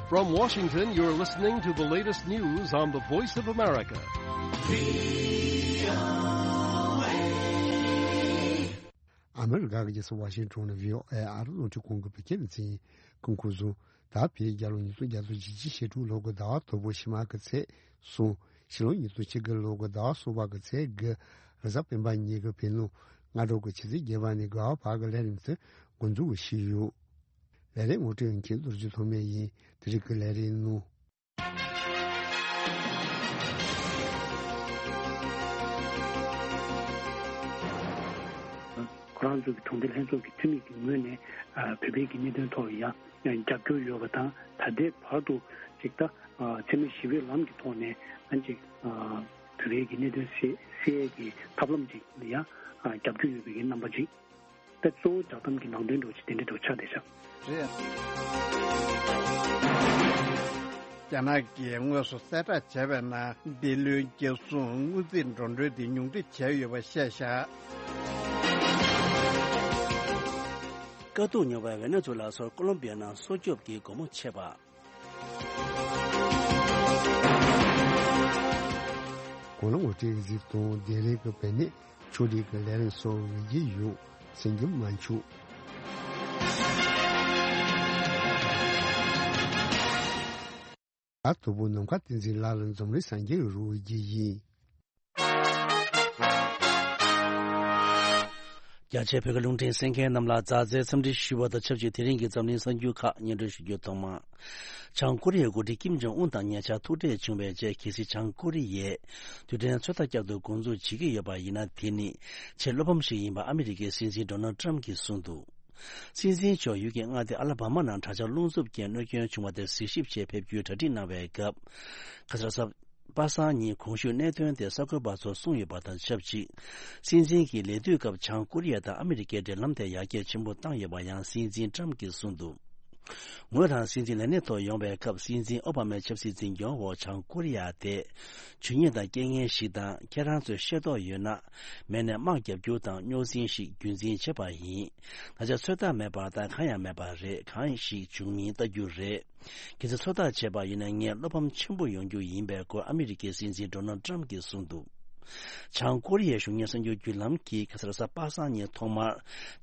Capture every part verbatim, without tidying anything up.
From Washington, you're listening to the latest news on the Voice of America. ཨ་མི་རི་ཀ་གི་རྒྱལ་ས་ཝ་ཤིང་ཊོན་ནས་བྷི་ཨོ་ཨེ་ཨ་རི་རླུང་འཕྲིན་ཁང་གི་བོད་སྐད་སྡེ་ཚན་ཡིན། སྐུ་ཁམས་བཟང་། ད་བོད་རྒྱལ་ལོ་ཉིས་སྟོང་བརྒྱ་དང་བཞི་བཅུ་ཞེ་དྲུག་ལོ་གི་ཟླ་བ་དང་པོ་ཕྱི་མ་གི་ཚེས་གསུམ། ཕྱི་ལོ་ཉིས་སྟོང་ཆིག་བརྒྱ་ལོ་གི་ཟླ་བ་གསུམ་པ་གི་ཚེས་དགུ། རེས་གཟའ་སྤེན་པ་ཉིན་གྱི་བོད་ནང་སྔ་དྲོ་གི་ཆུ་ཚོད་བརྒྱད་པ་ནས་དགུ་པ་བར་གྱི་ལས་རིམ་དེ་འགོ་འཛུགས་ཞུས་ཡོད། ལས་རིམ་ངོ་སྤྲོད་མཁན་རྡོ་རྗེ་ཐོགས་མེད་ཡིན། དེ་རིང་གི་ལས་རིམ་ནང་། ཁོ་རང་ཚོའི་གྲོང་སྡེ་ལྷན་ཚོགས་ཀྱི་འཐུས་མི་གི་ངོས་ནས་ཨ་བོད་པའི་གི་གནད་དོན་ཐོག་ལ་ཡང་རྒྱབ་སྐྱོར་ཡོད་པ་དང་། ད་ལྟའི་བར་དུ་ཅིག་ད་ཨ་འཚེ་མེད་ཞི་བའི་ལམ་གྱི་ཐོག་ནས་ཨ་ཅིག་ཨ་བོད་པའི་གི་གནད་དོན་སེལ་སེལ་ཡས་ཀྱི་ཐབས་ལམ་ཅིག་ལ་ཡང་ཨ་རྒྱབ་སྐྱོར་ཡོད་པའི་གི་རྣམ་པ་ཅིག་ད་གཙོ་བོ་བསྒྲགས་གཏམ་གྱི་ནང་དོན་འདྲ་བོ་ཅིག་དེ་འདྲ་འདྲ་བོ་ཆགས་བསྡད་ཤག་རེད། རྒྱ་ནག་གིས་དངོས་སུ་གསལ་བསྒྲགས་བྱས་པའི་ནང་། འདི་ལོའི་རྒྱལ་སྲུང་དངུལ་རྩིས་འགྲོ་གྲོན་དེ་ཉུང་འཕྲི་བྱས་ཡོད་པ་བཤད་བཞག་དཀའ་སྡུག་མྱོང་བའི་ཝེ་ནེ་ཛུ་ལ་སོགས་ཀོ་ལོམ་བི་ཡ་ནང་སྲོག་སྐྱོབ་ཀྱི་སྒོ་མོ་ཕྱེ་བ། གོང་ལ་ངོ་སྤྲོད་གཟིགས་དང་། བདེ་ལེགས་ཀྱི་བེད་ནས་ཕྱོགས་སྒྲིག་གི་ལས་རིམ་སོགས་འོས་ཀྱི་ཡོད། སེང་གེ་དམར་མཆོག་ད་དོ་པོ་ནམ་མཁའ་བསྟན་འཛིན་ལགས་ལ་འཛོམས་རིང་སངས་རྒྱས་རོགས་ཀྱི་ཡིན། རྒྱ་ཆེ་བོད་ཀྱི་རླུང་འཕྲིན་གསན་མཁན་རྣམས་ལ་མཛའ་བརྩེའི་འཚམས་འདྲི་ཞུ་བ་དང་ཆབས་ཅིག་དེ་རིང་གི་འཛམ་གླིང་གསར་འགྱུར་ཁག་སྙན་སྒྲོན་ཞུ་རྒྱུ། ཐོག་མར། བྱང་ཀོ་རི་ཡའི་འགོ་ཁྲིད་ཀིམ་ཇོང་ཨུན་དང་ཉེ་ཆར་ཐུག་འཕྲད་བྱུང་བའི་རྗེས། གལ་སྲིད་བྱང་ཀོ་རི་ཡས་རྡུལ་ཕྲན་ཚོད་ལྟ་བསྐྱར་དུ་འགོ་འཛུགས་བྱེད་ཀྱི་ཡོད་པ་ཡིན་ན། དེ་ནི་ཆེས་བློ་ཕམ་ཞིག་ཡིན་པ་ཨ་མི་རི་ཀའི་སྲིད་འཛིན་ཌོ་ནལ་ཊམ་གྱིས་གསུངས་འདུག་སྲིད་འཛིན་མཆོག་ཡུལ་གྱི་མངའ་སྡེ་ཨ་ལ་བྷ་མ་ནང་དྲག་ཆར་རླུང་འཚུབ་རྐྱེན་གནོད་སྐྱོན་བྱུང་བ་དེར་གཟིགས་ཞིབ་ཆེད་ཕེབས་རྒྱུའི་གྲ་སྒྲིག་གནང་བའི་སྐབས། ཁ་སང་གཟའ་པ་སངས་ཉིན་གོང་ཞུས་གནད་དོན་དེ་གསར་འགོད་པ་ཚོར་གསུངས་ཡོད་པ་དང་ཆབས་ཅིག་སྲིད་འཛིན་གྱིས་ལས་དུས་སྐབས་བྱང་ཀོ་རི་ཡ་དང་ཨ་མི་རི་ཀའི་འབྲེལ་ལམ་དེ་ཡར་རྒྱས་ཆེན་པོ་བཏང་ཡོད་པ་ཡང་སྲིད་འཛིན་ཊམ་གྱིས་གསུངས་འདུག་ངོས་རང་སྲིད་འཛིན་ལས་གནས་ཐོག་ཡོང་བའི་སྐབས། སྲིད་འཛིན་ཨོ་བྷ་མའི་ཆབ་སྲིད་འཛིན་སྐྱོང་འོག་བྱང་ཀོ་རི་ཡ་དེ་ཇུས་ཉེས་དང་རྐྱེན་ངན་ཞིག་དང་། ཁྱེད་རང་ཚོས་ཤེས་རྟོགས་ཡོད་ན། མེད་ནས་དམག་རྒྱག་རྒྱུ་དང་རྙོག་འཛིང་ཞིག་རྒྱུན་འཛིན་བྱེད་པ་ཡིན། ད་ཆ་ཚོད་ལྟ་མེད་པར་ད་གང་ཡང་མེད་པ་རེད། གང་ཞིག་འབྱུང་མིན་ལྟ་རྒྱུ་རེད། གལ་སྲིད་ཚོད་ལྟ་བྱས་པ་ཡིན་ན། ངས་བློ་ཕམ་ཆེན་པོ་ཡོང་རྒྱུ་ཡིན་པའི་སྐོར་ཨ་མི་རི་ཀའི་སྲིད་འཛིན་ཌོ་ནལ་ཊམ་གྱིས་གསུངས་འདུག་བྱང་ཀོ་རི་ཡའི་གཞུང་གཉེར་གསར་འགྱུར་བརྒྱུད་ལམ་གྱིས་ཁ་སང་གཟའ་པ་སངས་ཉིན་ཐོག་མར་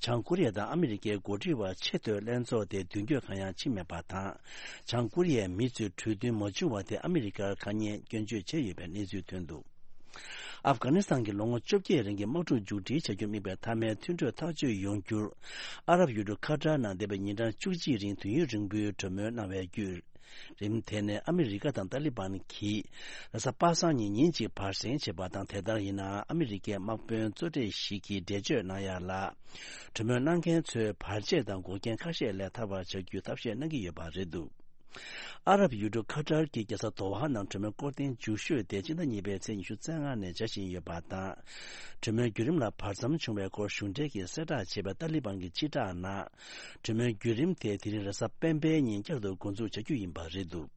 བྱང་ཀོ་རི་ཡ་དང་ཨ་མི་རི་ཀའི་འགོ་ཁྲིད་བར་ཆེས་མཐོའི་ལྷན་ཚོགས་དེ་མདུན་སྐྱོད་གང་ཡང་ཕྱིན་མེད་པ་དང་། བྱང་ཀོ་རི་ཡའི་མི་ཚོས་གྲོས་མཐུན་མ་བྱུང་བ་དེ་ཨ་མི་རི་ཀར་དཀའ་ངལ་སྐྱོན་བརྗོད་བྱས་ཡོད་པའི་གནས་ཚུལ་ཐོན་འདུག་ཨབ་གྷ་ནི་སི་ཐན་གྱི་ལོ་ངོ་བཅོ་བརྒྱད་རིང་གི་དམག་འཁྲུག་མཇུག་སྒྲིལ་བྱ་རྒྱུར་དམིགས་པའི་མཐའ་མའི་མཐུན་གྲོས་ཐག་གཅོད་ཡོང་རྒྱུར། ཨ་རབ་ཡུལ་གྲུ་ཁ་ཏར་ནང་འདས་པའི་ཉིན་གྲངས་བཅུ་གཅིག་རིང་དུས་ཡུན་རིང་པོའི་གྲོས་མོལ་གནང་བའི་བརྒྱུད། རིམ་དེ་ནས་ཨ་མི་རི་ཀ་དང་ཏཱ་ལི་བན་གྱིས་རེས་གཟའ་པ་སངས་ཉིན་ཉིན་གཅིག་བར་གསེང་བྱས་པ་དང་། དེ་ལྟར་ཡིན་ནའང་ཨ་མི་རི་ཀའི་དམག་དཔོན་གཙོ་གྲས་ཤིག་གིས་འགྲེལ་བརྗོད་གནང་ཡ་ལ། གྲོས་མོལ་གནང་མཁན་ཚོས་བར་ཆད་དང་འགོག་རྐྱེན་ཁ་ཤས་ལས་ཐར་བར་བྱ་རྒྱུའི་ཐབས་ཤེས་གནང་གི་ཡོད་པ་རེད་འདུག་ཨ་རབ་ཡུལ་གྲུ་ཁ་ཏར་གྱིས་རྒྱལ་ས་དོ་ཧ་ནང་གྲོས་མོལ་སྐོར་ཐེངས་མཇུག་ཤོས་དེ་སྤྱི་ཟླ་གཉིས་པའི་ཚེས་ཉི་ཤུ་རྩ་ལྔ་ནས་བྱ་བཞིན་ཡོད་པ་དང་། གྲོས་མོལ་བརྒྱུད་རིམ་ལ་བར་མཚམས་བྱུང་བའི་སྐོར་གཞུང་འབྲེལ་གྱིས་གསལ་བསྒྲགས་བྱས་པའི་ཏཱ་ལི་བན་གྱི་སྤྱི་བསྒྲགས་ནང་། གྲོས་མོལ་བརྒྱུད་རིམ་དེ་དེ་རིང་རེས་གཟའ་སྤེན་པའི་ཉིན་བསྐྱར་དུ་འགོ་འཛུགས་བྱ་རྒྱུ་ཡིན་པ་རེད་འདུག་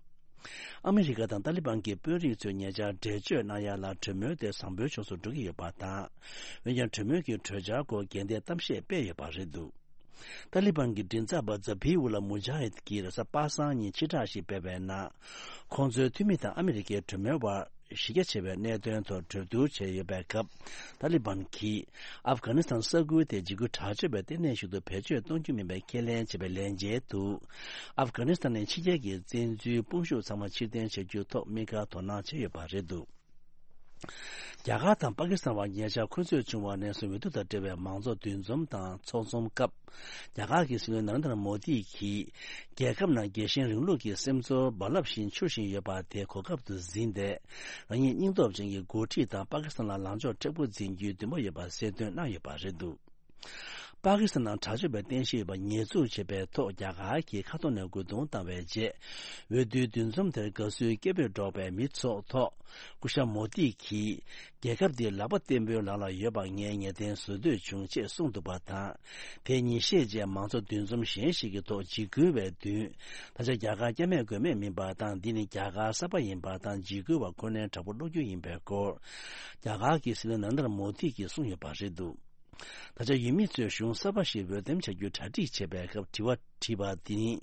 ཨ་མི་རི་ཀ་དང་ཏཱ་ལི་བན་གྱི་དཔོན་རིགས་ཚོས་ཉེ་ཆར་འགྲེལ་བརྗོད་གནང་ཡ་ལ། གྲོས་མོལ་དེ་བཟང་པོའི་ཕྱོགས་སུ་འགྲོ་གི་ཡོད་པ་དང་། འོན་ཀྱང་གྲོས་མོལ་གྱི་གྲོས་འཆར་སྐོར་འགལ་ཟླའི་གཏམ་བཤད་སྤེལ་ཡོད་པ་རེད་འདུག་ཏཱ་ལི་བན་གྱི་མགྲིན་ཚབ་པ་ཛ་བྷི་ཨུ་ལ་མུ་ཇཱ་ཧིད་ཀྱིས་རེས་གཟའ་པ་སངས་ཉིན་ཕྱིར་བསྒྲགས་ཤིག་སྤེལ་བའི་ནང་། ཁོང་ཚོའི་འཐུས་མི་དང་ཨ་མི་རི་ཀའི་གྲོས་མོལ་བར་གཞི་རྒྱ་ཆེ་བའི་གནད་དོན་ཐོག་གྲོས་བསྡུར་བྱས་ཡོད་པའི་སྐབས། ཏཱ་ལི་བན་གྱིས་ཨབ་གྷ་ནི་སི་ཐན་ས་ཁུལ་དེ་འཇིགས་སྐུལ་དྲག་སྤྱོད་པའི་ལྟེ་གནས་ཤིག་ཏུ་བེད་སྤྱོད་གཏོང་རྒྱུ་མིན་པའི་ཁས་ལེན་བྱས་པའི་ལན་འཇལ་དུ། ཨབ་གྷ་ནི་སི་ཐན་ནས་ཕྱི་རྒྱལ་གྱི་བཙན་འཛུལ་དཔུང་ཤུགས་ཚང་མ་ཕྱིར་འཐེན་བྱ་རྒྱུའི་ཐོག་དམིགས་བཀར་དོ་སྣང་བྱས་ཡོད་པ་རེད་འདུག་རྒྱ་གར་དང་པ་ཀི་སི་ཐན་བར་ཉེ་ཆར་འཁོན་རྩོད་བྱུང་བ་ནས་བཟུང་འོས་བསྡུ་དང་འབྲེལ་བའི་མང་གཙོ་འདུ་འཛོམས་དང་ཚོགས་འཛོམས་སྐབས། རྒྱ་གར་གྱི་སྲིད་བློན་ནཱ་རེན་དྲ་མོ་དི་གིས། རྒྱལ་ཁབ་ནང་རྒྱལ་ཞེན་རིང་ལུགས་ཀྱི་སེམས་ཚོར་རྦ་རླབས་བཞིན་འཕྱུར་བཞིན་ཡོད་པ་དེ་གོ་སྐབས་སུ་འཛིན་ཏེ། རང་ཉིད་སྙིང་སྟོབས་ཅན་གྱི་འགོ་ཁྲིད་དང་པ་ཀི་སི་ཐན་ལ་ལངས་ཕྱོགས་མཁྲེགས་པོ་འཛིན་རྒྱུའི་འདུན་པ་ཡོད་པ་གསལ་སྟོན་གནང་ཡོད་པ་རེད་འདུག་པ་ཀི་སི་ཐན་ནང་དྲག་སྤྱོད་པའི་རྟེན་གཞི་ཡོད་པ་ཉེས་འཛུགས་བྱས་པའི་ཐོག་རྒྱ་གར་གྱིས་ཁ་ཐོར་ནས་རྒོལ་རྡུང་བཏང་བའི་རྗེས། འོས་བསྡུའི་འདུ་འཛོམས་དེར་དགའ་བསུའི་སྐད་འབོད་སྒྲོག་པའི་མིའི་ཚོགས་ཐོག་སྐུ་ཞབས་མོ་དི་གིས། རྒྱལ་ཁབ་འདི་ལག་པ་བརྟན་པོའི་ལག་ལ་ཡོད་པ་ངས་ངེས་གཏན་བཟོ་འདོད་བྱུང་ཅེས་གསུངས་འདུག་པ་དང་། དེ་ཉིན་ཤས་རྗེས་མང་གཙོ་འདུ་འཛོམས་གཞན་ཞིག་གི་ཐོག་འཇིགས་སྐུལ་བའི་མདུན། ད་ཆ་རྒྱ་གར་སྐྱབས་མེད་མགོན་མེད་མིན་པ་དང་། འདི་ནི་རྒྱ་གར་གསར་པ་ཡིན་པ་དང་། འཇིགས་སྐུལ་བ་ཁོ་ནའི་དྲག་པོ་བློ་འགྱོད་ཡིན་པའི་སྐོར། རྒྱ་གར་གྱི་སྲིད་བློན་ནཱ་རེན་དྲ་མོ་དི་གིས་གསུངས་ཡོད་པ་རེད་འདུག་ད་ཆ་ཡུལ་མི་ཚོས་གཞུང་གསར་པ་ཞིག་འོས་འདེམས་བྱ་རྒྱུའི་གྲ་སྒྲིག་བྱེད་པའི་སྐབས་དྲི་བ་དྲིས་པ་འདི་ནི།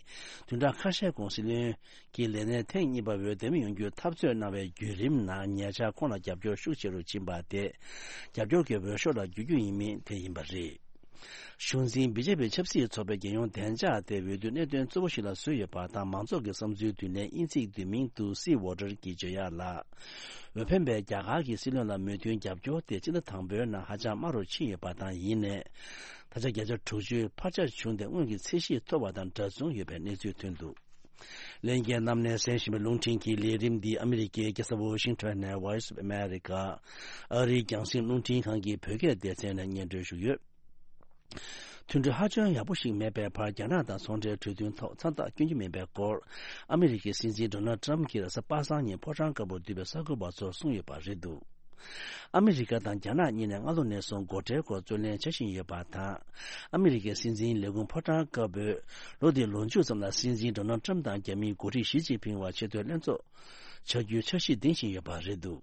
བདུན་ཕྲག་ཁ་ཤས་གོང་སྲིད་བློན་གྱི་ལས་གནས་ཐེངས་གཉིས་པ་འོས་འདེམས་ཡོང་རྒྱུའི་འཐབ་རྩོད་གནང་བའི་བརྒྱུད་རིམ་ནང་ཉེ་ཆར་ཁོང་ལ་རྒྱབ་སྐྱོར་ཤུགས་ཆེ་རུ་ཕྱིན་པ་དེ། རྒྱབ་སྐྱོར་གྱི་འོས་ཤོག་ལ་འགྱུར་རྒྱུ་ཡིན་མིན་དེ་ཡིན་པ་རེད། གཞུང་འཛིན་བི་ཇེ་པི་ཆབ་སྲིད་ཚོགས་པའི་རྒྱལ་ཡོངས་བདེ་འཇགས་དེ་འོས་བསྡུའི་གནད་དོན་གཙོ་བོ་ཞིག་ལ་བཟོས་ཡོད་པ་དང་། མང་ཚོགས་ཀྱི་བསམ་ཚུལ་བསྡུ་ལེན་དབྱིན་ཚིག་བསྡུས་མིང་དུ་Sea Water གྱིས་བརྗོད་ཡག་ལ། འོས་འཕེན་པས་རྒྱ་གར་གྱི་སྲིད་བློན་ལ་མོས་མཐུན་རྒྱབ་སྐྱོར་དེ་སྤྱི་ཟླ་དང་པོའི་ནང་ཧ་ཅང་དམའ་རུ་ཕྱིན་ཡོད་པ་དང་། ཡིན་ནའི། ད་ཆ་བརྒྱ་ཆ་དྲུག་ཅུའི་འཕར་ཆ་བྱུང་སྟེ་སྔོན་གྱི་ཚད་གཞི་མཐོ་བ་དང་འདྲ་མཚུངས་ཡོད་པའི་གནས་ཚུལ་ཐོན་འདུག་ལྷན་རྒྱས་རྣམས་ནས་གསན་བཞིན་པའི་རླུང་འཕྲིན་གྱི་ལས་རིམ་འདི་ཨ་མི་རི་ཀའི་རྒྱལ་ས་ཝོ་ཤིང་ཊོན་ནས་Voice of America ཨ་རིའི་རྒྱང་སྲིང་རླུང་འཕྲིན་ཁང་གི་བོད་སྐད་སྡེ་ཚན་ནས་སྙན་སྒྲོན་ཞུས་ཡོད། མཐུན་གྲོས་ཧ་ཅང་ཡག་པོ་ཞིག་མེད་པའི་བར། རྒྱ་ནག་དང་ཚོང་འབྲེལ་གྲོས་མཐུན་ཐོག་མཚམས་རྟགས་བསྐྱོན་རྒྱུ་མིན་པའི་སྐོར། ཨ་མི་རི་ཀའི་སྲིད་འཛིན་ཌོ་ནལ་ཊམ་གྱིས་རེས་གཟའ་པ་སངས་ཉིན་ཕོ་བྲང་དཀར་པོར་འདུས་པའི་གསར་འགོད་པ་ཚོར་གསུངས་ཡོད་པ་རེད་འདུག་ཨ་མི་རི་ཀ་དང་རྒྱ་ནག་གཉིས་ནས་སྔ་ལོ་ནས་བཟུང་སྒོ་ཁྲལ་སྐོར་རྩོད་གླེང་བྱ་བཞིན་ཡོད་པ་དང་། ཨ་མི་རི་ཀའི་སྲིད་འཛིན་ལས་ཁུངས་ཕོ་བྲང་དཀར་པོས་ལོ་འདིའི་ལོ་མཇུག་ཙམ་ལ་སྲིད་འཛིན་ཌོ་ནལ་ཊམ་དང་རྒྱ་མིའི་འགོ་ཁྲིད་ཞི་ཅིན་ཕིང་བར་ཆེས་མཐོའི་ལྷན་ཚོགས་བྱ་རྒྱུའི་འཆར་གཞི་འདིང་བཞིན་ཡོད་པ་རེད་འདུག་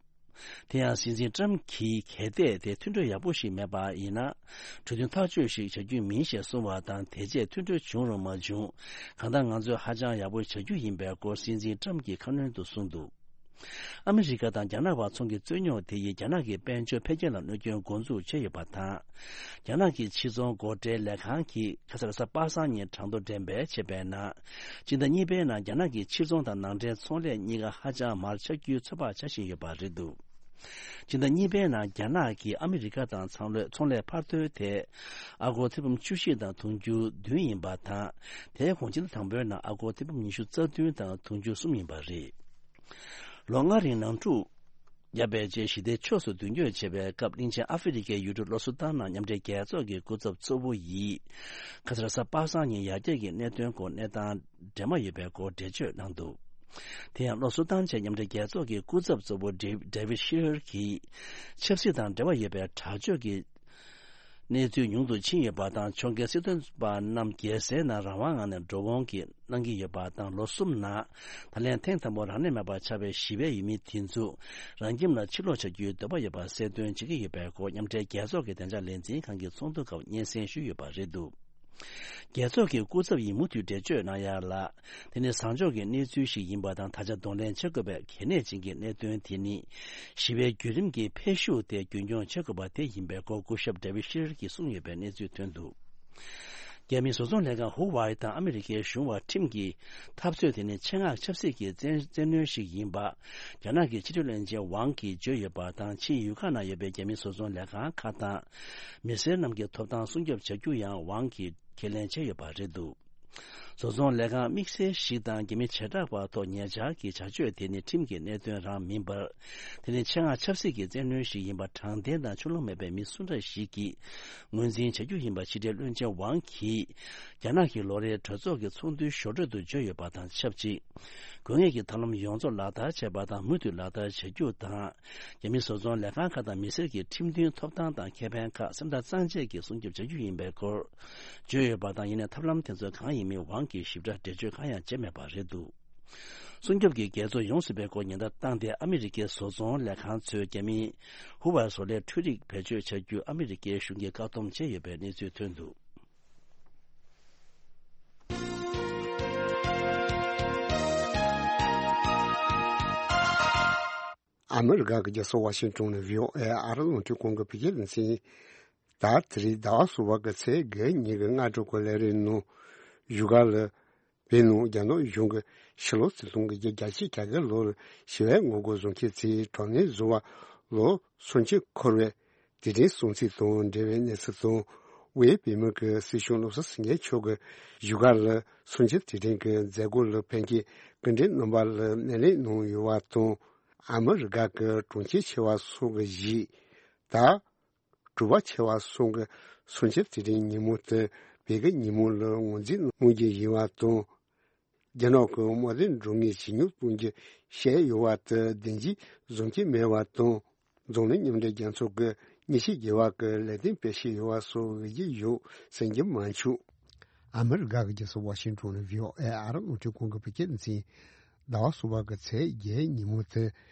དེ་ཡང་སྲིད་འཛིན་ཊམ་གྱིས་གལ་ཏེ་དེ་མཐུན་གྲོས་ཡག་པོ་ཞིག་མེད་པ་ཡིན་ན། གྲོས་མཐུན་ཐག་གཅོད་ཞིག་བྱ་རྒྱུ་མིན་ཞེས་གསུངས་པ་དང་། དེ་རྗེས་མཐུན་གྲོས་བྱུང་རུང་མ་བྱུང་། གང་ལྟར་ང་ཚོས་ཧ་ཅང་ཡག་པོ་བྱ་རྒྱུ་ཡིན་པའི་སྐོར་སྲིད་འཛིན་ཊམ་གྱིས་ཁ་སྣོན་དུ་གསུངས་འདུག་ཨ་མི་རི་ཀ་དང་རྒྱ་ནག་བར་ཚོང་གི་རྩོད་རྙོག་དེ་ཡིས་རྒྱ་ནག་གི་དཔལ་འབྱོར་འཕེལ་རྒྱས་ལ་གནོད་སྐྱོན་འགོ་འཛུགས་བྱས་ཡོད་པ་དང་། རྒྱ་ནག་གི་ཕྱིར་ཚོང་སྒོ་ཁྲལ་ལས་ཁང་གིས་ཁ་སང་རེས་གཟའ་པ་སངས་ཉིན་གྲངས་ཐོ་འགྲེམས་སྤེལ་བྱས་པའི་ནང་། སྤྱི་ཟླ་གཉིས་པའི་ནང་རྒྱ་ནག་གི་ཕྱིར་ཚོང་དང་ནང་འདྲེན་ཚོང་ལས་གཉིས་ཀ་ཧ་ཅང་མར་ཆག་རྒྱུའི་ཚོད་དཔག་བྱ་བཞིན་ཡོད་པ་རེད་འདུག་སྤྱི་ཟླ་གཉིས་པའི་ནང་རྒྱ་ནག་གིས་ཨ་མི་རི་ཀ་དང་ཚོང་ལས་ཚོང་ལས་འཕར་ཐོན་ཐད་ཨ་སྒོར་ཐེར་འབུམ་བཅུ་བཞི་དང་དུང་ཕྱུར་བདུན་ཡིན་པ་དང་། དེའི་གོང་སྤྱི་ཟླ་དང་པོའི་ནང་ཨ་སྒོར་ཐེར་འབུམ་ཉི་ཤུ་རྩ་བདུན་དང་དུང་ཕྱུར་གསུམ་ཡིན་པ་རེད། ལོ་ལྔ་རིང་ནང་འཁྲུག་བརྒྱབ་པའི་རྗེས་ཞི་བདེའི་ཕྱོགས་སུ་མདུན་སྐྱོད་བྱེད་པའི་སྐབས། གླིང་ཆེན་ཨ་ཧྥེ་རི་ཁའི་ཡུལ་གྲུ་ལོ་སུ་ཏན་ནང་མཉམ་འབྲེལ་རྒྱལ་ཚོགས་ཀྱི་སྐུ་ཚབ་གཙོ་བོ་ཡིས། ཁ་སང་རེས་གཟའ་པ་སངས་ཉིན་ཡར་རྒྱས་ཀྱི་གནད་དོན་སྐོར་གནས་སྟངས་འདྲ་མ་ཡོད་པའི་སྐོར་འགྲེལ་བརྗོད་གནང་འདུག་དེ་ཡང་ལོ་སུ་ཏན་བཅས་མཉམ་འབྲེལ་རྒྱལ་ཚོགས་ཀྱི་སྐུ་ཚབ་གཙོ་བོ་ཌེ་ཌེ་ཝིད་ཤི་ཧར་གྱིས། ཆབ་སྲིད་དང་འབྲེལ་བ་ཡོད་པའི་དྲག་སྤྱོད་ཀྱི་གནས་ཚུལ་ཉུང་དུ་ཕྱིན་ཡོད་པ་དང་། ཕྱོགས་འགལ་སྲིད་དོན་པ་རྣམས་རྒྱལ་སའི་ནང་རང་དབང་ངང་ནས་འགྲོ་འོང་གི་གནང་གི་ཡོད་པ་དང་། ལོ་གསུམ་ནང་ད་ལན་ཐེངས་དང་པོ་རང་ལས་མེད་པར་ཆགས་པའི་ཞི་བའི་ཡུལ་མི་དེ་ཚོ་རང་ཁྱིམ་ལ་ཕྱིར་ལོག་བྱ་རྒྱུའི་འདོད་པ་ཡོད་པ་གསལ་སྟོན་བྱེད་ཀྱི་ཡོད་པའི་སྐོར། མཉམ་འབྲེལ་རྒྱལ་ཚོགས་ཀྱི་བདེ་འཇགས་ལས་འཛིན་ཁང་གི་ཚོགས་འདུ་སྐབས་སྙན་སེང་ཞུས་ཡོད་པ་རེད་འདུག་རྒྱལ་ཚོགས་ཀྱི་སྐུ་ཚབ་ཡིས་མུ་མཐུད་འགྲེལ་བརྗོད་གནང་ཡག་ལ། དེ་ནི་བཟང་ཕྱོགས་ཀྱི་གནས་ཚུལ་ཞིག་ཡིན་པ་དང་། ད་ཆ་གདོང་ལེན་བྱེད་དགོས་པའི་གལ་གནད་ཅན་གྱི་གནད་དོན་དེ་ནི། ཞི་བའི་བརྒྱུད་རིམ་གྱི་འཕེལ་ཤུགས་དེ་རྒྱུན་འཁྱོངས་བྱེད་དགོས་པ་དེ་ཡིན་པའི་སྐོར་སྐུ་ཞབས་ཌེ་ཝིད་ཤི་ཧར་གྱིས་གསུངས་ཡོད་པའི་གནས་ཚུལ་ཐོན་འདུག་རྒྱ་མིའི་བཟོ་ཚོང་ལས་ཁང་ཧུ་ཝའེ་དང་ཨ་མི་རི་ཀའི་གཞུང་བར་ཁྲིམས་ཀྱི་འཐབ་རྩོད་དེ་ནི་ཆེད་མངགས་ཆབ་སྲིད་ཀྱི་བཙན་བཙན་གནོན་ཞིག་ཡིན་པ། རྒྱ་ནག་གི་ཕྱི་དྲིལ་བློན་ཆེན་ཝང་གིས་བརྗོད་ཡོད་པ་དང་། ཆིངས་ཡུལ་ཁག་ནང་ཡོད་པའི་རྒྱ་མིའི་བཟོ་ཚོང་ལས་ཁང་ཁག་དང་། མི་སེར་རྣམས་ཀྱི་ཐོབ་ཐང་སྲུང་སྐྱོབ་བྱ་རྒྱུ་ཡང་ཝང་གིས་ཁས་ལེན་བྱས་ཡོད་པ་རེད་འདུག་བཟོ་ཚོང་ལས་ཁང་དམིགས་བསལ་ཞིག་དང་རྒྱ་མི་བྱེ་བྲག་པ་ཐོག་ཉེ་ཆར་གྱི་བྱ་སྤྱོད་དེ་ནི་ཁྲིམས་ཀྱི་གནད་དོན་རང་མིན་པར། དེ་ནི་ཆེད་མངགས་ཆབ་སྲིད་ཀྱི་བཙན་གནོན་ཞིག་ཡིན་པ། དྲང་བདེན་དང་ཕྱོགས་ལྷུང་མེད་པའི་མི་སུ་འདྲ་ཞིག་གིས་ངོས་འཛིན་བྱ་རྒྱུ་ཡིན་པ། ཕྱི་དྲིལ་བློན་ཆེན་ཝང་གིས་རྒྱ་ནག་གི་ལོ་རེའི་གྲོས་ཚོགས་ཀྱི་ཚོགས་འདུའི་ཞོར་འཕྲོས་སུ་བརྗོད་ཡོད་པ་དང་ཆབས་ཅིག་དགོས་ངེས་ཀྱི་ཐབས་ལམ་ཡོངས་རྫོགས་ལག་བསྟར་བྱས་པ་དང་མུ་མཐུད་ལག་བསྟར་བྱ་རྒྱུ་དང་། རྒྱ་མི་བཟོ་ཚོང་ལས་ཁང་ཁག་དང་མི་སེར་གྱི་ཁྲིམས་མཐུན་ཐོབ་ཐང་དང་ཁེ་ཕན་ཁག་སེམས་ཐག་གཙང་བཅད་ཀྱིས་སྲུང་སྐྱོབ་བྱ་རྒྱུ་ཡིན་པའི་སྐོར་བརྗོད་ཡོད་པ་དང་། ཡིན་ནའི་ཐབས་ལམ་དེ་ཚོ་གང་ཡིན་མིན་ཝང་གིས་ཞིབ་ཕྲ་འགྲེལ་བརྗོད་གང་ཡང་བྱས་མེད་པ་རེད་འདུག་སྲུང་སྐྱོབ་ཀྱི་འགལ་རྩོད་ཡོང་སྲིད་པའི་སྐོར་ཉེན་བརྡ་བཏང་སྟེ། ཨ་མི་རི་ཀའི་བཟོ་ཚོང་ལས་ཁང་ཚོས་རྒྱ་མིའི་ཧུ་ཝའེ་བཟོ་ལས་འཕྲུལ་རིག་བེད་སྤྱོད་བྱ་རྒྱུ་ཨ་མི་རི་ཀའི་གཞུང་གིས་བཀག་སྡོམ་བྱས་ཡོད་པའི་གནས་ཚུལ་ཐོན་འདུག་ཨ་མི་རི་ཀ་གི་རྒྱལ་ས་ཝ་ཤིང་ཊོན་ནས་བྷི་ཨོ་ཨེ་ཨ་རི་རླུང་འཕྲིན་ཁང་གི་བོད་སྐད་སྡེ་ཚན། ད་དེ་རིང་ཟླ་བ་གསུམ་པ་གི་ཚེས་བརྒྱད་ཉིན་གྱི་སྔ་དྲོ་གི་ལས་རིམ་ནང་བཞུགས་སྒར་ལ། བོད་ནང་རྒྱ་ནག་གཞུང་གིས་ཕྱི་ལོ་ཆིག་སྟོང་དགུ་བརྒྱ་བརྒྱད་ཅུ་གྱ་བརྒྱད་ལོར་ཞི་བའི་ངོ་རྒོལ་བཟོ་མཁན་ཚོས་དྲག་གནོན་བཟོ་བར་ལོ་སུམ་ཅུ་འཁོར་བའི་དུས་དྲན་སྲུང་བརྩི་དང་འབྲེལ་བའི་གནས་ཚུལ་དང་། དབུས་བོད་མི་གི་སྲིད་སྐྱོང་བློ་བཟང་སེང་གེ་མཆོག་གིས་བཞུགས་སྒར་ལ་སུམ་ཅུ་དུས་དྲན་གྱི་མཛད་སྒོ་ལ་ཕེབས་མཁན་སྐུ་མགྲོན་རྣམ་པ་ལ་སྣེ་ལེན་གནང་ཡོད་པ་དང་། ཨ་མི་རི་ཀ་གི་གྲོང་ཁྱེར་ཆེ་བ་སོགས་ཀྱི་གཞིས། ད། གྲུ་པ་ཆེ་བ་སོགས་ཀྱི་སུམ་ཅུ་དུས་དྲན་ཉིན་མོ་དེ་བོད་ཀྱི་ཉིན་མོ་ལ་ངོས་འཛིན་གནང་རྒྱུ་ཡིན་པ་དང་། རྒྱ་ནག་གི་དམག་དོན་འགྲོ་ངེས་ཇེ་ཉུང་གཏོང་རྒྱུ་བཤད་ཡོད་པ་དེ་བདེན་འཛིན་བཟོ་གི་མེད་པ་དང་། འཛམ་གླིང་མཉམ་འབྲེལ་རྒྱལ་ཚོགས་ཀྱིས་ཉེས་ཆད་འགེལ་བ་གི་ལས་དོན་སྤེལ་བཞིན་ཡོད་པ་སོགས་འོས་ཀྱི་ཡོད་ཟེར་གྱི་མ་བྱུང་། ཨ་མི་རི་ཀ་གི་རྒྱལ་ས་ཝ་ཤིང་ཊོན་ནས་བྷི་ཨོ་ཨེ་ཨ་རི་རླུང་འཕྲིན་ཁང་གི་བོད་སྐད་སྡེ་ཚན། ཟླ་བ་གསུམ་པ་གི་ཚེས་བརྒྱད་ཉིན་མོ་དེ་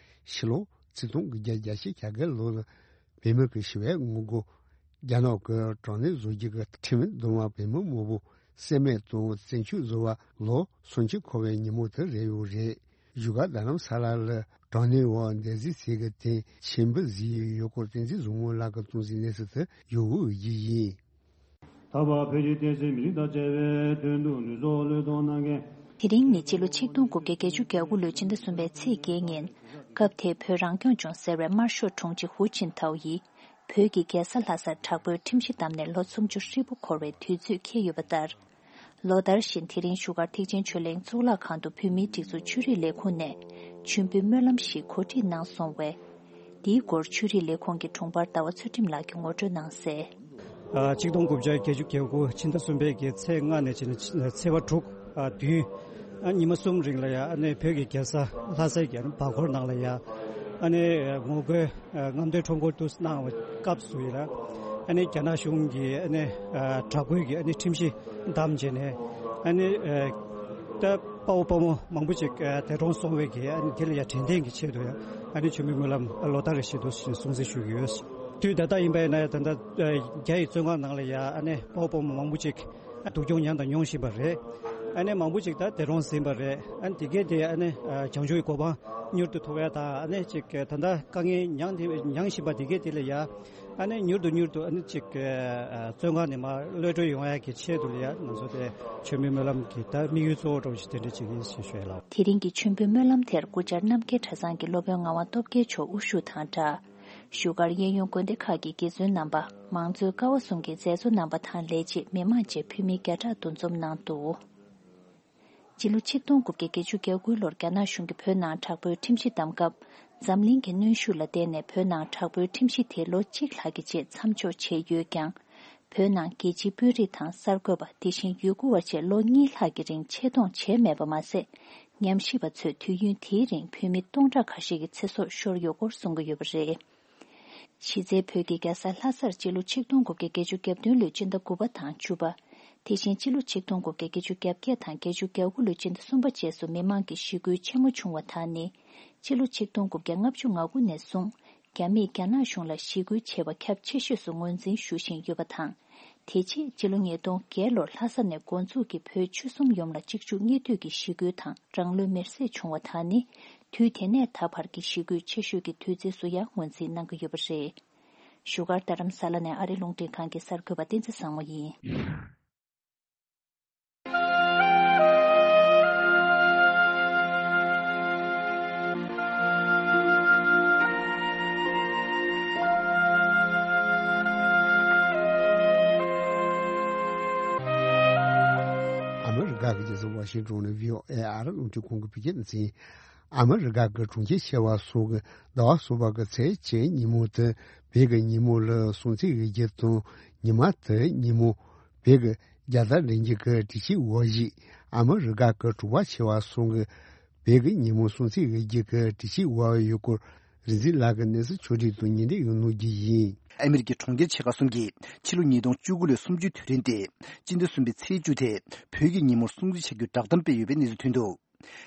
ཕྱི་ལོ་ཆིག་སྟོང་དགུ་བརྒྱ་བརྒྱད་ཅུ་གྱ་བརྒྱད་ལོ་ལ་བོད་མི་གི་ཞི་བའི་ངོ་རྒོལ་ རྒྱ་ནག་གི་གྲངས་གནས་བཟོ་རྒྱུ་གི་ཁྲིམས་འདུམ་པ་བོད་མི་མང་པོ་བསད་རྨས་དང་བཙན་བྱོལ་བཟོ་བ་ལོ་སུམ་ཅུ་འཁོར་བའི་ཉིན་མོ་དེ་རེད་ཡོད་རེད། བཞུགས་སྒར་རྡ་རམ་ས་ལ་ལ་གྲངས་གནས་འོག་འདས་གཟིགས་ཚིག་གི་སྟེང་མཆན་བུ་བཟོས་ཡོད་སྐོར་བསྟན་འཛིན་བཟང་མོ་ལགས་ཀྱིས་གཏོང་གཟིགས་གནས་ཚུལ་དེ་ཡོད་དགུ་བརྒྱུད་ཡིན། ད་བར་བོད་ཀྱི་བསྟན་སྲིད་མི་རིགས་དང་བཅས་པའི་དོན་དུ་ལུས་སྲོག་བློས་གཏོང་གནང་མཁན། དེ་རིང་ནི་སྤྱི་ལོ་ཆིག་སྟོང་དགུ་བརྒྱ་བརྒྱད་ཅུ་གྱ་དགུ་ལོའི་ཕྱི་ཟླ་གསུམ་པའི་ཚེས་བརྒྱད་ཉིན། སྐབས་དེའི་བོད་རང་སྐྱོང་ལྗོངས་ཟེར་བའི་དམར་ཤོག་དྲུང་ཆེ་ཧུའུ་ཅིན་ཐའོ་ཡིས། བོད་ཀྱི་རྒྱལ་ས་ལྷ་སར་དྲག་པོའི་ཁྲིམས་གཞི་བསྡམས་ནས་ལོ་སུམ་ཅུ་ཧྲིལ་པོ་འཁོར་བའི་དུས་ཚོད་འཁེལ་ཡོད་པ་ལྟར། ལོ་ལྟར་བཞིན་དེ་རིང་བཞུགས་སྒར་ཐེག་ཆེན་ཆོས་གླིང་གཙུག་ལག་ཁང་དུ་བོད་མིའི་སྒྲིག་འཛུགས་ཆོས་རིག་ལས་ཁུངས་ནས་མཆོད་འབུལ་སྨོན་ལམ་ཞིག་གོ་སྒྲིག་གནང་སོང་བས། འདིའི་སྐོར་ཆོས་རིག་ལས་ཁུངས་ཀྱི་དྲུང་འཕར་ཟླ་བ་ཚུལ་ཁྲིམས་ལགས་ཀྱིས་ངོ་སྤྲོད་གནང་གསལ། ཆིག་སྟོང་དགུ་བརྒྱ་བརྒྱད་ཅུ་གྱ་དགུ་ཕྱི་ཟླ་གསུམ་པའི་གི་ཚེས་ལྔ་ནས་བྱས་ནས་ཚེས་པ་དྲུག་བདུན་ཉི་མ་གསུམ་རིང་ལ་ཡ་ཨ་ནི་བོད་ཀྱི་རྒྱལ་ས་ལྷ་སའི་གི་བར་སྐོར་ནང་ལ་ཡ་ཨ་ནི་ངོ་རྒོལ་རྔམ་སྟོན་ཁྲོམ་སྐོར་དུ་གནང་བའི་སྐབས་སུ་ཡིན་ལ། ཨ་ནི་རྒྱ་ནག་གཞུང་གིས་ཨ་ནི་དྲག་པོའི་གི་ཨ་ནི་ཁྲིམས་གཞི་བསྡམས་བྱས་ནས་ཨ་ནི་ད་དཔའ་བོ་དཔའ་མོ་མང་པོ་ཅིག་འདས་གྲོངས་སོང་བའི་གི་ཨ་ནི་དེ་ལ་ཡ་དྲན་རྟེན་གྱི་ཆེད་དུ་ཡ་ཨ་ནི་མཆོད་འབུལ་སྨོན་ལམ་ལོ་ལྟར་རེ་བཞིན་དུ་སྲུང་བརྩི་ཞུ་གི་ཡོད། དུས་ད་ལྟ་ཡིན་པ་ཡིན་ན་ཡ་ད་ལྟ་རྒྱ་ཡི་བཙོན་ཁང་ནང་ལ་ཡ་ཨ་ནི་དཔའ་བོ་དཔའ་མོ་མང་པོ་ཅིག་སྡུག་གྱོང་མྱངས་དང་མྱོང་བཞིན་པ་རེད། ཨ་ནི་མང་པོ་ཅིག་ད་འདས་གྲོངས་ཟིན་པ་རེད། ཨ་ནི་དེ་གས་དེ་ཨ་ནི་བྱང་ཆུབ་ཀྱི་གོ་འཕང་མྱུར་དུ་ཐོབ་ཡ་དང་ཨ་ནི་ཅིག་ད་ལྟ་དཀའ་ངལ་མྱངས་དེ་མྱངས་བཞིན་པ་དེ་གས་དེ་ལ་ཡ་ཨ་ནི་མྱུར་དུ་མྱུར་དུ་ཨ་ནི་ཅིག་བཙོན་ཁང་ནས་མར་གློད་གྲོལ་ཡོང་ཡ་གི་ཆེད་དུ་ལ་ཡ་ང་ཚོ་དེ་མཆོད་འབུལ་སྨོན་ལམ་གྱི་ད་དམིགས་ཡུལ་གཙོ་བོ་འདྲ་བོ་ཞིག་དེ་འདྲ་ཅིག་ཡིན་ཞེས་ཞུ་ཡ་ལགས། དེ་རིང་གི་མཆོད་འབུལ་སྨོན་ལམ་དེར་སྐུ་བཅར་རྣམ་རྒྱལ་གྲྭ་ཚང་གི་སློབ་དཔོན་ངག་དབང་སྟོབས་རྒྱལ་མཆོག་དབུ་བཞུགས་དང་སྦྲགས། བཞུགས་སྒར་གཡས་གཡོན་དགོན་སྡེ་ཁག་གི་དགེ་བཙུན་རྣམ་པ། མང་གཙོའི་ཀ་བ་གསུམ་གྱི་མཛད་གཙོ་རྣམ་པ་དང་ལས་བྱེད་མི་མང་བཅས་འཕུལ་མི་བརྒྱ་ཕྲག་འདུ་འཛོམས་གནང་འདུག་སྤྱི་ལོ་ཆིག་སྟོང་དགུ་བརྒྱ་བརྒྱད་ཅུ་གྱ་དགུ་ལོར་རྒྱ་ནག་གཞུང་གིས་བོད་ནང་དྲག་པོའི་ཁྲིམས་གཞི་བསྡམས་སྐབས། འཛམ་གླིང་གི་གནོན་ཤུགས་ལ་བརྟེན་ནས་བོད་ནང་དྲག་པོའི་ཁྲིམས་གཞི་དེ་ལོ་གཅིག་ལྷག་གི་རྗེས་མཚམས་འཇོག་བྱས་ཡོད་ཀྱང་། བོད་ནང་རྒྱལ་སྤྱིའི་དཔོན་རིགས་དང་གསར་འགོད་པ་དེ་བཞིན་ཡུལ་སྐོར་བ་བཅས་ལོ་གཉིས་ལྷག་གི་རིང་ཆེད་གཏོང་བྱས་མེད་པ་མ་ཟད། ཉམས་ཞིབ་པ་ཚོས་དུས་ཡུན་དེའི་རིང་བོད་མི་སྟོང་ཕྲག་ཁ་ཤས་ཀྱི་ཚེ་སྲོག་ཤོར་ཡོད་སྐོར་གསུང་གི་ཡོད་པ་རེད། གཞི་རྩའི་བོད་ཀྱི་རྒྱལ་ས་ལྷ་སར་སྤྱི་ལོ་ཆིག་སྟོང་དགུ་བརྒྱ་བརྒྱད་ཅུ་གྱ་བདུན་ལོའི་སྤྱི་ཟླ་དགུ་པ་དང་བཅུ་པ། དེ་བཞིན་སྤྱི་ལོ་ཆིག་སྟོང་དགུ་བརྒྱ་བརྒྱད་ཅུ་གྱ་བརྒྱད་དང་བརྒྱད་ཅུ་གྱ་དགུ་ལོའི་སྤྱི་ཟླ་གསུམ་པ་བཅས་སུ་མི་མང་གི་ཞི་རྒོལ་ཆེན་མོ་བྱུང་བ་དག་ནི། སྤྱི་ལོ་ཆིག་སྟོང་དགུ་བརྒྱ་ལྔ་བཅུ་ང་དགུ་ནས་བཟུང་རྒྱ་མིས་རྒྱ་ནག་གཞུང་ལ་ཞི་རྒོལ་བྱས་པ་ཁྱབ་ཆེ་ཤོས་སུ་ངོས་འཛིན་ཞུ་བཞིན་ཡོད་པ་དང་། དེ་རྗེས་སྤྱི་ལོ་ཉིས་སྟོང་བརྒྱད་ལོར་ལྷ་ས་ནས་འགོ་འཛུགས་ཀྱིས་བོད་ཆོལ་གསུམ་ཡོངས་ལ་གཅིག་མཇུག་གཉིས་མཐུད་ཀྱི་ཞི་རྒོལ་དང་རང་ལུས་མེར་སྲེག་བྱུང་བ་དག་ནི། དུས་དེ་ནས་ད་བར་གྱི་ཞི་རྒོལ་ཆེ་ཤོས་ཀྱི་དུས་ཚོད་སུ་ཡང་ངོས་འཛིན་གནང་གི་ཡོད་པ་རེད། བཞུགས་སྒར་རྡ་རམ་ས་ལ་ནས་ཨ་རི་རླུང་འཕྲིན་ཁང་གི་གསར་འགོད་པ་བསྟན་འཛིན་བཟང་མོ་ཡིན། ཨ་མི་རི་ཀ་གི་རྒྱལ་ས་ཝ་ཤིང་ཏོན་ནས་བྷི་ཨོ་ཨེ་ཨ་རི་རླུང་འཕྲིན་ཁང་གི་བོད་སྐད་སྡེ་ཚན། ཨ་མི་རི་ཀ་གི་གྲོང་ཁྱེར་ཆེ་བ་སོགས་ཀྱི་ཟླ་བ་གསུམ་པ་གི་ཚེས་གཅིག་ཉིན་མོ་དེ་བོད་ཀྱི་ཉིན་མོ་ལ་སྲུང་བརྩི་ཡོད་རྒྱུ་དང་། ཉི་མ་དེ་ཉིན་མོ་བོད་ཀྱི་རྒྱལ་དར་འདྲེན་རྒྱུ་གི་སྒྲིག་གཞི་འོག་བཞུགས། ཨ་མི་རི་ཀ་གི་གྲོང་པ་ཆེ་བ་གསུམ་གྱི་བོད་ཀྱི་ཉིན་མོ་སྲུང་བརྩི་ཡོད་རྒྱུ་གི་སྒྲིག་གཞི་འོག་ཡོད་སྐོར་རིག་འཛིན་ལགས་ཀྱིས་གནས་ཚུལ་ཕྱོགས་སྒྲིག་དང་སྙན་སྒྲོན་ཡང་གནང་རྒྱུ་ཡིན། ཨ་མི་རི་ཀའི་གྲོང་ཁྱེར་ཆེ་ཁག་གསུམ་གྱིས་ཕྱི་ལོ་ཉིས་སྟོང་བཅུ་དགུ་ལོའི་གསུམ་བཅུའི་དུས་དྲན་ཏེ། སྤྱི་ཟླ་གསུམ་པའི་ཚེས་བཅུ་དེ་བོད་ཀྱི་ཉིན་མོར་སྲུང་བརྩི་བྱ་རྒྱུའི་བསྒྲགས་གཏམ་སྤེལ་ཡོད་པའི་གནས་ཚུལ་ཐོན་འདུག་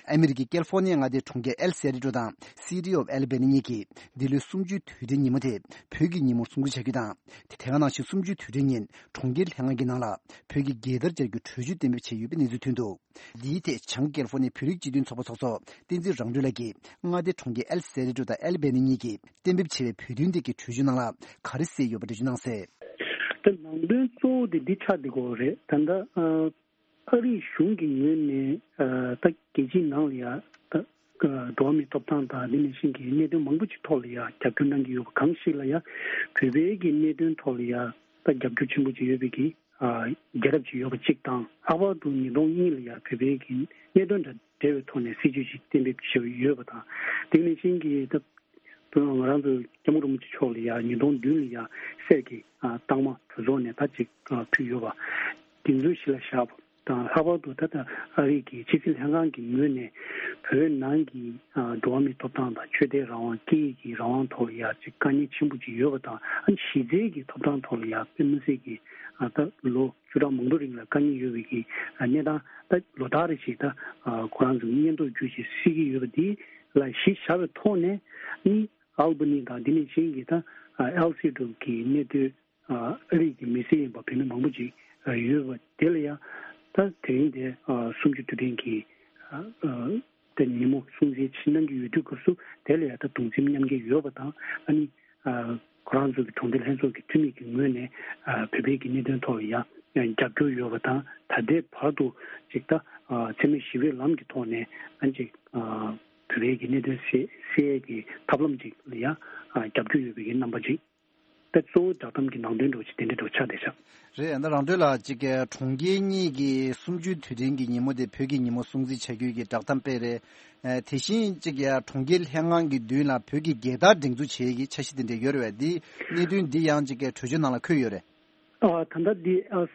ཨ་མི་རི་ཀའི་ཀལ་ཧྥོ་ནི་ཡ་མངའ་སྡེའི་གྲོང་ཁྱེར་ཨེལ་སེ་རི་ཏྲོ་དང་City of Albany གཉིས་ཀྱིས་འདི་ལོའི་གསུམ་བཅུའི་དུས་དྲན་ཉིན་མོ་དེ་བོད་ཀྱི་ཉིན་མོར་སྲུང་བརྩི་བྱ་རྒྱུ་དང་། དེ་སྔ་ནང་བཞིན་གསུམ་བཅུའི་དུས་དྲན་ཉིན་གྲོང་ཁྱེར་ལྷན་ཁང་གི་ནང་ལ་བོད་ཀྱི་རྒྱལ་དར་འཕྱར་རྒྱུའི་གྲོས་ཆོད་གཏན་འབེབས་བྱས་ཡོད་པའི་གནས་ཚུལ་ཐོན་འདུག་འདིའི་ཐད་བྱང་ཀལ་ཧྥོ་ནི་ཡའི་བོད་རིགས་སྤྱི་མཐུན་ཚོགས་པ་ཚོགས་གཙོ་བསྟན་འཛིན་རང་གྲོལ་ལགས་ཀྱིས་མངའ་སྡེ་གྲོང་ཁྱེར་ཨེལ་སེ་རི་ཏྲོ་དང་ཨེལ་བྷེ་ནི་གཉིས་ཀྱིས་གཏན་འབེབས་བྱས་པའི་བོད་དོན་ཐད་ཀྱི་གྲོས་ཆོད་ནང་ལ་ག་རེ་གསལ་ཡོད་པ་འགྲེལ་བརྗོད་གནང་གསལ། ད་ནང་དོན་གཙོ་བོ་དེ་འདི་ཆགས་བསྡད་ཀྱི་ཡོད་རེད། ད་ལྟ་ཨ་རིའི་གཞུང་གི་ངོས་ནས་ཨ་ད་རྒྱལ་སྤྱིའི་ནང་ལ་ཡ་ད་འགྲོ་བ་མིའི་ཐོབ་ཐང་དང་འདི་ནང་བཞིན་གྱི་གནད་དོན་མང་པོ་ཅིག་ཐོག་ལ་ཡ་རྒྱབ་སྐྱོར་གནང་གི་ཡོད་པ་གང་ཞིག་ལ་ཡ་བོད་པའི་གི་གནད་དོན་ཐོག་ལ་ཡ་ད་རྒྱབ་སྐྱོར་ཆེན་པོ་ཅིག་ཡོད་པའི་གི་ཨ་རྒྱལ་རབས་ཅིག་ཡོད་པ་གཅིག་དང་། ལྷག་པར་དུ་ཉིས་སྟོང་གཉིས་ལ་ཡ་བོད་པའི་གི་གནད་དོན་དང་འབྲེལ་བའི་ཐོག་ནས་སྲིད་ཇུས་ཅིག་གཏན་འབེབས་བྱས་ཡོད་པ་དང་། དེ་ནང་བཞིན་གྱི་ད་ང་རང་ཚོ་སྐྱབས་མགོན་རིན་པོ་ཆེ་མཆོག་ལ་ཡ་ཉིས་སྟོང་བདུན་ལ་ཡ་གསེར་གྱི་ཨ་རྟགས་མ་གྲོས་ཚོགས་ནས་ད་ཅིག་ཨ་ཕུལ་ཡོད་པ་དེ་ཚོ་གཞི་ལ་བཞག་པ་དང་། ལྷག་པར་དུ་ད་ལྟ་ཨ་རི་གི་ཕྱི་སྲིད་ལྷན་ཁང་གི་ངོས་ནས་བོད་ནང་གི་ཨ་འགྲོ་བ་མིའི་ཐོབ་ཐང་དང་ཆོས་དད་རང་དབང་སྐད་ཡིག་གི་རང་དབང་ཐོག་ལ་ཡ་ཅིག་དཀའ་ངལ་ཆེན་པོ་ཅིག་ཡོད་པ་དང་། ཨ་གཞི་རྩའི་གི་ཐོབ་ཐང་ཐོག་ལ་ཡ་དཔེ་མི་སྲིད་ཀྱི་ཨ་ད་ལོ་བཅུ་ཕྲག་མང་པོ་རིང་ལ་དཀའ་ངལ་ཡོད་པའི་གི་གནས་སྟངས་ད་ལོ་ལྟར་རེ་བཞིན་ད་ཁོ་རང་ཚོ་སྙན་ཐོ་བརྒྱུད་བྱས་གསལ་གྱི་ཡོད་པ་འདི་ལ་གཞི་བཞག་པའི་ཐོག་ནས་ནི་ཨལ་བྷ་ནི་དང་འདི་ནང་བཞིན་གྱི་ད་ཨེལ་སི་ཀྲུབ་ཀྱི་གནད་དོན་ ཨ་རིགས་ཀྱི་མི་སེར་ཡིན་པ་བོད་མི་མང་པོ་ཅིག་ཡོད་པ་དེ་ལ་ཡང་ད་དེ་རིང་དེ་སུམ་ཅུ་དུས་དྲན་གྱི་ད་ཉིན་མོ་སྲུང་བརྩི་ཆེད་གནང་གི་ཡོད་དུས་སྐབས་སུ་དེ་ལ་ཡང་ད་གདུང་སེམས་མཉམ་སྐྱེད་ཡོད་པ་དང་། ཨ་ནི་ཁོ་རང་ཚོ་གི་གྲོང་སྡེ་ལྷན་ཚོགས་ཀྱི་འཐུས་མི་གི་ངོས་ནས་བོད་པའི་གི་གནད་དོན་ཐོག་ལ་ཡང་རྒྱབ་སྐྱོར་ཡོད་པ་དང་། ད་ལྟའི་བར་དུ་ཅིག་ད་འཚེ་མེད་ཞི་བའི་ལམ་གྱི་ཐོག་ནས་ཨ་ཅིག་བོད་པའི་གི་གནད་དོན་སེལ་སེལ་ཡས་ཀྱི་ཐབས་ལམ་ཅིག་ལ་ཡང་རྒྱབ་སྐྱོར་ཡོད་པའི་གི་རྣམ་པ་ཅིག་ད་གཙོ་བོ་བསྒྲགས་གཏམ་གྱི་ནང་དོན་འདྲ་བོ་ཅིག་དེ་འདྲ་འདྲ་བོ་ཆགས་བསྡད་ཤག་རེད། ད་རང་དོན་ལ་གཅིག་གི་གྲོང་ཁྱེར་གཉིས་ཀྱི་གསུམ་བཅུའི་དུས་དྲན་གྱི་ཉིན་མོ་དེ་བོད་ཀྱི་ཉིན་མོ་སྲུང་བརྩི་བྱ་རྒྱུའི་གི་བསྒྲགས་གཏམ་སྤེལ་རེད། ཨ་དེ་བཞིན་གཅིག་གི་གྲོང་ཁྱེར་ལྷན་ཁང་གི་མདུན་ལ་བོད་ཀྱི་རྒྱལ་དར་སྒྲེང་འཛུགས་བྱེད་ཀྱི་འཆར་གཞི་དེ་འདྲ་ཡོད་རེད་པས། འདི་གནད་དོན་འདི་ཡང་གཅིག་གི་གྲོས་ཆོད་ནང་ལ་འཁོད་ཡོད་རེད། ཨ་ད་ལྟ་འདི་ཨ་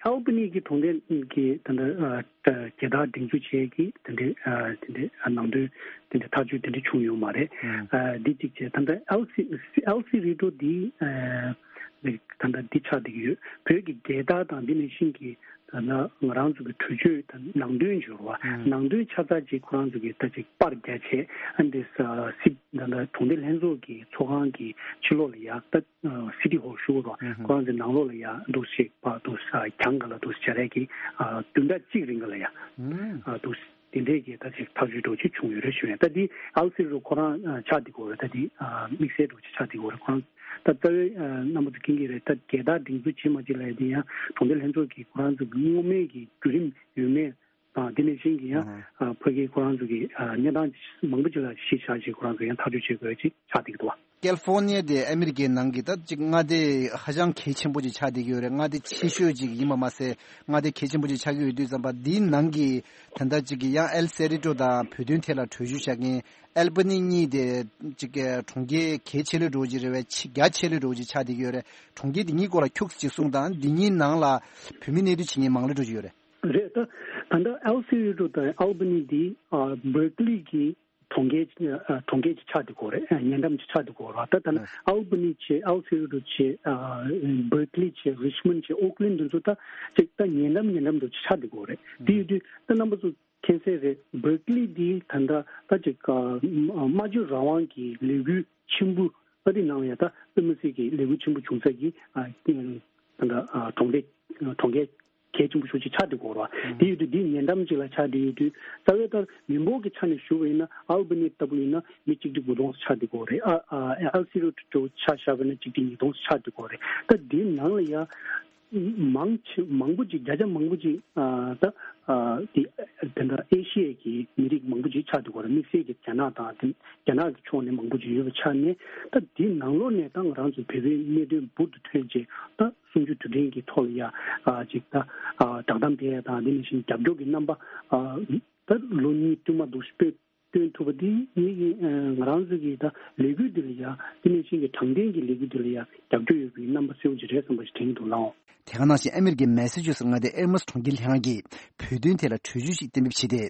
ཨལ་བྷ་ནི་གི་གྲོང་སྡེ་གི་ད་ལྟ་ཨ་རྒྱལ་དར་སྒྲེང་འཛུགས་བྱེད་ཀྱི་དེ་འདྲའི་ཨ་དེ་འདྲའི་ཨ་ནང་དོན་དེ་འདྲའི་ཐག་གཅོད་དེ་འདྲ་བྱུང་ཡོད་མ་རེད། ཨ་འདི་གཅིག་བྱས། ད་ལྟ་ཨེལ་སི་ཨེལ་སི་རི་ཊོ་འདི་ཨ་ད་ལྟ་འདི་ཆགས་བསྡད་ཀྱི་ཡོད། བོད་ཀྱི་རྒྱལ་དར་དང་འདི་ནང་བཞིན་གྱི་ད་ལྟ་ང་རང་ཚོ་གི་གྲོས་ཆོད་དང་ནང་དོན་འབྱོར་བ་ནང་དོན་ཆ་ཚང་ཅིག་ཁོ་རང་ཚོ་གི་ད་ཅིག་པར་རྒྱག་བྱས། ཨ་འདི་ས་སི་ད་ལྟ་གྲོང་སྡེ་ལྷན་ཚོགས་ཀྱི་ཚོགས་ཁང་གི་ཕྱི་ལོགས་ལ་ཡ་ད། སི་ཊི་ཧོལ་ཞུ་དགོས་རེད་བ། ཁོ་རང་ཚོའི་ནང་ལོགས་ལ་ཡ་འདུག་ཞིག་པ་འདུག་གྱང་ག་ལ་འདུག་སྦྱར་ཡས་ཀྱི་བདུན་ཕྲག་གཅིག་རིང་ག་ལ་ཡ་འདུག་དེ་འདྲས་ཀྱི་ད་ཅིག་ཐག་གཅོད་འདྲ་བོ་ཅིག་བྱུང་ཡོད་རེད་ཞུ་ཡ། ད་འདི་ཨལ་སི་རུ་ཁོ་རང་ཆགས་བསྡད་ཀྱི་ཡོད་རེད། ད་འདི་དམིགས་བསལ་འདྲ་བོ་ཅིག་ཆགས་བསྡད་ཀྱི་ཡོད་རེད། ཁོ་རང་ད་རྩ་བའི་རྣམ་པ་ཚོ་མཁྱེན་གྱི་རེད། ད་རྒྱལ་དར་སྒྲེང་འཛུགས་བྱེད་མ་བྱེད་ལབ་ཡ་དེ་ཡང་གྲོང་སྡེ་ལྷན་ཚོགས་ཀྱིས་ཁོ་རང་ཚོ་གི་སྔོན་མའི་གི་བརྒྱུད་རིམ་ཡོད་མེད། དང་དེ་ནས་གཞན་གྱི་ཡང་ཨ་ཕ་གིའི་ཁོ་རང་ཚོ་གི་ཨ་གནས་སྟངས་མང་པོ་ཅིག་ལ་གཞི་བཞག་ཅིག་ཁོ་རང་ཚོ་ཡང་ཐག་གཅོད་བྱེད་དགོས་ཅིག་ཆགས་བསྡད་ཀྱི་འདུག་བ། ཀལ་ཧྥོ་ནི་ཡ་དེ་ཨ་མི་རི་ཀའི་ནང་གི་ད་ཅིག་མངའ་སྡེ་ཧ་ཅང་གལ་ཆེན་པོ་ཅིག་ཆགས་བསྡད་ཀྱི་ཡོད་རེད། མངའ་སྡེ་ཆེ་ཤོས་ཅིག་ཡིན་པ་མ་ཟད་མངའ་སྡེ་གལ་ཆེན་པོ་ཅིག་ཆགས་ཀྱི་ཡོད་དུས་ཙམ་པ་འདིའི་ནང་གི་ད་ལྟ་ཅིག་གི་ཡང་ཨེལ་སེ་རི་ཊོ་དང་བོད་དོན་ཐད་ལ་གྲོས་ཞུ་བྱ་མཁན་ཨལ་བྷ་ནི་གཉིས་དེ་ཅིག་གི་གྲོང་ཁྱེར་གལ་ཆེ་ལོས་འགྲོ་གི་རེད་བས། ཆེ་རྒྱ་ཆེ་ལོས་འགྲོ་གི་ཆགས་བསྡད་ཀྱི་ཡོད་རེད། གྲོང་ཁྱེར་འདི་གཉིས་སྐོར་ལ་ཁྱུག་ཙམ་ཅིག་གསུངས་དང་། འདི་གཉིས་ནང་ལ་བོད་མི་གནས་སྡོད་བྱེད་མཁན་མང་ལོས་འགྲོ་གི་ཡོད་རེད། རེད། ད་ད་ལྟ་ཨེལ་སི་རི་ཊོ་དང་ཨལ་བྷ་ནི་འདི་ཨ་བྷར་ཀ་ལི་གི་གྲོང་ཁྱེར་ཨ་གྲོང་ཁྱེར་གྱི་ཆགས་བསྡད་ཀྱི་ཡོད་རེད། ཨ་ཉེ་འགྲམ་གྱི་ཆགས་བསྡད་ཀྱི་ཡོད་རེད། ད་ད་ལྟ་ཨལ་བྷ་ནི་བྱས། ཨེལ་སི་རི་ཊོ་བྱས། ཨ་བྷར་ཀ་ལི་བྱས། རི་ཆི་མོན་བྱས། ཨོག་ལན་འདི་ཚོ་ད་ཅིག་ད་ཉེ་འགྲམ་ཉེ་འགྲམ་དུ་ཆགས་བསྡད་ཀྱི་ཡོད་རེད། དེ་ཡོད་དུས་ད་རྣམ་པ་ཚོ་མཁྱེན་གསལ་རེད། བྷར་ཀ་ལི་འདི་ད་ལྟ་ད་ཅིག་ཨ་སྨྲ་བརྗོད་རང་དབང་གི་ལས་འགུལ་ཆེན་པོ་ད་འདི་ནང་ལ་ཡ་ད་དཔེ་མི་སྲིད་ཀྱི་ལས་འགུལ་ཆེན་པོ་བྱུང་ས་གི་ཨ་ད་ལྟ་ཨ་གྲོང་སྡེ་གྲོང་ཁྱེར་གལ་ཆེན་པོ་ཤོས་ཅིག་ཆགས་བསྡད་ཀྱི་ཡོད་རེད་བ། དེ་ཡོད་དུས་འདི་ཉེ་འགྲམ་ཅིག་ལ་ཆགས་བསྡད་ཡོད་དུས་རྩ་བའི་ལྟར་མི་འབོར་གྱི་ཆ་ནས་ཞུ་བ་ཡིན་ན་ཨལ་བྷ་ནི་ལྟ་བུ་ཡིན་ན་མི་གཅིག་ཁྲི་དགུ་སྟོང་ཆགས་བསྡད་ཀྱི་ཡོད་རེད། ཨ་ཨ་ཨལ་སི་རི་ཊོ་ཆ་བཞག་པ་ཡིན་ན་གཅིག་ཁྲི་ཉིས་སྟོང་ཆགས་བསྡད་ཀྱི་ཡོད་རེད། ད་འདི་ནང་ལ་ཡ་མང་ཆེ་མང་པོ་ཅིག་བརྒྱ་ཆ་མང་པོ་ཅིག་ཨ་ད་ཨ་དེ་དེ་འདྲ་ཨེ་ཤི་ཡའི་གི་མི་རིགས་མང་པོ་ཅིག་ཆགས་བསྡད་ཀྱི་ཡོད་རེད། དམིགས་བསལ་གྱི་རྒྱ་ནག་དང་དེ་རྒྱ་ནག་གི་ཕྱོགས་ནས་མང་པོ་ཅིག་ཡོད་པའི་ཆ་ནས། ད་དེའི་ནང་ལོགས་ནས་ད་ང་རང་ཚོ་བོད་པའི་གནད་དོན་འབུར་དུ་ཐོན་རྗེས་ད་གསུམ་བཅུ་དུས་དྲན་གྱི་ཐོག་ལ་ཡ་ཨ་ཅིག་ད་ཨ་བསྒྲགས་གཏམ་སྤེལ་ཡ་དང་། དེ་ནང་བཞིན་རྒྱབ་སྐྱོར་གྱི་རྣམ་པ་ཨ་ད་ལོ་གཉིས་བསྟུད་མར་འདུག་སྤེལ་སྟོན་ཐུབ་པ་འདི་ངེད་ཀྱི་ཨ་ང་རང་ཚོ་གི་ད་ལས་འགུལ་འདི་ལ་ཡ་དེ་ནང་བཞིན་གྱི་དྲང་བདེན་གྱི་ལས་འགུལ་འདི་ལ་ཡ་རྒྱབ་སྐྱོར་ཡོད་པའི་རྣམ་པ་གསལ་པོ་ཅིག་རེད་བསམ་པ་ཞིག་དྲན་གྱི་འདུག་ལགས། དེ་ག་ནང་བཞིན་ཨ་མི་རི་ཀའི་མེ་ས་ཅུ་སི་མངའ་སྡེའི་ཨེ་མོ་སི་གྲོང་ཁྱེར་ལྷན་ཁང་གིས་བོད་དོན་ཐད་ལ་གྲོས་ཆོད་ཞིག་གཏན་འབེབས་བྱས་ཏེ་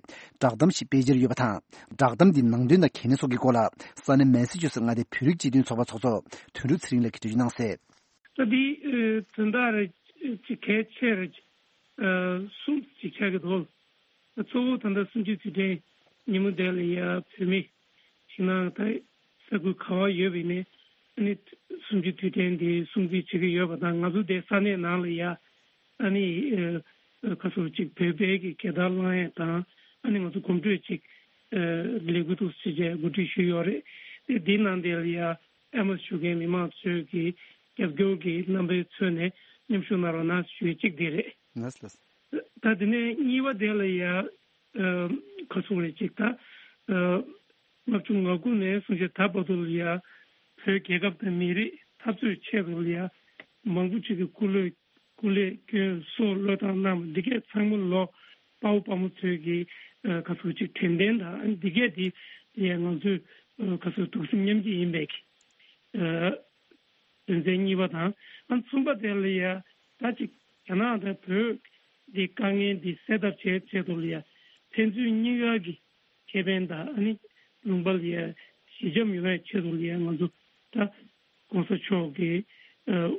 བསྒྲགས་གཏམ་ཞིག་སྤེལ་འཆར་ཡོད་པ་དང་། བསྒྲགས་གཏམ་འདིའི་ནང་དོན་དང་གལ་གནད་སོགས་ཀྱི་སྐོར་ལ་ས་གནས་མེ་ས་ཅུ་སི་མངའ་སྡེའི་བོད་རིགས་སྤྱི་མཐུན་ཚོགས་པ་ཚོགས་གཙོ་དོན་གྲུབ་ཚེ་རིང་ལགས་ཀྱིས་འགྲེལ་བརྗོད་གནང་གསལ། ད་འདི་ཨ་དོན་དག་རེ་ཅིག་གལ་ཆེ་རེ་ཨ་གསུམ་ཅིག་ཆགས་ཀྱི་འདུག་གཙོ་བོ་ད་ལྟ་གསུམ་བཅུའི་དུས་དྲན་ཉིན་མོ་དེ་ལ་ཡ་བོད་མི་ཞིང་ནང་ད་ས་ཁུལ་ག་བ་ཡོད་པ་ཡིན་ནའི་ཨ་ནི་གསུམ་བཅུའི་དུས་དྲན་འདི་སྲུང་བརྩི་བྱེད་ཀྱི་ཡོད་པ་དང་། ང་ཚོ་དེ་ས་གནས་ནང་ལ་ཡ་ཨ་ནི་ཨ་ཁ་སོ་ཅིག་བོད་པའི་གི་རྒྱལ་དར་བསླང་ཡས་དང་། ཨ་ནི་ང་ཚོ་གོམ་བགྲོད་ཅིག་ཨ་ལས་འགུལ་འདུག་སེ་བྱས་གོ་སྒྲིག་ཞུས་ཡོད་རེད། དེ་འདིའི་ནང་དེ་ལ་ཡ་ཨེ་མོ་སི་ཞུ་མཁན་མི་མང་ཚོས་ཀྱི་རྒྱབ་སྐྱོར་གྱི་རྣམ་པའི་ཚུལ་ནས་མཉམ་ཞུགས་གནང་རོགས་གནང་ཞུ་ཡས་གཅིག་དེ་རེད། ལགས་ལགས། ད་དེ་ནས་གཉིས་པ་དེ་ལ་ཡ་ཨ་ག་ཚོད་རེད་ཅིག་ད་ཨ་ལྔ་བཅུ་ང་དགུ་ནས་བཟུང་བྱས་ད་བར་དུ་ལ་ཡ་བོད་རྒྱལ་ཁབ་དང་མི་རིགས་འཐབ་རྩོད་ཆེད་དུ་ལ་ཡ་མང་པོ་ཅིག་གི་སྐུ་ལས་སྐུ་ལས་སྐྱོན་སྲོག་བློས་བཏང་གནང་བ་འདི་གས་ཚང་མ་ལོ་དཔའ་བོ་དཔའ་མོ་ཚོས་ཀྱི་ཨ་ག་ཚོད་ཅིག་དྲན་རྟེན་དང་། ཨ་འདི་གས་དེ་ཡ་ང་ཚོས་ཨ་ག་ཚོད་གདུང་སེམས་མཉམ་སྐྱེད་ཡིན་པའི་གི་ཨ་དོན་ཚན་གཉིས་པ་དང་། ཨ་གསུམ་པ་དེ་ལ་ཡ་ད་ཅིག་རྒྱ་ནག་དང་བོད་འདི་དཀའ་ངལ་འདི་སེལ་ཐབས་བྱེད་ཆེད་དུ་ལ་ཡ་ཕན་ཚུན་གཉིས་ཀ་གི་ཁེ་ཕན་དང་། ཨ་ནི་ལུང་པ་ལ་ཡ་ཞི་འཇམ་ཡོང་བའི་ཆེད་དུ་ལ་ཡ་ང་ཚོ་ད་༸གོང་ས་མཆོག་གི་ཨ་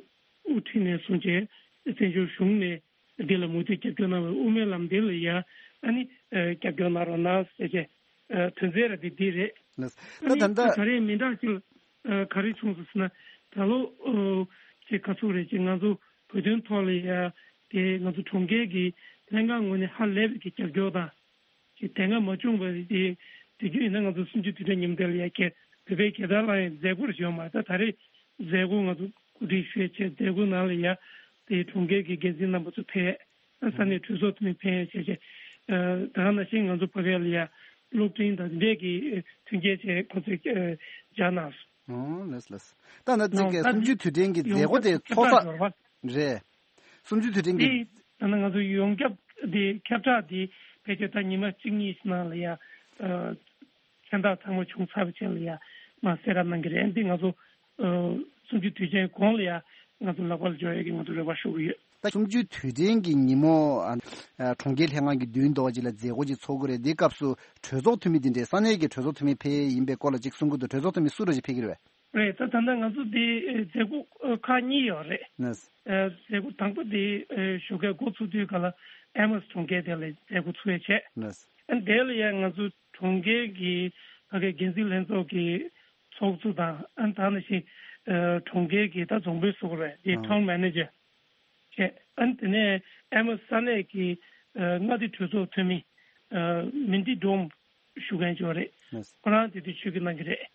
དབུ་ཁྲིད་ནས་བཟུང་བྱས་བཙན་བྱོལ་གཞུང་ནས་འདི་ལ་མུ་མཐུད་རྒྱབ་སྐྱོར་གནང་བའི་དབུ་མའི་ལམ་འདི་ལ་ཡ་ཨ་ནི་ཨ་རྒྱབ་སྐྱོར་གནང་རོགས་གནང་ཟེར་བྱས་ཨ་དོན་ཚན་ར་འདི་འདི་རེད། ལགས། ཨ་ད་ནི་ད་ལྟ་ད་ག་རེ་མི་འདྲ་ཅིག་ཨ་ག་རེ་བྱུང་སོང་ཟེར་ན། ད་ལོ་ཨ་ ཅིག་ག་ཚོད་རེད། ཅིག་ང་ཚོ་བོད་དོན་ཐོག་ལ་ཡ་དེ་ང་ཚོ་གྲོང་ཁྱེར་གྱི་ལྷན་ཁང་ངོས་ནས་ཧ་ལས་པའི་གི་རྒྱབ་སྐྱོར་དང་། ཅིག་དེ་སྔ་མ་བྱུང་བ་རེད། དེ་དུས་རྒྱུན་ཡིན་ན་ང་ཚོ་གསུམ་བཅུའི་དུས་དྲན་ཉིན་མོ་དེ་ལ་ཡ་ཁྱེད་བོད་པའི་རྒྱལ་དར་ལ་ཡང་མཛད་སྒོ་རེ་ཞིག་ཡོད་མ་རེད། ད་ད་རེས་མཛད་སྒོ་ང་ཚོ་གོ་སྒྲིག་ཞུས་བྱས་མཛད་སྒོ་ནང་ལ་ཡ་དེ་གྲོང་ཁྱེར་གྱི་འགན་འཛིན་རྣམ་པ་ཚོ་ཕེབས། ཨ་ས་གནས་གྲོས་ཚོགས་འཐུས་མི་ཕེབས་བྱས་བྱས། ཨ་ད་ག་ནང་བཞིན་ང་ཚོ་ཕ་གི་ལ་ཡ་གློག་འཕྲིན་དང་འདི་འདྲས་ཀྱི་མཐུན་རྐྱེན་བཅས་ཁོ་ཚོས་ཨ་སྦྱར་གནང་སོང་། ཨོ་ལགས་ལགས། ད་ནི་ཅིག་ད་གསུམ་བཅུའི་དུས་དྲན་གྱི་མཛད་སྒོ་དེ་ཚོགས་ས་རེད། གསུམ་བཅུའི་དུས་དྲན་གྱི། དེ་ད་ནི་ང་ཚོ་ཡོངས་ཁྱབ་དེ་ཁྱབ་བསྒྲགས་དེ་ཕལ་ཆེར་ད་ཉི་མ་གཅིག་གཉིས་ཤིག་ནང་ལ་ཡ་ཨ་མཚན་རྟགས་ཚང་མ་བྱུང་ཚར་བའི་རྗེས་ལ་ཡ་མར་གསལ་བསྒྲགས་གནང་གི་རེད། འདི་ང་ཚོ་ཨ་གསུམ་བཅུའི་དུས་ཆེན་གོང་ལ་ཡ་ང་ཚོ་ལག་པ་ལ་འབྱོར་ཡ་གི་ང་ཚོ་རེ་བ་ཞུ་གི་ཡོད། ད་གསུམ་བཅུའི་དུས་དྲན་གྱི་ཉིན་མོ་ཨ་ཨ་གྲོང་ཁྱེར་ལྷན་ཁང་གི་མདུན་ཐོག་ཅིག་ལ་མཛད་སྒོ་ཅིག་ཚོགས་ཀྱི་རེད། འདིའི་སྐབས་སུ་གྲོས་ཚོགས་འཐུས་མི་འདི་འདྲའི་ས་གནས་ཀྱི་གྲོས་ཚོགས་འཐུས་མི་ཕེབས་ཡིན་པའི་སྐོར་ལ་ཅིག་གསུང་གི་འདུག་གྲོས་ཚོགས་འཐུས་མི་སུ་རེད་ཅིག་ཕེབས་ཀྱི་རེད་པས། རེད། ད་ད་ལྟ་ང་ཚོ་འདི་ཨེ་མཛད་སྒོ་ཨེ་ཁག་གཉིས་ཡོད་རེད། ལགས། ཨེ་མཛད་སྒོ་དང་པོ་འདི་ཨེ་ཞོགས་ཀས་འགོ་ཚུགས་དུས་ག་ལ་ཨེ་མོས་གྲོང་ཁྱེར་དེ་ལ་མཛད་སྒོ་ཚུགས་ཡས་བྱས། ལགས། ཨ་དེ་ལ་ཡང་ང་ཚོ་གྲོང་ཁྱེར་གྱི་ཕ་གི་འགན་འཛིན་ལྷན་ཚོགས་ཀྱི་ཚོགས་གཙོ་དང་། ཨ་ད་ནང་བཞིན་ཨེ་གྲོང་ཁྱེར་གྱི་ད་རྫོང་དཔོན་ཟེར་དགོས་རེད། དེ་ཨ་ཊའུན་མེ་ནེ་ཇར་བྱས། ཨ་དེ་ནས་ཨེ་མོས་ས་གནས་ཀྱི་ཨེ་མངའ་སྡེ་གྲོས་ཚོགས་འཐུས་མི་ཨེ་མིན་ཏི་ཌོམ་ཞུ་མཁན་ཅིག་ཡོད་རེད། ལགས། ཁོ་རང་དེ་དུས་ཆིབས་བསྒྱུར་གནང་གི་རེད།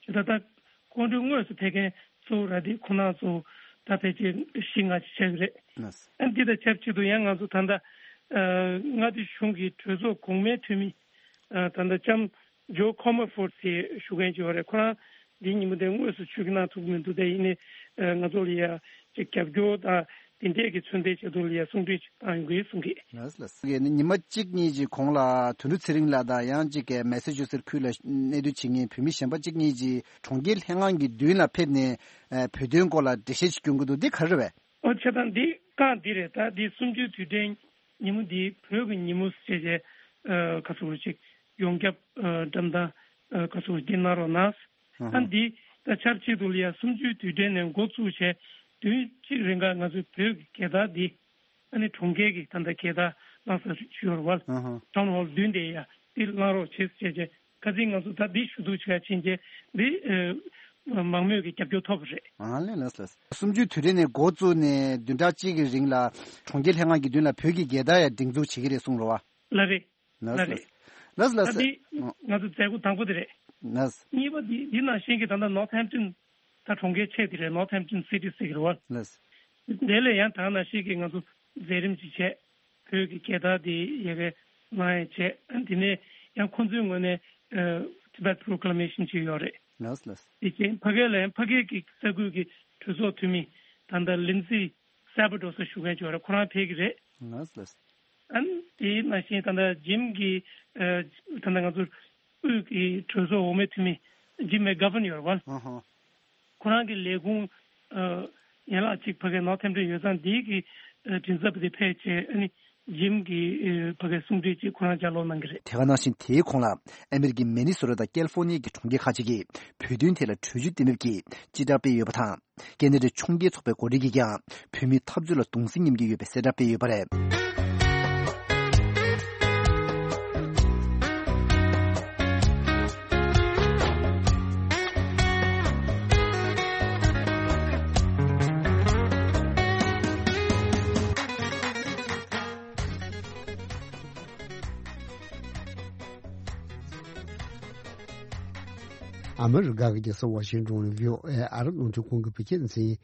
ཇི་ལྟར་ད་སྐུ་མགྲོན་དངོས་སུ་ཕེབས་མཁན་གཙོ་བོ་ར་དེ་ཁོང་རྣམ་ཚོ་ད་ཕལ་ཆེར་བཞི་ལྔ་ཅིག་ཆགས་ཀྱི་རེད། ལགས། ཨ་འདི་དང་ཆབས་ཅིག་ཏུ་ཡང་ང་ཚོ་ད་ལྟ་ཨ་མངའ་སྡེ་གཞུང་གི་གྲོས་ཚོགས་གོང་མའི་འཐུས་མི་ཨ་ད་ལྟ་ལྕམ་ཇོ་ཁོ་མོ་ཧྥོར་ཌི་ཞུ་མཁན་ཅིག་ཡོད་རེད། ཁོ་རང་འདིའི་ཉིན་མོ་དེ་དངོས་སུ་ཆིབས་བསྒྱུར་གནང་ཐུབ་ཀྱི་མི་འདུག་དེ་ཡིན་ནའི་ཨ་ང་ཚོ་ལ་ཡ་ཅིག་རྒྱབ་སྐྱོར་དང་དེ་འདྲས་ཀྱི་མཚོན་རྟགས་ཆེད་དུ་ལ་ཡ་གསུང་འཕྲིན་ཅིག་བཏང་ཡོང་གི་གསུང་གི། ལགས་ལགས། ཉི་མ་གཅིག་གཉིས་ཀྱི་གོང་ལ་དོན་གྲུབ་ཚེ་རིང་ལགས་དང་ཡང་གཅིག་གི་མེ་སེ་ཆུ་སེ་ཁུལ་ལ་གནས་སྡོད་བྱེད་མཁན་བོད་མི་གཞན་པ་གཅིག་གཉིས་ཀྱིས་གྲོང་ཁྱེར་ལྷན་ཁང་གི་མདུན་ལ་ཕེབས་ནས་ཨ་བོད་དོན་སྐོར་ལ་འགྲེལ་བཤད་ཅིག་སྐྱོན་གྱི་འདུག་འདི་ག་རེ་རེད་པས། ཨོ་བྱས་ཙང་འདི་རྐང་འདི་རེད། ད་འདི་གསུམ་བཅུའི་དུས་དྲན་ཉིན་མོ་འདི་བོད་ཀྱི་ཉིན་མོ་ཞེས་བྱས་ཨ་ག་ཚོད་ཅིག་ཡོངས་ཁྱབ་ཨ་བཀྲམ་སྟངས་ཨ་ག་ཚོད་འདི་གནང་རོགས་གནང་། ཨ་ཨ་འདི་ད་ཆབས་ཅིག་ཏུ་ལ་ཡ་གསུམ་བཅུའི་དུས་དྲན་ནས་འགོ་བཙུགས་བྱས་དུས་གཅིག་རིང་ག་ང་ཚོའི་བོད་ཀྱི་རྒྱལ་དར་འདི་ཨ་ནི་གྲོང་ཁྱེར་གྱི་ད་ལྟ་རྒྱལ་དར་བསླངས་ས་ཞུ་བར་བ་ཨ་ཧ་ཊའུན་ཧོལ་མདུན་དེ་ཡ་འདི་བསླངས་རོགས་བྱེད་ཟེར་བྱས་ཁ་སང་ང་ཚོ་ད་འདི་ཞུ་གཏུག་བྱེད་ཡ་ཕྱིན་བྱས་འདི་ཨ་མང་མོས་ཀྱི་རྒྱབ་སྐྱོར་ཐོབ་པ་རེད། ཨ་ལས་ལགས་ལགས། གསུམ་བཅུའི་དུས་དྲན་ནས་འགོ་བཙུགས་ནས་བདུན་ཕྲག་གཅིག་གི་རིང་ལ་གྲོང་ཁྱེར་ལྷན་ཁང་གི་མདུན་ལ་བོད་ཀྱི་རྒྱལ་དར་ཡང་སྒྲེང་འཛུགས་བྱེད་ཀྱི་རེད་གསུངས་རེད་བ། ལགས་རེད། ལགས་ལགས་ལགས། ལགས་ལགས། ད་འདི་ང་ཚོ་མཛད་སྒོ་དང་པོ་དེ་རེད། ལགས། གཉིས་པ་འདི་འདི་ནང་བཞིན་གྱི་ད་ལྟ་ནོར་ཐེམ་ཊོན་ད་གྲོང་ཁྱེར་ཆེ་དེ་རེད། ནོར་ཐེམ་ཊོན་སི་ཊི་ཟེར་གྱི་རེད་བ། ལགས། དེ་ལས་ཡང་ད་ནང་བཞིན་གྱི་ང་ཚོ་མཛད་རིམ་ཅིག་བྱས། བོད་ཀྱི་རྒྱལ་དར་དེ་ཡ་གི་གནང་ཡ་བྱས། ཨ་དེ་ནས་ཡང་ཁོང་ཚོའི་ངོས་ནས་ཨ་Tibet Proclamation་ཅིག་ཡོད་རེད། ལགས་ལགས། དེ་རྐྱེན་ཕ་གི་ལ་ཡང་ཕ་གི་གི་ས་ཁུལ་གྱི་གྲོས་ཚོགས་འཐུས་མི་ད་ལྟ་ལིན་ཛི་སེ་བྷ་ཌོ་ས་ཞུ་མཁན་ཅིག་ཡོད་རེད། ཁོ་རང་ཕེབས་ཀྱི་རེད། ལགས་ལགས། ཨ་ནི་དེ་ནང་བཞིན་ད་ལྟ་ཇིམ་གྱི་ཨ་ད་ལྟ་ང་ཚོ་དབུས་ཀྱི་གྲོས་ཚོགས་འོག་མའི་འཐུས་མི་ཇིམ་མེག་གྷ་ཝན་ཡོད་རེད་བ། ཨ་ཧ། ཁོ་རང་གི་ལས་ཁུངས་ཨ་ཡན་ལག་གཅིག་ཕ་གིའི་ནོར་ཐེམ་ཊོན་ཡོད་ཙང་འདི་གི་ཨ་མགྲིན་ཚབ་དེ་ཕེབས་བྱས། ཨ་ནི་ཇིམ་གྱི་ཨ་ཕ་གིའི་གསུང་འཕྲིན་ཅིག་ཁོ་རང་ལྗགས་ཀློག་གནང་གི་རེད། དེ་ག་ནང་བཞིན་དེའི་གོང་ལ་ཨ་མེ་རི་ཀའི་མི་ནི་སོ་ཊ་དང་ཀལ་ཧྥོ་ནི་ཡ་གི་གྲོང་ཁྱེར་ཁག་ཅིག་གིས་བོད་དོན་ཐད་ལ་གྲོས་ཆོད་གཏན་འབེབས་ཀྱིས་སྤྱི་བསྒྲགས་སྤེལ་ཡོད་པ་དང་། ཀེ་ན་ཌའི་ཕྱོགས་འགལ་ཚོགས་པའི་འགོ་ཁྲིད་ཀྱིས་ཀྱང་བོད་མིའི་འཐབ་རྩོད་ལ་གདུང་སེམས་མཉམ་སྐྱེད་ཡོད་པའི་གསལ་བསྒྲགས་སྤེལ་ཡོད་པ་རེད། ཨ་མི་རི་ཀ་གི་རྒྱལ་ས་ཝ་ཤིང་ཏོན་ནས་བྷི་ཨོ་ཨེ་ཨ་རི་རླུང་འཕྲིན་ཁང་གི་བོད་སྐད་སྡེ་ཚན་ཡིན།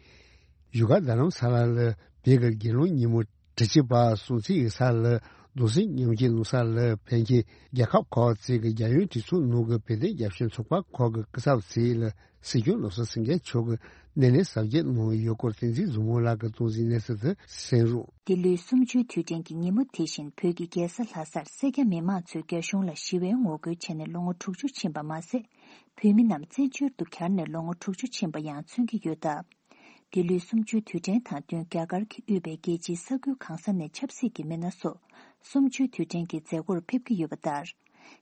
བཞུགས་སྒར་རྡ་རམ་ས་ལ་ལ་བོད་ཀྱི་རྒྱལ་གླུ་ཉིན་མོ་དྲུག་ཅུ་པ་སྲུང་བརྩི་ཡོད་ས་ལ་གདུང་སེམས་མཉམ་སྐྱེད་གནང་ས་ལ་ཕན་ཆད་རྒྱལ་ཁབ་ཁག་ཅིག་གི་རྒྱལ་ཡོངས་གྲོས་ཚོགས་ནང་གི་བོད་དོན་རྒྱབ་སྐྱོར་ཚོགས་པ་ཁག་གི་སྐུ་ཚབ་ཚོས་ལ་སྲིད་སྐྱོང་བློ་བཟང་སེང་གེ་མཆོག་གིས་སྣེ་ལེན་གཟབ་རྒྱས་གནང་ཡོད་སྐོར་བསྟན་འཛིན་བཟང་མོ་ལགས་ཀྱིས་གཏོང་ཟིན་གནས་ཚུལ་དེ་གསན་རོགས། འདི་ལོའི་གསུམ་བཅུའི་དུས་དྲན་གྱི་ཉིན་མོ་དེ་བཞིན་བོད་ཀྱི་རྒྱལ་ས་ལྷ་སར་སེར་སྐྱ་མི་མང་ཚོས་རྒྱ་གཞུང་ལ་ཞི་བའི་ངོ་རྒོལ་བྱས་ནས་ལོ་ངོ་དྲུག་ཅུ་ཕྱིན་པ་མ་ཟད། བོད་མི་རྣམས་བཙན་བྱོལ་དུ་གྱར་ནས་ལོ་ངོ་དྲུག་ཅུ་ཕྱིན་པ་ཡང་མཚོན་གྱི་ཡོད་སྟབས། འདི་ལོའི་གསུམ་བཅུའི་དུས་དྲན་དང་བསྟུན་རྒྱ་གར་གྱིས་དབུས་པའི་རྒྱལ་སྤྱིའི་ས་ཁུལ་གང་ས་ནས་ཆབ་སྲིད་ཀྱི་མི་སྣ་སོགས་གསུམ་བཅུའི་དུས་དྲན་གྱི་མཛད་སྒོར་ཕེབས་ཀྱི་ཡོད་པ་ལྟར།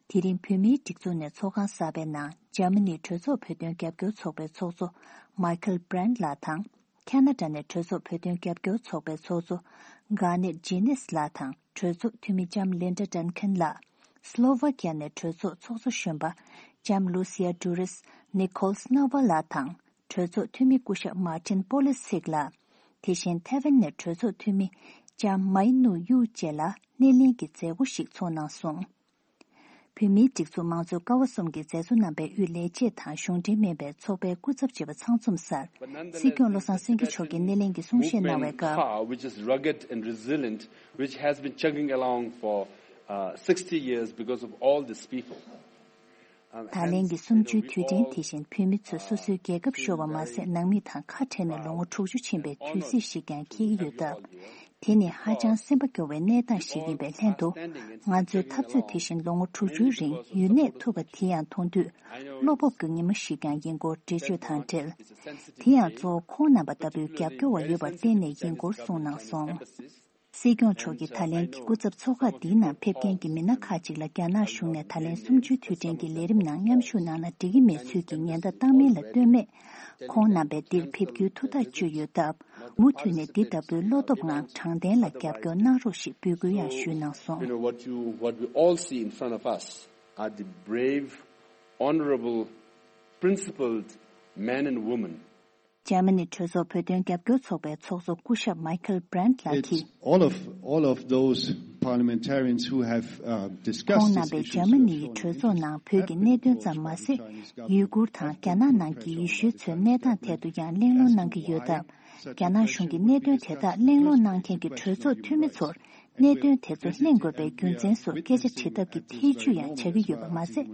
དེ་རིང་བོད་མིའི་སྒྲིག་འཛུགས་ནས་ཚོགས་ཁང་གསར་པའི་ནང་འཇར་མ་ནིའི་གྲོས་ཚོགས་བོད་དོན་རྒྱབ་སྐྱོར་ཚོགས་པའི་ཚོགས་གཙོ་མཱི་ཁལ་བྷི་རན་ལགས་དང་། ཁ་ན་ཌ་ནས་གྲོས་ཚོགས་བོད་དོན་རྒྱབ་སྐྱོར་ཚོགས་པའི་ཚོགས་གཙོ་གྷ་ནེད་ཇི་ནེས་ལགས་དང་། གྲོས་ཚོགས་འཐུས་མི་ལྕམ་ལིན་ཌ་ཌན་ཁན་ལགས། སི་ལོ་ཝ་ཀི་ཡ་ནས་གྲོས་ཚོགས་ཚོགས་གཙོ་གཞོན་པ་ལྕམ་ལུ་སི་ཡ་ཌུ་རིས་ནི་ཁོལ་སྣ་ཝ་ལགས་དང་། གྲོས་ཚོགས་འཐུས་མི་སྐུ་ཞབས་མཱ་ཏིན་པོ་ལི་སིག་ལགས། དེ་བཞིན་ཐེ་ཝན་ནས་གྲོས་ཚོགས་འཐུས་མི་ལྕམ་མའི་ནུ་ཡུ་བཅས་ལ་སྣེ་ལེན་གྱི་མཛད་སྒོ་ཞིག་ཚོགས་གནང་སོང་། བོད་མིའི་སྒྲིག་འཛུགས་དམངས་གཙོའི་ཀ་བ་གསུམ་གྱི་མཛད་གཙོ་རྣམ་པས་དབུས་ལས་བྱེད་དང་གཞུང་འབྲེལ་མིན་པའི་ཚོགས་པའི་སྐུ་ཚབ་བྱེད་པ་ཚང་འཛོམས་སར། སྲིད་སྐྱོང་བློ་བཟང་སེང་གེ་མཆོག་གིས་སྣེ་ལེན་གྱི་གསུང་བཤད་གནང་བའི་སྐབས། Which is rugged and resilient, which has been chugging along for uh, sixty years because of all these people. ད་ལན་གྱི་གསུམ་བཅུའི་དུས་དྲན་དེ་བཞིན་བོད་མི་ཚོས་སོ་སོའི་རྒྱལ་ཁབ་ཤོར་བ་མ་ཟད། ནང་མི་དང་ཁ་བྲལ་ནས་ལོ་ངོ་དྲུག་ཅུ་ཕྱིན་པའི་དུས་ཚིགས་ཤིག་ཀྱང་འཁེལ་གྱི་ཡོད་སྟབས། དེ་ནི་ཧ་ཅང་སེམས་པ་སྐྱོ་བའི་གནས་སྟངས་ཤིག་ཡིན་པའི་ལྷན་དུ། ང་ཚོའི་འཐབ་རྩོད་དེ་བཞིན་ལོ་ངོ་དྲུག་ཅུའི་རིང་ཡུན་གནས་ཐུབ་པ་དེ་ཡང་མཐོང་དུས་བློ་སྤོབས་ཀྱི་ཉི་མ་ཞིག་ཀྱང་ཡིན་སྐོར་འགྲེལ་བརྗོད་དང་འབྲེལ། དེ་ཡང་གཙོ་བོ་ཁོང་རྣམ་པ་ལྟ་བུའི་རྒྱབ་སྐྱོར་བ་ཡོད་པར་བརྟེན་ནས་ཡིན་སྐོར་གསུངས་གནང་སོང་། སྲིད་སྐྱོང་མཆོག་གིས་ད་ལན་གྱི་སྐུ་ཚབ་ཚོགས་ཁག་འདིའི་ནང་ཕེབས་མཁན་གྱི་མི་སྣ་ཁག་ཅིག་ལ་རྒྱ་ནག་གཞུང་ནས་ད་ལན་གསུམ་བཅུའི་དུས་དྲན་གྱི་ལས་རིམ་ནང་མཉམ་ཞུགས་གནང་ན་འགྲིག་གི་མེད་ཚུལ་གྱི་ཉེན་བརྡ་བཏང་མིན་ལ་ལྟོས་མེད། ཁོང་རྣམ་པས་འདིར་ཕེབས་རྒྱུའི་ཐུགས་ཐག་གཅོད་ཡོད་སྟབས། མུ་མཐུད་ནས་འདི་ལྟ་བུའི་བློ་སྟོབས་ངང་དྲང་བདེན་ལ་རྒྱབ་སྐྱོར་གནང་རོགས་ཞེས་འབོད་སྐུལ་ཡང་ཞུས་གནང་སོང་། You know, what you, what we all see in front of us are the brave, honorable, principled men and women. འཇར་མ་ནི་གྲོས་ཚོགས་བོད་དོན་རྒྱབ་སྐྱོར་ཚོགས་པའི་ཚོགས་གཙོ་སྐུ་ཞབས་མའི་ཁལ་བྷི་རན་ལགས་ཀྱིས། It's all of, all of those parliamentarians who have uh, discussed ཁོང་རྣམ་པས་འཇར་མ་ནི་ཡི་གྲོས་ཚོགས་ནང་བོད་ཀྱི་གནད་དོན་ཙམ་མ་ཟད། ཡུ་གུར་དང་རྒྱ་ནག་ནང་གི་ཡེ་ཤུའི་ཚོའི་གནས་སྟངས་ཐད་དུ་ཡང་གླེང་སློང་གནང་གི་ཡོད་སྟབས། རྒྱ་ནག་གཞུང་གིས་གནད་དོན་དེ་དག་གླེང་སློང་གནང་མཁན་གྱི་གྲོས་ཚོགས་འཐུས་མི་ཚོར། གནད་དོན་དེ་ཚོ་གླེང་དགོས་པའི་རྒྱུ་མཚན་སོགས་སྐད་ཆ་དྲི་ཐབས་ཀྱི་ཐེ་ཇུས་ཡང་བྱ་གི་ཡོད་པ་མ་ཟད།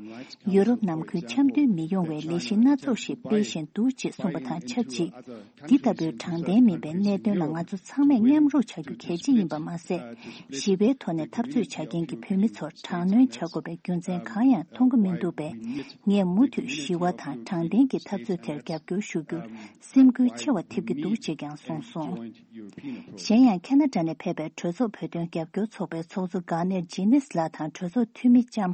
ཡུ་རོབ་ནང་ཁུལ་འཆམ་མཐུན་མི་ཡོང་བའི་ལས་གཞི་སྣ་ཚོགས་ཤིག་སྤེལ་བཞིན་འདུག་ཅེས་གསུངས་པ་དང་ཆབས་ཅིག་འདི་ལྟ་བུའི་དྲང་བདེན་མིན་པའི་གནད་དོན་ལ་ང་ཚོ་ཚང་མས་མཉམ་རུབ་བྱ་རྒྱུ་གལ་ཆེ་ཡིན་པ་མ་ཟད། ཞི་བའི་ཐོག་ནས་འཐབ་རྩོད་བྱ་མཁན་གྱི་བོད་མི་ཚོར་དྲག་གནོན་བྱ་དགོས་པའི་རྒྱུ་མཚན་གང་ཡང་མཐོང་གི་མི་འདུག་པས། ངས་མུ་མཐུད་ཞི་བ་དང་དྲང་བདེན་གྱི་འཐབ་རྩོད་དེར་རྒྱབ་སྐྱོར་ཞུ་རྒྱུར་སེམས་འགུལ་ཆེ་བ་ཐེབས་ཀྱི་འདུག་ཅེས་ཀྱང་གསུངས་སོང་། གཞན་ཡང་ཁ་ན་ཌ་ནས་ཕེབས་པའི་གྲོས་ཚོགས་བོད་དོན་རྒྱབ་སྐྱོར་ཚོགས་པའི་ཚོགས་གཙོ་གྷ་ནེར་ཇི་ནིས་ལགས་དང་གྲོས་ཚོགས་འཐུས་མི་ལྕམ་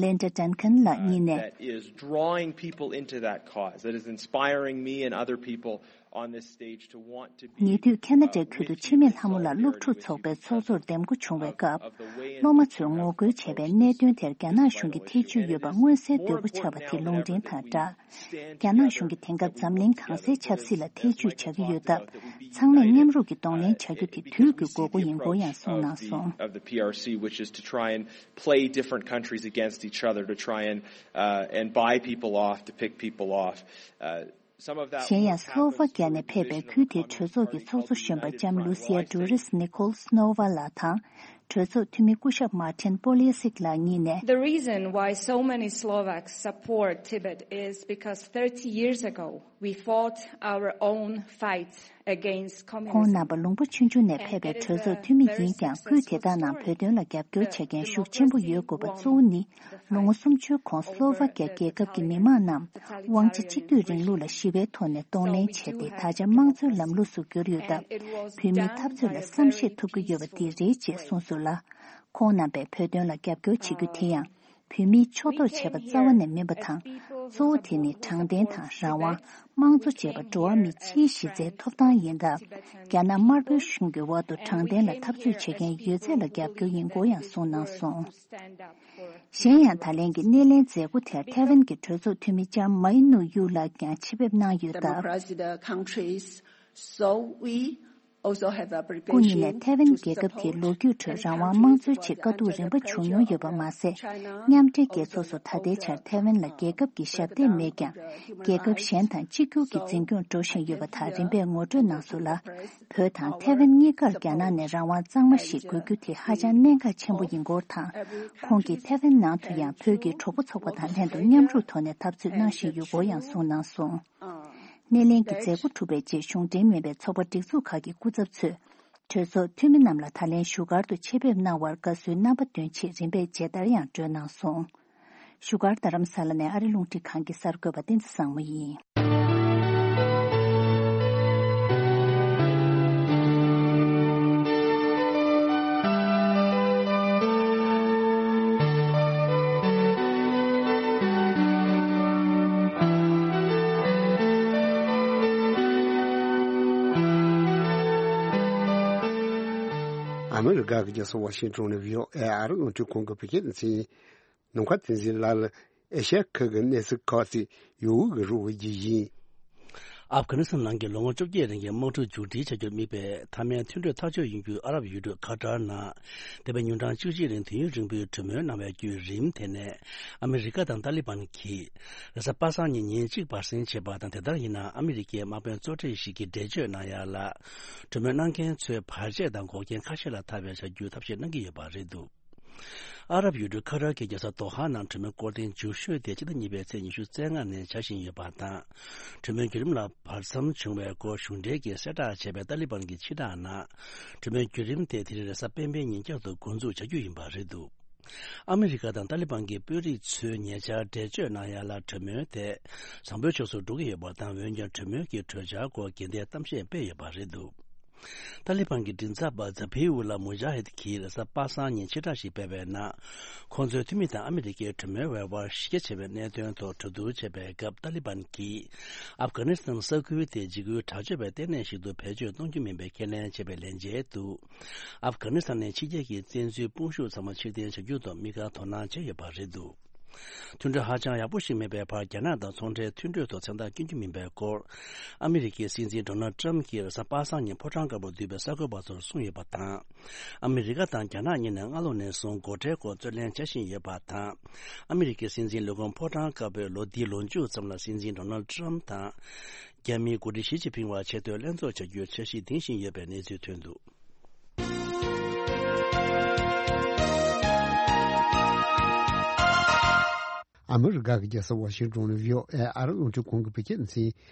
ལིན་ཌ་ཌན་ཁན་ལགས་གཉིས་ནས། That is drawing people into that cause, that is inspiring me and other people on this stage to want to be ཉེ་དུས་ཁ་ན་ཌའི་ཁུལ་དུ་འཆི་མེད་ལྷ་མོ་ལགས་སློབ་ཕྲུག་ཚོགས་པའི་ཚོགས་གཙོར་འདེམས་བསྐོ་བྱུང་བའི་སྐབས། སློབ་མ་ཚོས་ངོ་རྒོལ་བྱས་པའི་གནད་དོན་དེར་རྒྱ་ནག་གཞུང་གི་ཐེ་ཇུས་ཡོད་པ་མངོན་གསལ་དོད་པོ་ཆགས་པ་དེ་ལུང་འདྲེན་དང་སྦྲགས། རྒྱ་ནག་གཞུང་གིས་དེང་སྐབས་འཛམ་གླིང་གང་སའི་ཆབ་སྲིད་ལ་ཐེ་ཇུས་བྱ་གི་ཡོད་སྟབས། ཚང་མས་མཉམ་རུབ་ཀྱིས་གདོང་ལེན་བྱ་རྒྱུ་དེ་དུས་ཀྱི་དགོས་མཁོ་ཡིན་སྐོར་ཡང་གསུངས་གནང་སོང་། Of the P R C, which is to try and play different countries against each other, to try and uh, and buy people off, to pick people off. Uh, some of that གཞན་ཡང་སློ་ཝ་ཀི་ཡ་ནས་ཕེབས་པའི་ཁུལ་དེའི་གྲོས་ཚོགས་ཀྱི་ཚོགས་གཙོ་གཞོན་པ་ལྕམ་ལུ་སི་ཡ་ཌུ་རིས་ནི་ཁོལ་སྣོ་ཝ་ལགས་དང་། གྲོས་ཚོགས་འཐུས་མི་སྐུ་ཞབས་མཱ་ཏིན་པོ་ལི་སིག་ལགས་གཉིས་ནས། The reason why so many Slovaks support Tibet is because thirty years ago we fought our own fight against communism. ཁོང་རྣམ་པ་ལུང་པ་ཆུང་ཆུང་ནས་ཕེབས་པའི་གྲོས་ཚོགས་འཐུས་མི་ཡིན་ཀྱང་། ཁུལ་དེ་དག་ནང་བོད་དོན་ལ་རྒྱབ་སྐྱོར་བྱེད་མཁན་ཤུགས་ཆེན་པོ་ཡོད་དགོས་པ་གཙོ་བོ་ནི། ལོ་ངོ་སུམ་ཅུའི་གོང་སློ་ཝ་ཀི་ཡ་རྒྱལ་ཁབ་ཀྱི་མི་དམངས་རྣམས་དབང་ཆ་གཅིག་སྡུད་རིང་ལུགས་ལ་ཞི་བའི་ཐོག་ནས་གདོང་ལེན་བྱས་ཏེ། ད་ཆ་དམངས་གཙོའི་ལམ་ལུགས་སུ་གྱུར་ཡོད་སྟབས། བོད་མིའི་འཐབ་རྩོད་ལ་བསམ་ཤེས་ཐུབ་ཀྱི་ཡོད་པ་འདི་རེད་ཅེས་གསུངས་སོང་ལ། ཁོང་རྣམ་པས་བོད་དོན་ལ་རྒྱབ་སྐྱོར་བྱེད་རྒྱུ་དེ་ཡང་། བོད་མིས་ཕྱོགས་གཏོགས་བྱས་པ་རྩ་བ་ནས་མིན་པ་དང་། གཙོ་བོ་དེ་ནི་དྲང་བདེན་དང་རང་དབང་། དམངས་གཙོ་བཅས་པ་འགྲོ་བ་མི་སྤྱིའི་གཞི་རྩའི་ཐོབ་ཐང་ཡིན་སྟབས། རྒྱ་ནག་དམར་པོའི་གཞུང་གི་འོག་ཏུ་དྲང་བདེན་ལ་འཐབ་རྩོད་བྱེད་མཁན་ཡོད་ཚད་ལ་རྒྱབ་སྐྱོར་ཡིན་སྐོར་ཡང་གསུངས་གནང་སོང་། གཞན་ཡང་། ད་ལན་གྱི་སྣེ་ལེན་མཛད་སྒོ་དེར་ཐའེ་ཝན་གྱི་གྲོས་ཚོགས་འཐུས་མི་ལྕམ་མའི་ནུ་ཡུ་ལགས་ཀྱང་ཆེད་ཕེབས་གནང་ཡོད་སྟབས། Democracy the countries, so we also have the obligation སྐུ་ཉིད་ནས་ཐའེ་ཝན་རྒྱལ་ཁབ་དེའི་ལོ་རྒྱུས་ཁྲོད་རང་དབང་དམངས་གཙོའི་ཆེད་དཀའ་སྡུག་རིམ་པ་བྱུང་མྱོང་ཡོད་པ་མ་ཟད། མཉམ་འབྲེལ་རྒྱལ་ཚོགས་སུ་ད་ལྟའི་ཆར་ཐའེ་ཝན་ལ་རྒྱལ་ཁབ་ཀྱི་ཞབས་འདེགས་མེད་ཀྱང་། རྒྱལ་ཁབ་གཞན་དང་གཅིག་གྱུར་གྱི་འཛིན་སྐྱོང་འགྲོ་བཞིན་ཡོད་པ་དག་རིམ་པས་ངོ་སྤྲོད་གནང་སོང་ལ། བོད་དང་ཐའེ་ཝན་གཉིས་ཀར་རྒྱ་ནག་ནས་རང་དབང་གཙང་མ་ཞིག་དགོས་རྒྱུ་དེ་ཧ་ཅང་གནད་འགག་ཆེན་པོ་ཡིན་སྐོར་དང་། ཁོང་གིས་ཐའེ་ཝན་ནང་དུ་ཡང་བོད་ཀྱི་གྲོགས་པོ་ཚོགས་པ་དང་ལྷན་དུ་མཉམ་རུབ་ཐོག་ནས་འཐབ་རྩོད་གནང་བཞིན་ཡོད་སྐོར་ཡང་གསུངས་གནང་སོང་། སྣེ་ལེན་གྱི་མཛད་སྒོ་གྲུབ་པའི་རྗེས། གཞུང་འབྲེལ་མིན་པའི་ཚོགས་པ་སྒྲིག་འཛུགས་ཁག་གི་སྐུ་ཚབ་ཚོས། གྲོས་ཚོགས་འཐུས་མི་རྣམས་ལ་ད་ལན་བཞུགས་སྒར་དུ་ཆེད་ཕེབས་གནང་བར་དགའ་བསུའི་རྣམ་པ་འདོན་ཆེད་རིམ་པས་མཇལ་དར་ཡང་སྒྲོན་གནང་སོང་། བཞུགས་སྒར་རྡ་རམ་ས་ལ་ནས་ཨ་རི་རླུང་འཕྲིན་ཁང་གི་གསར་འགོད་པ་བསྟན་འཛིན་བཟང་མོ་ཡིན། ཨ་མི་རི་ཀ་གི་རྒྱལ་ས་ཝ་ཤིང་ཊོན་ནས་བྷི་ཨོ་ཨེ་ཨ་རི་རླུང་འཕྲིན་ཁང་གི་བོད་སྐད་སྡེ་ཚན་ནམ་མཁའ་བསྟན་འཛིན་ལགས་ལ་ཨེ་ཤ་ཡ་ཁུལ་གྱི་གནས་ཚུལ་ཁག་ཅིག་ཡོད་དགུ་གི་རོགས་པ་བགྱིས་ཡིན། ཨབ་གྷ་ནི་སི་ཐན་ནང་གི་ལོ་ངོ་བཅོ་བརྒྱད་རིང་གི་དམག་འཁྲུག་མཇུག་སྒྲིལ་བྱ་རྒྱུར་དམིགས་པའི་མཐའ་མའི་མཐུན་གྲོས་ཐག་གཅོད་ཡིན་རྒྱུའི་ཨ་རབ་ཡུལ་གྲུ་ཁ་ཏར་ནང་འདས་པའི་ཉིན་གྲངས་བཅུ་གཅིག་རིང་དུས་ཡུན་རིང་པོའི་གྲོས་མོལ་གནང་བའི་བརྒྱུད་རིམ་དེ་ནས་ཨ་མི་རི་ཀ་དང་ཏཱ་ལི་བན་གྱིས་རེས་གཟའ་པ་སངས་ཉིན་ཉིན་གཅིག་བར་གསེང་བྱས་པ་དང་། དེ་ལྟར་ཡིན་ན་ཨ་མི་རི་ཀའི་དམག་དཔོན་གཙོ་གྲས་ཤིག་གིས་འགྲེལ་བརྗོད་གནང་ཡ་ལ། གྲོས་མོལ་གནང་མཁན་ཚོས་བར་ཆད་དང་འགོག་རྐྱེན་ཁ་ཤས་ལ་ཐར་བའི་བྱ་རྒྱུའི་ཐབས་ཤེས་གནང་གི་ཡོད་པ་རེད་འདུག་ཨ་རབ་ཡུལ་གྲུ་ཁ་ཏར་གྱི་རྒྱལ་ས་དོ་ཧ་ནང་གྲོས་མོལ་སྐོར་ཐེངས་མཇུག་ཤོས་དེ་སྤྱི་ཟླ་གཉིས་པའི་ཚེས་ཉི་ཤུ་རྩ་ལྔ་ནས་བྱ་བཞིན་ཡོད་པ་དང་། གྲོས་མོལ་བརྒྱུད་རིམ་ལ་བར་མཚམས་བྱུང་བའི་སྐོར་གཞུང་འབྲེལ་གྱིས་གསལ་བསྒྲགས་བྱས་པའི་ཏཱ་ལི་བན་གྱི་ཕྱིར་བསྒྲགས་ནང་། གྲོས་མོལ་བརྒྱུད་རིམ་དེ་དེ་རིང་རེས་གཟའ་སྤེན་པའི་ཉིན་བསྐྱར་དུ་འགོ་འཛུགས་བྱ་རྒྱུ་ཡིན་པ་རེད་འདུག་ཨ་མི་རི་ཀ་དང་ཏཱ་ལི་བན་གྱི་དཔོན་རིགས་ཚོས་ཉེ་ཆར་འགྲེལ་བརྗོད་གནང་ཡ་ལ། གྲོས་མོལ་དེ་བཟང་པོའི་ཕྱོགས་སུ་འགྲོ་གི་ཡོད་པ་དང་། འོན་ཀྱང་གྲོས་མོལ་གྱི་གྲོས་འཆར་སྐོར་དགོས་འདུན་གཏམ་བཤད་སྤེལ་ཡོད་པ་རེད་འདུག་ཏཱ་ལི་བན་གྱི་མགྲིན་ཚབ་པ་ཛ་བྷི་ཨུ་ལ་མུ་ཇཱ་ཧིད་ཀྱིས་རེས་གཟའ་པ་སངས་ཉིན་ཕྱིར་བསྒྲགས་ཤིག་སྤེལ་བའི་ནང་། ཁོང་ཚོའི་འཐུས་མི་དང་ཨ་མི་རི་ཀའི་གྲོས་མོལ་བའི་དབར་གཞི་རྒྱ་ཆེ་བའི་གནད་དོན་ཐོག་གྲོས་བསྡུར་བྱེད་པའི་སྐབས། ཏཱ་ལི་བན་གྱིས་ཨབ་གྷ་ནི་སི་ཐན་ས་ཁུལ་དེ་འཇིགས་སྐུལ་དྲག་སྤྱོད་པའི་ལྟེ་གནས་ཤིག་ཏུ་བེད་སྤྱོད་གཏོང་རྒྱུ་མིན་པའི་ཁས་ལེན་བྱས་པའི་ལན་འཇལ་དུ། ཨབ་གྷ་ནི་སི་ཐན་ནས་ཕྱི་རྒྱལ་གྱི་བཙན་འཛུལ་དཔུང་ཤུགས་ཚང་མ་ཕྱིར་འཐེན་བྱ་རྒྱུ་ཐོག་དམིགས་བཀར་དོ་སྣང་བྱས་ཡོད་པ་རེད་འདུག་མཐུན་གྲོས་ཧ་ཅང་ཡག་པོ་ཞིག་མེད་པའི་བར། རྒྱ་ནག་དང་ཚོང་འབྲེལ་མཐུན་གྲོས་ཐོག་མཚན་རྟགས་བསྐྱོན་རྒྱུ་མིན་པའི་སྐོར། ཨ་མི་རི་ཀའི་སྲིད་འཛིན་ཌོ་ནལ་ཊམ་གྱིས་རེས་གཟའ་པ་སངས་ཉིན་ཕོ་བྲང་དཀར་པོར་འདུས་པའི་གསར་འགོད་པ་ཚོར་གསུངས་ཡོད་པ་དང་། ཨ་མི་རི་ཀ་དང་རྒྱ་ནག་གཉིས་ནས་སྔ་ལོ་ནས་བཟུང་སྒོ་ཁྲལ་སྐོར་རྩོད་ལེན་བྱ་བཞིན་ཡོད་པ་དང་། ཨ་མི་རི་ཀའི་སྲིད་འཛིན་ལས་ཁུངས་ཕོ་བྲང་དཀར་པོས་ལོ་འདིའི་ལོ་མཇུག་ཙམ་ལ་སྲིད་འཛིན་ཌོ་ནལ་ཊམ་དང་། རྒྱ་མིའི་འགོ་ཁྲིད་ཞི་ཅིན་ཕིང་བར་ཆེས་མཐོའི་ལྷན་ཚོགས་བྱ་རྒྱུའི་འཆར་གཞི་འདིང་བཞིན་ཡོད་པའི་གནས་ཚུལ་ཐོན་འདུག་ཨ་མི་རི་ཀ་གི་རྒྱལ་ས་ཝ་ཤིང་ཏོན་ནས་བྷི་ཨོ་ཨེ་ཨ་རི་རླུང་འཕྲིན་ཁང་གི་བོད་སྐད་སྡེ་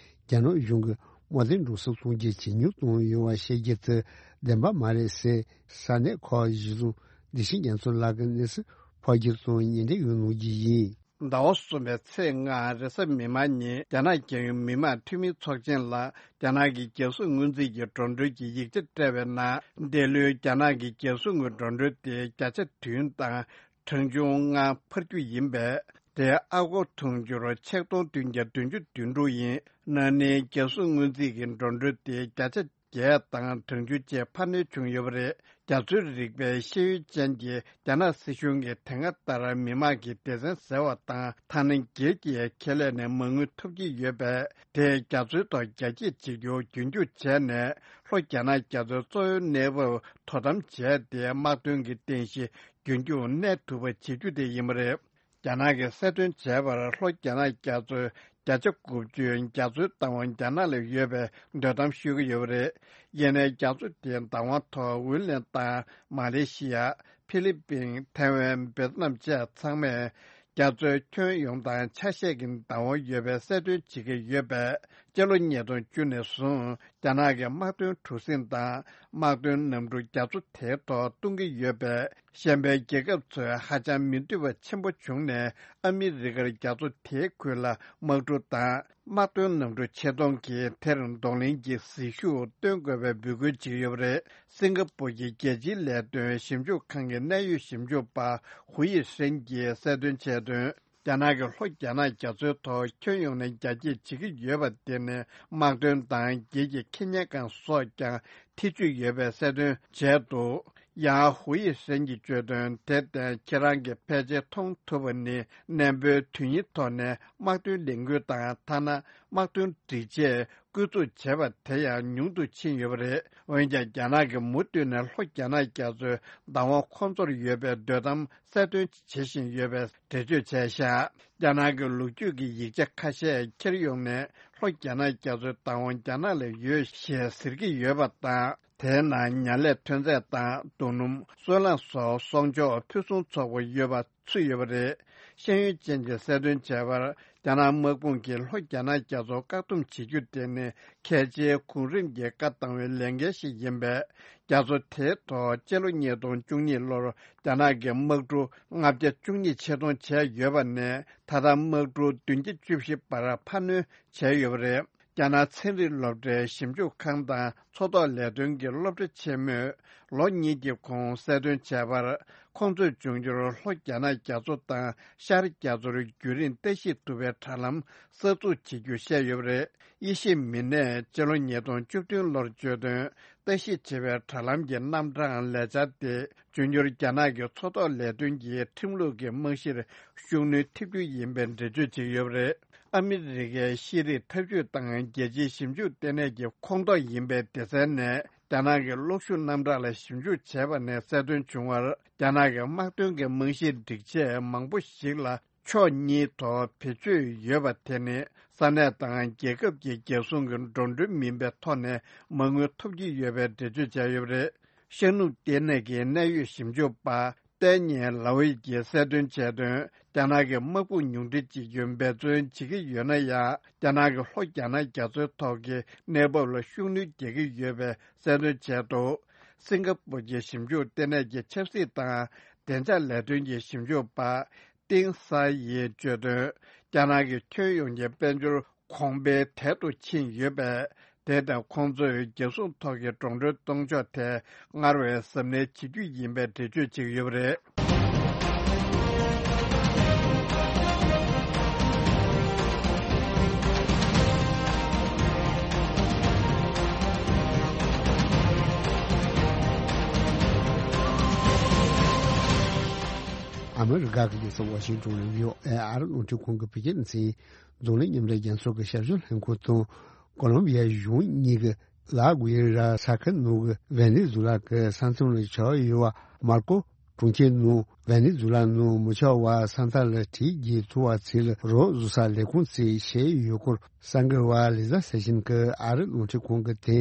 ཚན། རྒྱ་ནག་གཞུང་གིས་དམག་དོན་འགྲོ་སོང་ཚོང་འབྱེད་ཇེ་ཉུང་བཏང་ཡོད་པ་བཤད་རྒྱུ་དེ་བདེན་པ་མ་རེད་ཟེར། ས་གནས་ཁག་གཞི་བཟུང་བདེ་ཆེན་རྒྱ་མཚོ་ལགས་ཀྱིས་གནས་ཚུལ་ཕབ་སྒྱུར་དང་ཉེ་འབྲེལ་ཡོད་གནང་རྒྱུ་ཡིན། ཟླ་བ་གསུམ་པའི་ཚེས་ལྔ་རེས་གཟའ་མིག་དམར་ཉིན། རྒྱ་ནག་རྒྱལ་ཡོངས་མི་དམངས་འཐུས་མིའི་ཚོགས་ཆེན་ལ་རྒྱ་ནག་གི་རྒྱལ་སྲུང་སྔོན་རྩིས་ཀྱི་འགྲོ་གྲོན་གྱི་ཡིག་ཆ་སྤྲད་པའི་ནང་། འདི་ལོའི་རྒྱ་ནག་གི་རྒྱལ་སྲུང་གི་འགྲོ་གྲོན་དེ་བརྒྱ་ཆ་བདུན་དང་གྲངས་ཆུང་ལྔ་འཕར་རྒྱུ་ཡིན་པས། དེ་ཨ་སྒོར་དུང་ཕྱུར་ཆིག་སྟོང་བདུན་བརྒྱ་བདུན་ཅུ་དོན་དྲུག་ཡིན། ན་ནིང་རྒྱལ་སྲུང་སྔོན་རྩིས་ཀྱི་འགྲོ་གྲོན་དེ་བརྒྱ་ཆ་བརྒྱད་དང་གྲངས་ཆུང་བཅས་འཕར་སྣོན་བྱུང་ཡོད་པ་རེད། རྒྱ་མཚོའི་རིག་པའི་ཤེས་ཡོན་ཅན་གྱི་རྒྱ་ནག་སྲིད་གཞུང་གིས་དེ་སྔ་ལྟར་མི་དམངས་ཀྱི་སྡེ་ཚན་ཟེར་བ་དང་ཐ་སྣེ་སྒེར་གྱི་ཁེ་ལས་ནས་མ་དངུལ་ཐོབ་ཀྱི་ཡོད་པས། དེས་རྒྱ་མཚོའི་ཐོག་རྒྱ་སྐྱེད་བྱེད་རྒྱུ་རྒྱུན་འཁྱོངས་བྱས་ནས། ལྷོ་རྒྱ་ནག་རྒྱ་མཚོའི་གཙོ་བོའི་གནས་བབ་དོ་དམ་བྱས་ཏེ། དམག་དོན་གྱི་རྟེན་གཞི་རྒྱུན་འཁྱོངས་གནས་ཐུབ་པ་བྱེད་རྒྱུ་དེ་ཡིན་པ་རེད། རྒྱ་ནག་གིས་གསལ་སྟོན་བྱས་པར། ལྷོ་རྒྱ་ནག་རྒྱ་མཚོའི་བརྒྱ་ཆ་དགུ་བཅུ་རྒྱ་མཚོའི་བདག་དབང་རྒྱ་ནག་ལ་ཡོད་པའི་འདོད་གཏམ་ཤོད་ཀྱི་ཡོད་པ་རེད། ཡིན་ནའི་རྒྱ་མཚོ་དེའི་བདག་དབང་ཐོག་ཝུན་ལན་དང་མ་ལེ་ཤི་ཡ། ཧྥི་ལི་པིན། ཐའེ་ཝན། ཝེ་ཏི་ནམ་བཅས་ཚང་མས་རྒྱ་མཚོའི་ཁྱོན་ཡོངས་དང་ཆ་ཤས་ཀྱི་བདག་དབང་ཡོད་པའི་གསལ་སྟོན་བྱེད་ཀྱི་ཡོད་པས། སྤྱི་ལོ་ཉིས་སྟོང་བཅུ་ནས་བཟུང་རྒྱ་ནག་གིས་དམག་དོན་གྲུ་གཟིངས་དང་དམག་དོན་གནམ་གྲུ་རྒྱ་མཚོ་དེའི་ཐོག་གཏོང་གི་ཡོད་པས། གཞན་པའི་རྒྱལ་ཁབ་ཚོས་ཧ་ཅང་མི་འདོད་པ་ཆེན་པོ་བྱུང་ནས། ཨ་མི་རི་ཀར་རྒྱ་མཚོ་དེའི་ཁུལ་ལ་དམག་གྲུ་དང་དམག་དོན་གནམ་གྲུ་ཆེད་གཏོང་གིས་དེར་གདོང་ལེན་གྱི་ཟིལ་ཤུགས་སྟོན་དགོས་པའི་འབོད་སྐུལ་བྱེད་ཀྱི་ཡོད་པ་རེད། སིང་ག་པུར་གྱི་རྒྱལ་སྤྱིའི་ལས་དོན་ཞིབ་འཇུག་ཁང་གི་གནད་ཡོད་ཞིབ་འཇུག་པ་ཧུའུ་ཡི་ཧྲེན་གྱིས་གསལ་སྟོན་བྱས་དོན། རྒྱ་ནག་གིས་ལྷོ་རྒྱ་ནག་རྒྱ་མཚོའི་ཐོག་ཁྱོན་ཡོངས་ནས་རྒྱ་སྐྱེད་བྱེད་ཀྱི་ཡོད་པ་དེ་ནི་དམག་དོན་དང་སྒེར་གྱི་ཁེ་གཉེར་ཁང་སོགས་ཀྱང་ཐེ་ཇུས་ཡོད་པའི་གསལ་སྟོན་བྱས་འདུག་ཡང་ཧུའུ་ཡི་ཧྲེན་གྱིས་བརྗོད་དོན། དེར་བརྟེན་ཁྱེད་རང་གིས་ཕལ་ཆེར་མཐོང་ཐུབ་པ་ནི། གནས་སྤོའི་དུས་ཡུན་ཐོག་ནས་དམག་དོན་ལས་འགུལ་དང་། ཐ་ན་དམག་དོན་སྒྲིག་ཆས་བསྐུར་འཛུགས་བྱས་པ་དེ་ཡང་ཉུང་དུ་ཕྱིན་ཡོད་པ་རེད། འོན་ཀྱང་རྒྱ་ནག་གིས་མུ་མཐུད་ནས་ལྷོ་རྒྱ་ནག་རྒྱ་མཚོའི་བདག་དབང་ཁོ་ཚོར་ཡོད་པའི་འདོད་གཏམ་གསལ་སྟོན་བྱེད་བཞིན་ཡོད་པའི་འགྲེལ་བརྗོད་བྱས་བཞག་རྒྱ་ནག་གི་ལོ་རྒྱུས་ཀྱི་ཡིག་ཆ་ཁ་ཤས་འཁྱེར་ཡོང་ནས། ལྷོ་རྒྱ་ནག་རྒྱ་མཚོའི་བདག་དབང་རྒྱ་ནག་ལ་ཡོད་ཞེས་ཟེར་གྱི་ཡོད་པ་དང་། དེའི་ནང་ཉ་ལས་ཐོན་རྫས་དང་། རྡོ་སྣུམ། སོལ་རླངས་སོགས་གསོག་འཇོག་ཕུན་སུམ་ཚོགས་པ་ཡོད་པ་ཚུད་ཡོད་པ་རེད། ཤེས་ཡོན་ཅན་གྱིས་གསལ་སྟོན་བྱས་པར། རྒྱ་ནག་དམག་དཔུང་གིས་ལྷོ་རྒྱ་ནག་རྒྱ་མཚོ་བཀག་སྡོམ་བྱེད་རྒྱུ་དེ་ནི་གལ་ཆེའི་གོང་རིམ་གྱི་བཀའ་བཏང་བའི་ལས་འགན་ཞིག་ཡིན་པས། རྒྱ་མཚོ་དེའི་ཐོག་སྤྱི་ལོ་ཉིས་སྟོང་བཅུ་གཉིས་ལོར་རྒྱ་ནག་གིས་དམག་གྲུ་ལྔ་བརྒྱ་བཅུ་གཉིས་ཆེད་གཏོང་བྱས་ཡོད་པ་ནས། ད་ལྟ་དམག་གྲུ་བདུན་བརྒྱ་བཅུ་བཞི་བར་འཕར་སྣོན་བྱས་ཡོད་པ་རེད། རྒྱ་ནག་ཚན་རིག་སློབ་གྲྭའི་ཞིབ་འཇུག་ཁང་དང་མཚོ་ཐོག་ལས་དོན་གྱི་སློབ་གྲྭ་ཆེན་མོས་ལོ་གཉིས་ཀྱི་གོང་གསལ་སྟོན་བྱས་པར། ཁོང་ཚོས་འབྱུང་འགྱུར་ལྷོ་རྒྱ་ནག་རྒྱ་མཚོ་དང་ཤར་རྒྱ་མཚོར་རྒྱུན་རིང་ལྟ་ཞིབ་ཐུབ་པའི་དྲ་ལམ་གསར་འཛུགས་བྱེད་རྒྱུ་བཤད་ཡོད་པ་རེད། དབྱེ་ཞིབ་མི་སྣས་སྤྱི་ལོ་ཉིས་སྟོང་བཅུ་བདུན་ལོར་བརྗོད་དོན། ལྟ་ཞིབ་བྱེད་པའི་དྲ་ལམ་གྱི་རྣམ་གྲངས་ལས་འཆར་དེ། འབྱུང་འགྱུར་རྒྱ་ནག་གི་མཚོ་ཐོག་ལས་དོན་གྱི་ཁྲིམས་ལུགས་ཀྱི་རྨང་གཞིར་ཤུགས་སྣོན་ཐེབས་རྒྱུ་ཡིན་པའི་འགྲེལ་བརྗོད་བྱས་ཡོད་པ་རེད། ཨ་མི་རི་ཀའི་ཤེས་རིག་འཐབ་ཇུས་དང་རྒྱལ་སྤྱིའི་ཞིབ་འཇུག་ལྟེ་གནས་ཀྱི་ཁོངས་གཏོགས་ཡིན་པའི་སྡེ་ཚན་ནས། རྒྱ་ནག་གི་གློག་ཤུགས་རྣམ་གྲངས་ལ་ཞིབ་འཇུག་བྱས་པ་ནས་གསལ་སྟོན་བྱུང་བར། རྒྱ་ནག་གི་དམག་དོན་གྱི་རྨང་གཞིའི་སྒྲིག་ཆས་མང་པོ་ཞིག་ལ་ཕྱོགས་གཉིས་ཐོག་བེད་སྤྱོད་ཡོད་པ་དེ་ནི། ས་གནས་དང་རྒྱལ་ཁབ་ཀྱི་རྒྱལ་སྲུང་གི་འགྲོ་གྲོན་མིན་པའི་ཐོག་ནས་མ་དངུལ་ཐོབ་ཀྱི་ཡོད་པའི་འགྲེལ་བརྗོད་བྱས་ཡོད་པ་རེད། ཤར་ནུབ་ལྟེ་གནས་ཀྱི་གནད་ཡོད་ཞིབ་འཇུག་པ་ཏན་ཉེ་ལའོ་ཡི་གིས་གསལ་སྟོན་བྱས་དོན། རྒྱ་ནག་གི་དམག་དཔུང་ཉུང་འཕྲི་བྱེད་རྒྱུ་འབད་བརྩོན་བྱེད་ཀྱི་ཡོད་ན་ཡང་། རྒྱ་ནག་གི་ལྷོ་རྒྱ་ནག་རྒྱ་མཚོའི་ཐོག་གི་གནས་བབ་ལ་ཤུགས་སྣོན་རྒྱག་གི་ཡོད་པའི་གསལ་སྟོན་བྱས་འདུག་སིང་ག་པུར་གྱི་ཞིབ་འཇུག་ལྟེ་གནས་ཀྱི་ཆབ་སྲིད་དང་བདེ་འཇགས་ལས་དོན་གྱི་ཞིབ་འཇུག་པ་ཏིང་ས་ཡིས་བརྗོད་དོན། རྒྱ་ནག་གི་ཁྱོན་ཡོངས་ཀྱི་དཔལ་འབྱོར་གོང་འཕེལ་དལ་དུ་ཕྱིན་ཡོད་པས། དེ་དང་ཁོང་ཚོས་རྒྱལ་སྲུང་ཐོག་གི་འགྲོ་གྲོན་གཏོང་ཕྱོགས་ཐད་སྔར་བས་གཟབ་ནན་བྱེད་རྒྱུ་ཡིན་པའི་འགྲེལ་བརྗོད་བྱེད་ཀྱི་ཡོད་པ་རེད། ཨ་མི་རི་ཀ་གི་རྒྱལ་ས་ཝ་ཤིང་ཏོན་ནས་བྷི་ཨོ་ཨེ་ཨ་རི་རླུང་འཕྲིན་ཁང་གི་བོད་སྐད་སྡེ་ཚན། འཛམ་གླིང་མཉམ་འབྲེལ་རྒྱལ་ཚོགས་ཀྱི་ཞབས་ཞུ་ལྷན་ཁང་དང་། ཀོ་ལོམ་བི་ཡའི་གཞུང་གཉིས་ཀྱི་ལ་གུ་ཡེ་ར་ས་ཁུལ་ནང་གི་ཝེ་ནེ་ཛུ་ལ་གི་ས་མཚམས་ལ་ཆགས་ཡོད་པ་མར་ཀོ་གྲོང་ཁྱེར་ནང་ཝེ་ནེ་ཛུ་ལ་ནང་མི་ཆོག་པར་ས་མཐའ་ལ་གྲི་རྒྱག་ཐུབ་པ་ཚོ་ལ་རོགས་བཟོ་ས་ལས་ཁུངས་བཙུགས་བྱས་ཡོད་སྐོར་གསར་འགོད་པ་ལི་ཛ་སེ་ཤིན་གྱིས་ཨ་རི་རླུང་འཕྲིན་ཁང་གི་དེ་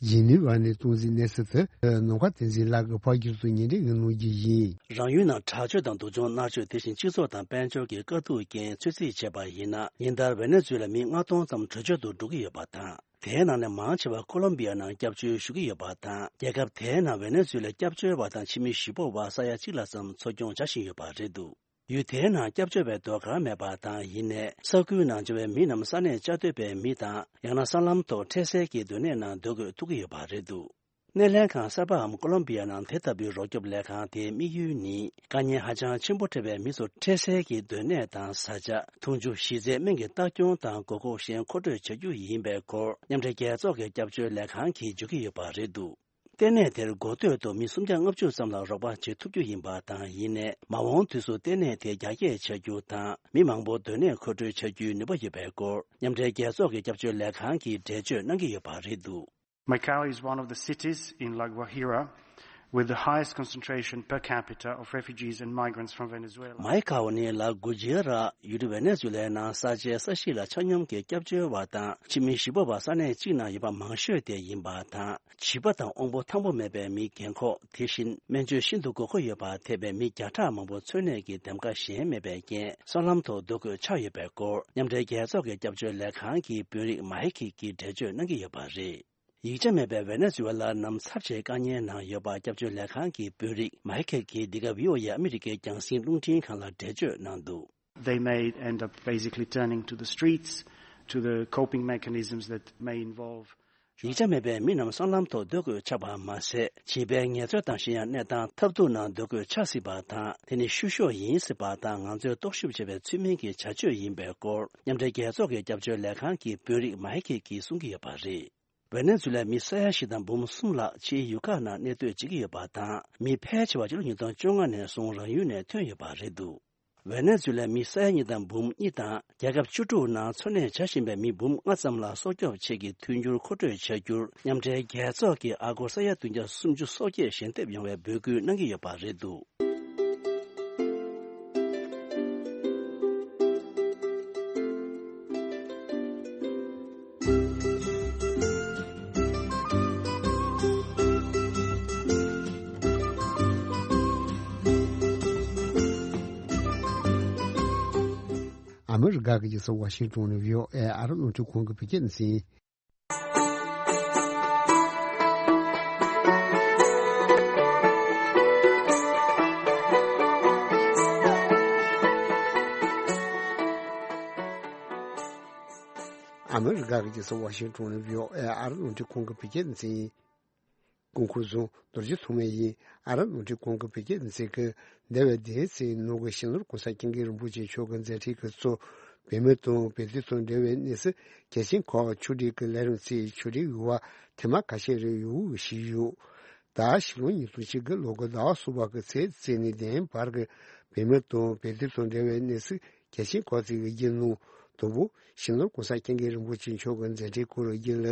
ཇི་ནི་ཝ་ནས་གཏོང་གཟིགས་གནང་ཟིན་དུ། ནམ་མཁའ་བསྟན་འཛིན་ལགས་ཀྱིས་ཕབ་སྒྱུར་དུ་སྙན་སྒྲོན་གནང་རྒྱུ་ཡིན། རང་ཡུལ་ནང་དྲག་སྤྱོད་དང་སྡུག་སྦྱོང་མནར་གཅོད། དེ་བཞིན་སྤྱི་ཚོགས་དང་དཔལ་འབྱོར་གྱི་དཀའ་སྡུག་རྐྱེན་ཚོད་རྩིས་བྱས་པ་ཡིན་ན། ཉིན་ལྟར་ཝེ་ནེ་ཛུ་ལ་མི་ལྔ་སྟོང་ཙམ་བྲོས་བྱོལ་དུ་འགྲོ་གི་ཡོད་པ་དང་། དེའི་ནང་ནས་མང་ཆེ་བ་ཀོ་ལོམ་བི་ཡ་ནང་སྐྱབས་བཅོལ་ཞུ་གི་ཡོད་པ་དང་། རྒྱལ་ཁབ་དེའི་ནང་ཝེ་ནེ་ཛུ་ལའི་སྐྱབས་བཅོལ་བ་དང་ཕྱི་མི་གཞིས་སྤོ་བ་ས་ཡ་གཅིག་ལྷག་ཙམ་འཚོ་སྐྱོང་བྱ་བཞིན་ཡོད་པ་རེད་འདུག་ཡུལ་དེའི་ནང་སྐྱབས་བཅོལ་བའི་ཟློས་གར་མེད་པ་དང་། ཡིན་ནའི་ས་ཁུལ་ནང་འབྱོར་བའི་མི་རྣམས་ས་གནས་བཅའ་སྡོད་པའི་མི་དང་། ཡང་ན་སྲང་ལམ་ཐོག་འཕྲལ་སེལ་གྱི་སྡོད་གནས་ནང་སྡོད་དགོས་ཐུག་གི་ཡོད་པ་རེད་འདུག་སྣེ་ལེན་ཁང་གསར་པའམ་ཀོ་ལོམ་བི་ཡ་ནང་དེ་ལྟ་བུའི་རོགས་སྐྱོབ་ལས་ཁང་དེའི་དམིགས་ཡུལ་ནི། དཀའ་ངལ་ཧ་ཅང་ཆེན་པོ་འཕྲད་པའི་མི་ཚོར་འཕྲལ་སེལ་གྱི་སྡོད་གནས་དང་བཟའ་བཅའ། འཐུང་ཆུ། གཞི་རྩའི་སྨན་གྱི་ལྟ་སྐྱོང་དང་དགོས་མཁོ་གཞན་མཁོ་སྤྲོད་བྱ་རྒྱུ་ཡིན་པའི་སྐོར། མཉམ་འབྲེལ་རྒྱལ་ཚོགས་ཀྱི་སྐྱབས་བཅོལ་ལས་ཁང་གིས་བརྗོད་ཀྱི་ཡོད་པ་རེད་འདུག་ལྟེ་གནས་དེར་འགོ་སྟོད་དུ་མི་སུམ་བརྒྱ་ལྔ་བཅུ་ཙམ་ལ་རོགས་པ་བྱེད་ཐུབ་རྒྱུ་ཡིན་པ་དང་། ཡིན་ནའི་མ་འོངས་དུས་སུ་ལྟེ་གནས་དེ་རྒྱ་སྐྱེད་བྱ་རྒྱུ་དང་། མི་མང་པོ་སྡོད་གནས་མཁོ་སྤྲོད་བྱ་རྒྱུའི་ནུས་པ་ཡོད་པའི་སྐོར། མཉམ་འབྲེལ་རྒྱལ་ཚོགས་ཀྱི་སྐྱབས་བཅོལ་ལས་ཁང་གིས་འགྲེལ་བརྗོད་གནང་གི་ཡོད་པ་རེད་འདུག Macau is one of the cities in La Guajira with the highest concentration per capita of refugees and migrants from Venezuela. མའི་ཁའོ་ནི་ལ་གུ་ཇི་ར་ཡུལ་གྲུ་ཝེ་ནེ་ཛུ་ལའི་ནང་ས་ཆའི་ས་གཞི་ལ་ཆ་སྙོམས་ཀྱི་སྐྱབས་བཅོལ་བ་དང་ཕྱི་མི་གཞིས་སྤོ་བ་ས་གནས་གཅིག་ནང་ཡོད་པ་མང་ཤོས་དེ་ཡིན་པ་དང་། བྱིས་པ་དང་དབང་པོ་ཐང་པོ་མེད་པའི་མི་རྒན་འཁོགས། དེ་བཞིན་སྨན་བཅོས་ཤིན་ཏུ་དགོས་མཁོ་ཡོད་པ་ཐེ་བའི་མི་བརྒྱ་ཕྲག་མང་པོ་འཚོ་གནས་ཀྱི་འདེམས་ཀ་གཞན་མེད་པའི་རྐྱེན་སྲང་ལམ་ཐོག་སྡོད་དགོས་ཆགས་ཡོད་པའི་སྐོར། མཉམ་འབྲེལ་རྒྱལ་ཚོགས་ཀྱི་སྐྱབས་བཅོལ་ལས་ཁང་གི་དཔོན་རིགས་མཱི་ཁེ་གིས་འགྲེལ་བརྗོད་གནང་གི་ཡོད་པ་རེད། ཡིག་ཆ་མེད་པའི་ཝེ་ནེ་ཛུ་ཝེ་ལ་རྣམས་ཚབས་ཆེའི་དཀའ་ངལ་ནང་ཡོད་པ་སྐྱབས་བཅོལ་ལས་ཁང་གི་དཔོན་རིགས་མཱི་ཁེ་གིས་འདི་ག་བྷི་ཨོ་ཨེ་ཨ་མི་རི་ཀའི་རྒྱང་སྲིང་རླུང་འཕྲིན་ཁང་ལ་འགྲེལ་བརྗོད་གནང་འདུག They may end up basically turning to the streets, to the coping mechanisms that may involve ཡིག་ཆ་མེད་པའི་མི་རྣམས་སྲང་ལམ་ཐོག་སྡོད་དགོས་ཆགས་པ་མ་ཟད། བྱིས་པའི་ངལ་རྩོལ་དང་གཞན་ཡང་གནས་སྟངས་ཐབས་སྡུག་ནང་སྡོད་དགོས་ཆགས་སྲིད་པ་དང་། དེ་ནི་བཤུ་གཞོག་ཡིན་སྲིད་པ་དང་། ང་ཚོས་རྟོག་ཞིབ་བྱས་པའི་ཚུལ་མིན་གྱི་བྱ་སྤྱོད་ཡིན་པའི་སྐོར། མཉམ་འབྲེལ་རྒྱལ་ཚོགས་ཀྱི་སྐྱབས་བཅོལ་ལས་ཁང་གི་དཔོན་རིགས་མཱི་ཁེ་གིས་གསུང་གི་ཡོད་པ་རེད། ཝེ་ནེ་ཛུ་ལའི་མི་ས་ཡ་བཞི་དང་འབུམ་གསུམ་ལྷག་ཕྱིའི་ཡུལ་ཁག་ནང་གནས་སྡོད་བྱེད་ཀྱི་ཡོད་པ་དང་། མི་ཕལ་ཆེ་བ་ཕྱི་ལོ་ཉིས་སྟོང་བཅོ་ལྔ་ནས་བཟུང་རང་ཡུལ་ནས་ཐོན་ཡོད་པ་རེད་འདུག་ཝེ་ནེ་ཛུ་ལའི་མི་ས་ཡ་གཉིས་དང་འབུམ་གཉིས་དང་། རྒྱལ་ཁབ་བཅུ་དྲུག་ནང་འཚོ་གནས་བྱ་བཞིན་པའི་མི་འབུམ་ལྔ་ཙམ་ལ་སྲོག་སྐྱོབ་ཆེད་ཀྱི་མཐུན་འགྱུར་མཁོ་སྤྲོད་བྱ་རྒྱུར། མཉམ་འབྲེལ་རྒྱལ་ཚོགས་ཀྱིས་ཨ་སྒོར་ས་ཡ་བདུན་བརྒྱ་སུམ་ཅུ་སོ་བརྒྱད་ཞལ་འདེབས་ཡོང་བའི་འབོད་སྐུལ་གནང་གི་ཡོད་པ་རེད་འདུག་ཨ་མི་རི་ཀ་གི་རྒྱལ་ས་ཝ་ཤིང་ཏོན་ནས་བྷི་ཨོ་ཨེ་ཨ་རི་རླུང་འཕྲིན་ཁང་གི་བོད་སྐད་སྡེ་ཚན། ཨ་མི་རི་ཀ་གི་རྒྱལ་ས་ཝ་ཤིང་ཏོན་ནས་བྷི་ཨོ་ཨེ་ཨ་རི་རླུང་འཕྲིན་ཁང་གི་བོད་སྐད་སྡེ་ཚན། སྐུ་ཁམས་བཟང་། རྡོ་རྗེ་ཐོགས་མེད་ཡིན། ཨ་རི་རླུང་འཕྲིན་ཁང་གི་བོད་སྐད་སྡེ་ཚན་གྱིས་འདས་པའི་ཟླ་ཚེས་ནང་གི་གཞོན་ནུ་གོང་ས་སྐྱབས་མགོན་རིན་པོ་ཆེ་མཆོག་གི་མཛད་འཕྲིན་གྱི་ཚོགས། བོད་མི་དང་བོད་དོན་དང་འབྲེལ་བའི་གནས་ཚུལ། གལ་ཆེན་ཁག་ཕྱོགས་སྒྲིག་གི་ལས་རིམ་ཚོས་ཕྱོགས་སྒྲིག་ཡོད་པ་ཐེངས་མ་ཁ་ཤས་རེ་ཡོད་ཞུས་ཡོད། ད་ཕྱི་ལོ་ཉིས་སྟོང་ཆིག་གི་ལོ་གི་ཟླ་བ་གསུམ་པ་གི་ཚེས་བཅུ་ནས་བདུན་བར་གྱི་བོད་མི་དང་བོད་དོན་དང་འབྲེལ་བའི་གནས་ཚུལ་གལ་ཆེན་ཁག་ཅིག་གི་རྒྱུན་ནང་ དང་པོ་ཞིང་ནོར་གོང་ས་སྐྱབས་མགོན་རིན་པོ་ཆེ་མཆོག་གི་མཛད་འཕྲིན་སྐོར་ཡིན་ལ།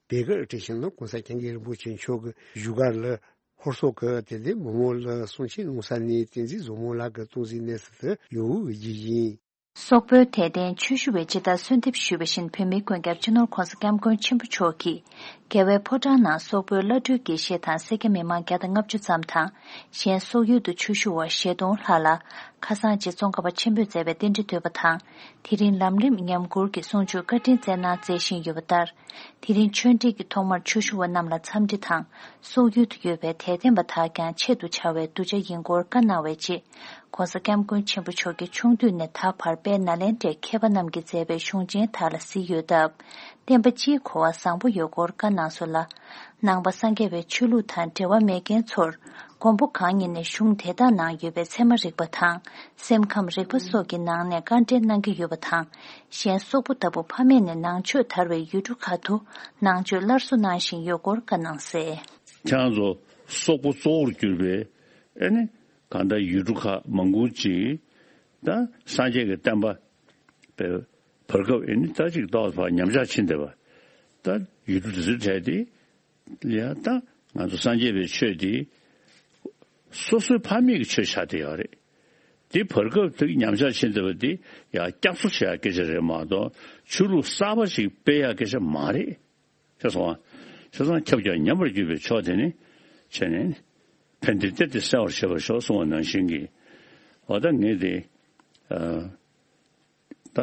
བེ་གར་ཏི་ཞིང་ནོར་གོང་ས་སྐྱབས་མགོན་རིན་པོ་ཆེ་མཆོག་གི་བཞུགས་སྒར་ལ་ཧོར་སོག་གི་དད་ལྡན་མི་མང་ལ་གསུང་ཆོས་གནང་ས་ནས་བསྟན་འཛིན་བཟང་མོ་ལགས་ཀྱི་སྟོང་གཟིགས་གནས་ཚུལ་དུ་ཡོང་བའི་རྒྱུ་ཡིན། སོག་པོའི་དད་ལྡན་ཆོས་ཞུ་བས་ཇི་ལྟར་གསོལ་འདེབས་ཞུས་པ་བཞིན། བོད་མིའི་མགོན་སྐྱབས་སྤྱི་ནོར་༸གོང་ས་༸སྐྱབས་མགོན་ཆེན་པོ་མཆོག་གིས། རྒྱལ་བའི་ཕོ་བྲང་ནང་སོག་པོའི་བླ་སྤྲུལ་དགེ་བཤེས་དང་སེར་སྐྱ་མི་མང་བརྒྱ་དང་ལྔ་བཅུ་ཙམ་དང་། གཞན་སོག་ཡུལ་དུ་ཆོས་ཞུ་བ་བཞི་སྟོང་ལྷག་ལ། ཁ་སང་རྗེ་ཙོང་ཁ་པ་ཆེན་པོས་མཛད་པའི་རྟེན་འབྲེལ་བསྟོད་པ་དང་། དེ་རིང་ལམ་རིམ་ཉམས་མགུར་གྱི་གསུང་ཆོས་བཀའ་དྲིན་སྩལ་གནང་མཛད་བཞིན་ཡོད་པ་ལྟར། དེ་རིང་ཆོས་འབྲེལ་གྱི་ཐོག་མར་ཆོས་ཞུ་བ་རྣམས་ལ་འཚམས་འདྲི་དང་། སོག་ཡུལ་དུ་ཡོད་པའི་དད་ལྡན་པ་དག་ཀྱང་ཆེད་དུ་བྱ་བའི་གདུལ་བྱ་ཡིན་སྐོར་བཀའ་གནང་བའི་རྗེས། ༸གོང་ས་༸སྐྱབས་མགོན་ཆེན་པོ་མཆོག་གིས་ཆུང་དུས་ནས་ད་བར་དཔལ་ནཱ་ལེནྡྲའི་མཁས་པ་རྣམས་ཀྱིས་མཛད་པའི་གཞུང་ཆེན་དག་ལ་གཟིགས་ཡོད་སྟབས། བསྟན་པ་སྤྱིའི་གོ་བ་བཟང་པོ་ཡོད་སྐོར་བཀའ་གནང་སོང་ལ། ནང་པ་སངས་རྒྱས་པའི་ཆོས་ལུགས་དང་འབྲེལ་བ་མེད་མཁན་ཚོར། མགོན་པོ་གང་ཉིད་ནས་གཞུང་དེ་དག་ནང་ཡོད་པའི་ཚད་མ་རིག་པ་དང་། སེམས་ཁམས་རིག་པ་སོགས་ཀྱི་ནང་ནས་བཀའ་འགྲེལ་གནང་གི་ཡོད་པ་དང་། གཞན་སོག་པོ་ལྟ་བུ་ཕ་མེས་ནས་ནང་ཆོས་དར་བའི་ཡུལ་གྲུ་ཁག་ཏུ་ནང་ཆོས་སླར་གསོ་གནང་བཞིན་ཡོད་སྐོར་བཀའ་གནང་གསལ། ཁྱེད་རང་ཚོ་སོག་པོ་གཙོ་བོར་གྱུར་པའི་ཨེ་ནི་གང་ལྟར་ཡུལ་གྲུ་ཁག་མང་པོ་ཅིག་ད་སངས་རྒྱས་ཀྱི་བསྟན་པ་བར་སྐབས་ཨེ་ནི་ད་ཅིག་ཏོག་ཙམ་ཉམས་ཆག་ཕྱིན་བསྡད་པ། ད་ཡུལ་གྲུ་དེ་ཚོའི་གྲས་དེ་ཡ་ད་ང་ཚོ་སངས་རྒྱས་པའི་ཆོས་དེ་སོ་སོའི་ཕ་མེས་ཀྱི་ཆོས་ཆགས་བསྡད་ཡོད་རེད། དེ་བར་སྐབས་དེ་ཉམས་ཆག་ཕྱིན་བསྡད་པ་དེ་ཡ་སྐྱབས་གསོ་བྱེད་ཡ་སྐད་ཆ་རེད་མ་གཏོགས་ཆོས་ལུགས་གསར་པ་ཞིག་སྤེལ་ཡ་སྐད་ཆ་མ་རེད། ཤེས་སོང་ང་། བྱས་ཙང་ཁྱབ་ཀྱང་ཉམས་པར་གྱུར་པའི་ཕྱོགས་དེ་ནི་བྱས་ནས་ཕན་བདེ་གཏེར་དེ་གསལ་བར་བྱེད་པར་ཤོག་གསུངས་པ་ནང་བཞིན་གྱི། འོ་ད་ངས་དེ་ཨ་ད་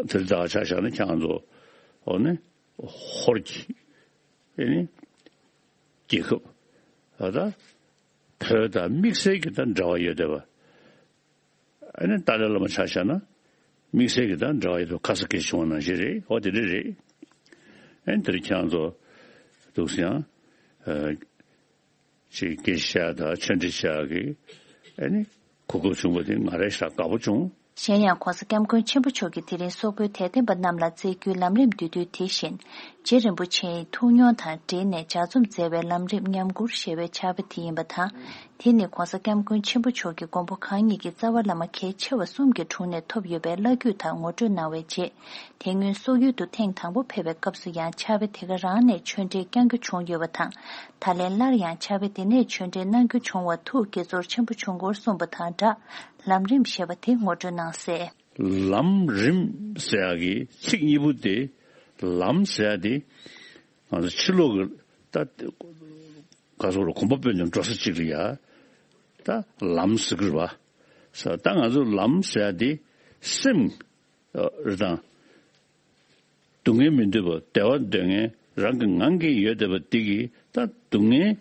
དེར་ད་ཆ་བཞག་ན་ཁྱེད་རང་ཚོ་འོ་ནི་ཧོར་གྱི་ཨེ་ནི་རྒྱལ་ཁབ་འོ་ད་བོད་དང་དམིགས་བསལ་གྱི་ད་འབྲེལ་བ་ཡོད་བསྡད་པ། ཨ་ནི་ཏཱ་ལའི་བླ་མ་ཆ་བཞག་ན་དམིགས་བསལ་གྱི་དང་འབྲེལ་བ་ཡོད་པའི་ཁ་ས་སྐད་བྱུང་བ་ནང་བཞིན་རེད། འོ་དེ་འདྲ་རེད། ཨ་ནི་དེར་ཁྱེད་རང་ཚོ་འདུག་སེ་ཡང་ཨ་ཅིག་སྐད་ཆ་བཤད་དང་ཆོས་འབྲེལ་བྱ་གི་ཨ་ནི་གོ་སྐབས་བྱུང་བ་དེ་ང་རང་ཞེ་དྲག་དགའ་པོ་བྱུང་། གཞན་ཡང་༸གོང་ས་༸སྐྱབས་མགོན་ཆེན་པོ་མཆོག་གིས་དེ་རིང་སོག་པོའི་དད་ལྡན་པ་རྣམས་ལ་སྩལ་རྒྱུའི་ལམ་རིམ་བསྡུས་དུས་དེ་བཞིན། རྗེ་རིན་པོ་ཆེའི་ཐུགས་མྱོང་དང་འབྲེལ་ནས་ལྗགས་རྩོམ་མཛད་པའི་ལམ་རིམ་ཉམས་མགུར་ཞེས་པའི་ཕྱག་དཔེ་དེ་ཡིན་པ་དང་། དེ་ནི་༸གོང་ས་༸སྐྱབས་མགོན་ཆེན་པོ་མཆོག་གིས་མགོན་པོ་གང་ཉིད་ཀྱི་རྩ་བ་བླ་མ་གལ་ཆེ་བ་གསུམ་གྱི་དྲུང་ནས་ཐོབ་ཡོད་པའི་བླ་བརྒྱུད་དག་ངོ་སྤྲོད་གནང་བའི་རྗེས། དེ་སྔོན་སོག་ཡུལ་དུ་ཐེངས་དང་པོ་ཕེབས་པའི་སྐབས་སུ་ཡང་ཕྱག་དཔེ་དེ་ག་རང་ནས་ཆོས་འབྲེལ་བསྐྱང་རྒྱུ་བྱུང་ཡོད་པ་དང་། ད་ལན་སླར་ཡང་ཕྱག་དཔེ་དེ་ནས་ཆོས་འབྲེལ་གནང་རྒྱུ་བྱུང་བར་ཐུགས་དགྱེས་ཚོར་ཆེན་པོ་བྱུང་སྐོར་གསུངས་པ་དང་སྦྲགས། ལམ་རིམ་ཞེས་པ་དེ་ངོ་སྤྲོད་གནང་གསལ། ལམ་རིམ་ཟེར་ཡག་གི་ཚིག་གཉིས་པོ་དེ། ལམ་ཟེར་ཡག་དེ་ང་ཚོ་ཕྱི་ལོགས་ཀྱི་ད་ག་ཟེར་རོ། གོམ་པ་སྤོས་ནས་འགྲོ་ས་གཅིག་ལ་ཡ་ད་ལམ་ཟེར་གི་རེད་པ། ས་ད་ང་ཚོ་ལམ་ཟེར་ཡག་དེ་སེམས་རེད་དང་། སྡུག་བསྔལ་མི་འདོད་པ་བདེ་བ་འདོད་མཁན་རང་གི་ངང་གིས་ཡོད་བསྡད་པ་དེ་གིས་ད་སྡུག་བསྔལ་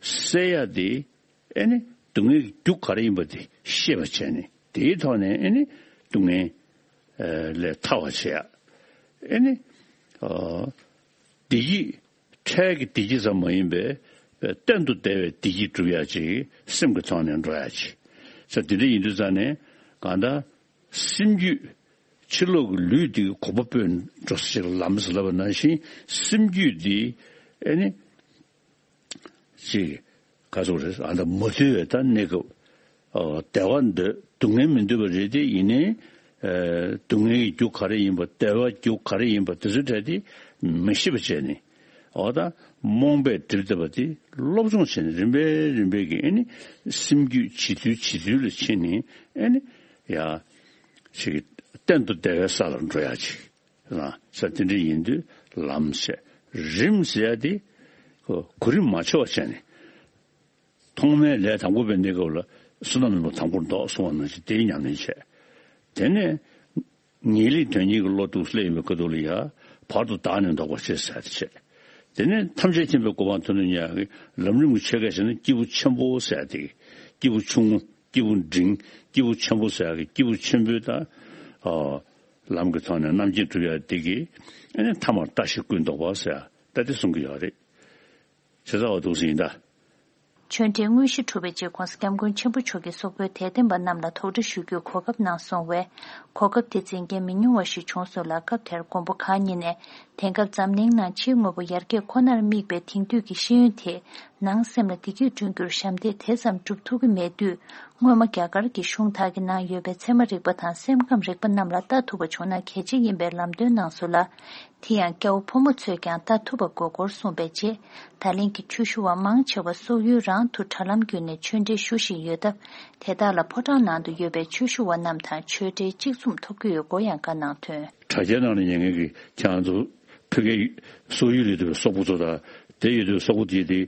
སེལ་ཡག་དེ། ཨེ་ནི་སྡུག་བསྔལ་གྱི་རྒྱུ་ག་རེ་ཡིན་པ་དེ་ཤེས་པ་བྱས་ནས་དེའི་ཐོག་ནས་ཨེ་ནི་སྡུག་བསྔལ་ལས་ཐར་བ་བྱེད་ཡག་ཨེ་ནི་བདེ་སྐྱིད། འཕྲལ་གྱི་བདེ་སྐྱིད་ཙམ་མ་ཡིན་པའི་གཏན་དུ་བདེ་བའི་བདེ་སྐྱིད་སྒྲུབ་ཡག་ཅིག་སེམས་ཀྱི་ཐོག་ནས་འགྲོ་ཡག་ཅིག་ས་དེ་འདྲ་ཡིན་དུས་ཙང་ནས་གང་ལྟར། སེམས་རྒྱུད། ཕྱི་ལོགས་ཀྱི་ལུས་འདི་གོམ་པ་སྤོས་འགྲོ་ས་ཞིག་ལ་ལམ་ཟེར་ལབ་པ་ནང་བཞིན་སེམས་རྒྱུད་འདི་ཨེ་ནི་ཅིག་ག་ཚོད་རེད། ཨ་ད་མ་ཐུལ་བའི་ད་གནས་སྐབས་བདེ་བ་འདོད། སྡུག་བསྔལ་མི་འདོད་པ་རེད་དེ། ཡིན་ནའི་སྡུག་བསྔལ་གྱི་རྒྱུ་ག་རེ་ཡིན་པ། བདེ་བ་རྒྱུ་ག་རེ་ཡིན་པ་དེ་ཚོའི་གྲས་དེ་མི་ཤེས་པ་བྱས་ནས། འོ་ད་རྨོངས་པས་བསྒྲིབས་བསྡད་པ་དེ་སློབ་སྦྱོང་བྱས་ནས་རིམ་པས་རིམ་པས་ཀྱིས་ཨེ་ནི་སེམས་རྒྱུད་ཇེ་ཐུལ་ཇེ་ཐུལ་ལ་ཕྱིན་ནས་ཨེ་ནི་ཡ་ཞིག་གཏན་དུ་བདེ་བའི་ས་ལ་འགྲོ་ཡག་ཅིག་ལ་ས་དེ་འདྲ་ཡིན་དུས་ལམ་ཟེར། རིམ་ཟེར་ཡག་དེ་གོ་རིམ་མ་འཆོལ་བ་བྱས་ནས། ཐོག་མའི་ལས་དང་པོ་པའི་གནས་སྐབས་ལ་བསོད་ནམས་ལ་དང་པོར་འདོགས་གསུངས་པ་ནང་བཞིན་དེའི་ཉམས་ལེན་བྱས། དེ་ནས་ངེས་ལེགས་དོན་གཉིས་ཀྱི་བློ་འདུག་སླེབས་ཡོང་བའི་སྐབས་དུ་ལ་ཡ་བར་དུ་བདག་ནི་ལྡོག་པར་བྱེད་ཟེར་ཡག་དེ་བྱས། དེ་ནས་ཐམས་ཅད་མཁྱེན་པའི་གོ་འཕང་ཐོབ་ནས་ཉག་གི་ལམ་རིམ་གྱི་ཆོས་སྐད་བཤད་ན་སྐྱེས་བུ་ཆེན་པོ་ཟེར་ཡག་དེ། སྐྱེས་བུ་ཆུང་ངུ། སྐྱེས་བུ་འབྲིང་། སྐྱེས་བུ་ཆེན་པོ་ཟེར་ཡག་གི་སྐྱེས་བུ་ཆེན་པོའི་ད་ཨ་ལམ་གྱི་ཐོག་ནས་རྣམ་མཁྱེན་སྒྲུབ་ཡག་དེ་གི་ཨ་ནི་ཐ་མར་ལྟ་ཞིག་ཀུན་ལྡོག་པ་ཟེར་ཡག་ད་དེ་གསུང་གི་ཡོད་རེད། བྱས་ཙང་འོ་འདུག་སེ་ཡིན་ད། ཆོས་འབྲེལ་དངོས་གཞི་གྲུབ་པའི་རྗེས་༸གོང་ས་༸སྐྱབས་མགོན་ཆེན་པོ་མཆོག་གིས་སོག་པོའི་དད་ལྡན་པ་རྣམས་ལ་དོགས་འདྲི་ཞུ་རྒྱུའི་གོ་སྐབས་གནང་སོང་བས། གོ་སྐབས་དེ་འཛིན་མཁན་མི་ཉུང་བ་ཞིག་བྱུང་སོང་ལ། སྐབས་དེར་མགོན་པོ་གང་ཉིད་ནས་དེང་སྐབས་འཛམ་གླིང་ནང་ཕྱིའི་དངོས་པོ་ཡར་རྒྱས་ཁོ་ནར་དམིགས་པའི་དེང་དུས་ཀྱི་ཤེས་ཡོན་དེས་ནང་སེམས་ལ་བདེ་སྐྱིད་བསྐྲུན་རྒྱུར་ཞབས་འདེགས་དེ་ཙམ་སྒྲུབ་ཐུབ་ཀྱི་མེད་དུས། སྔོན་མ་རྒྱ་གར་གྱི་གཞུང་དག་གིས་གནང་ཡོད་པའི་ཚད་མ་རིག་པ་དང་སེམས་ཁམས་རིག་པ་རྣམས་ལ་ལྟ་ཐུབ་པ་བྱུང་ན་གལ་ཆེ་ཡིན་པའི་ལམ་སྟོན་གནང་སོང་ལ། དེ་ཡང་སྐྱ་བོ་ཕོ་མོ་ཚོས་ཀྱང་ལྟ་ཐུབ་པ་དགོས་སྐོར་གསུངས་པའི་རྗེས། ད་ལན་གྱི་ཆོས་ཞུ་བ་མང་ཆེ་བ་སོག་ཡུལ་རང་དུ་དྲ་ལམ་བརྒྱུད་ནས་ཆོས་འབྲེལ་ཞུ་བཞིན་ཡོད་སྟབས། དེ་དག་ལ་ཕོ་བྲང་ནང་དུ་ཡོད་པའི་ཆོས་ཞུ་བ་རྣམས་དང་ཆོས་འབྲེལ་གཅིག་མཚུངས་ཐོབ་ཀྱི་ཡོད་སྐོར་ཡང་བཀའ་གནང་དོན། དྲ་རྒྱའི་ནང་ལ་ཉན་མཁན་གྱི་ཁྱེད་རང་ཚོ་ཕ་གིའི་སོག་ཡུལ་ལ་ཡོད་པའི་སོག་པོ་ཚོ་དང་དེ་ཡོད་པའི་སོག་པོ་དེ་དེ་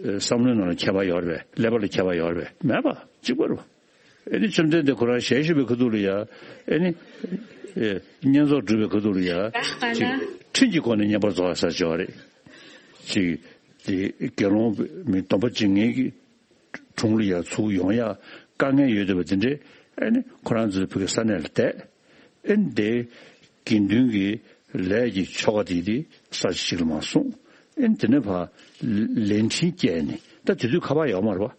བསམ་བློའི་ནང་ལ་ཁྱད་པར་ཡོད་རེད་པས། ཀླད་པ་ལ་ཁྱད་པར་ཡོད་རེད་པས། མེད་པ་གཅིག་པ་རེད་པ། ཨེ་ནི་བཅོམ་ལྡན་འདས་ཁོ་རང་ཞལ་བཞུགས་པའི་ཁ་ཐུག་ལ་ཡ། ཨེ་ནི་ཨེ་བསྙེན་རྫོགས་སྒྲུབ་པའི་ཁ་ཐུག་ལ་ཡ། ཅིག་ཁྲིམས་ཀྱི་སྒོ་ནས་བསྙེན་པར་རྫོགས་ཡ་ཟེར་ཅིག་ཡོད་རེད། ཅིག་དེ་དགེ་སློང་མི་སྡོམ་པ་བྱེད་མཁན་གྱི་དྲུང་ལ་ཡ་ཚུར་ཡོང་ཡ་དཀའ་ངལ་ཡོད་བསྡད་པ་དེ་འདྲས། ཨེ་ནི་ཁོ་རང་ཚོའི་ཕ་གི་ས་གནས་ལ་བསྡད། ཨེ་ནི་དེ་དགེ་འདུན་གྱི་ལས་ཀྱི་ཆོ་ག་དེ་དེ་ས་ཆ་ཞིག་ལ་མར་སོང་། ཨེ་ནི་དེ་ནས་ཕར་ལས་འཕྲིན་བསྐྱལ་ནས། ད་དེ་དུས་ཁ་པར་ཡོད་མ་རེད་པ།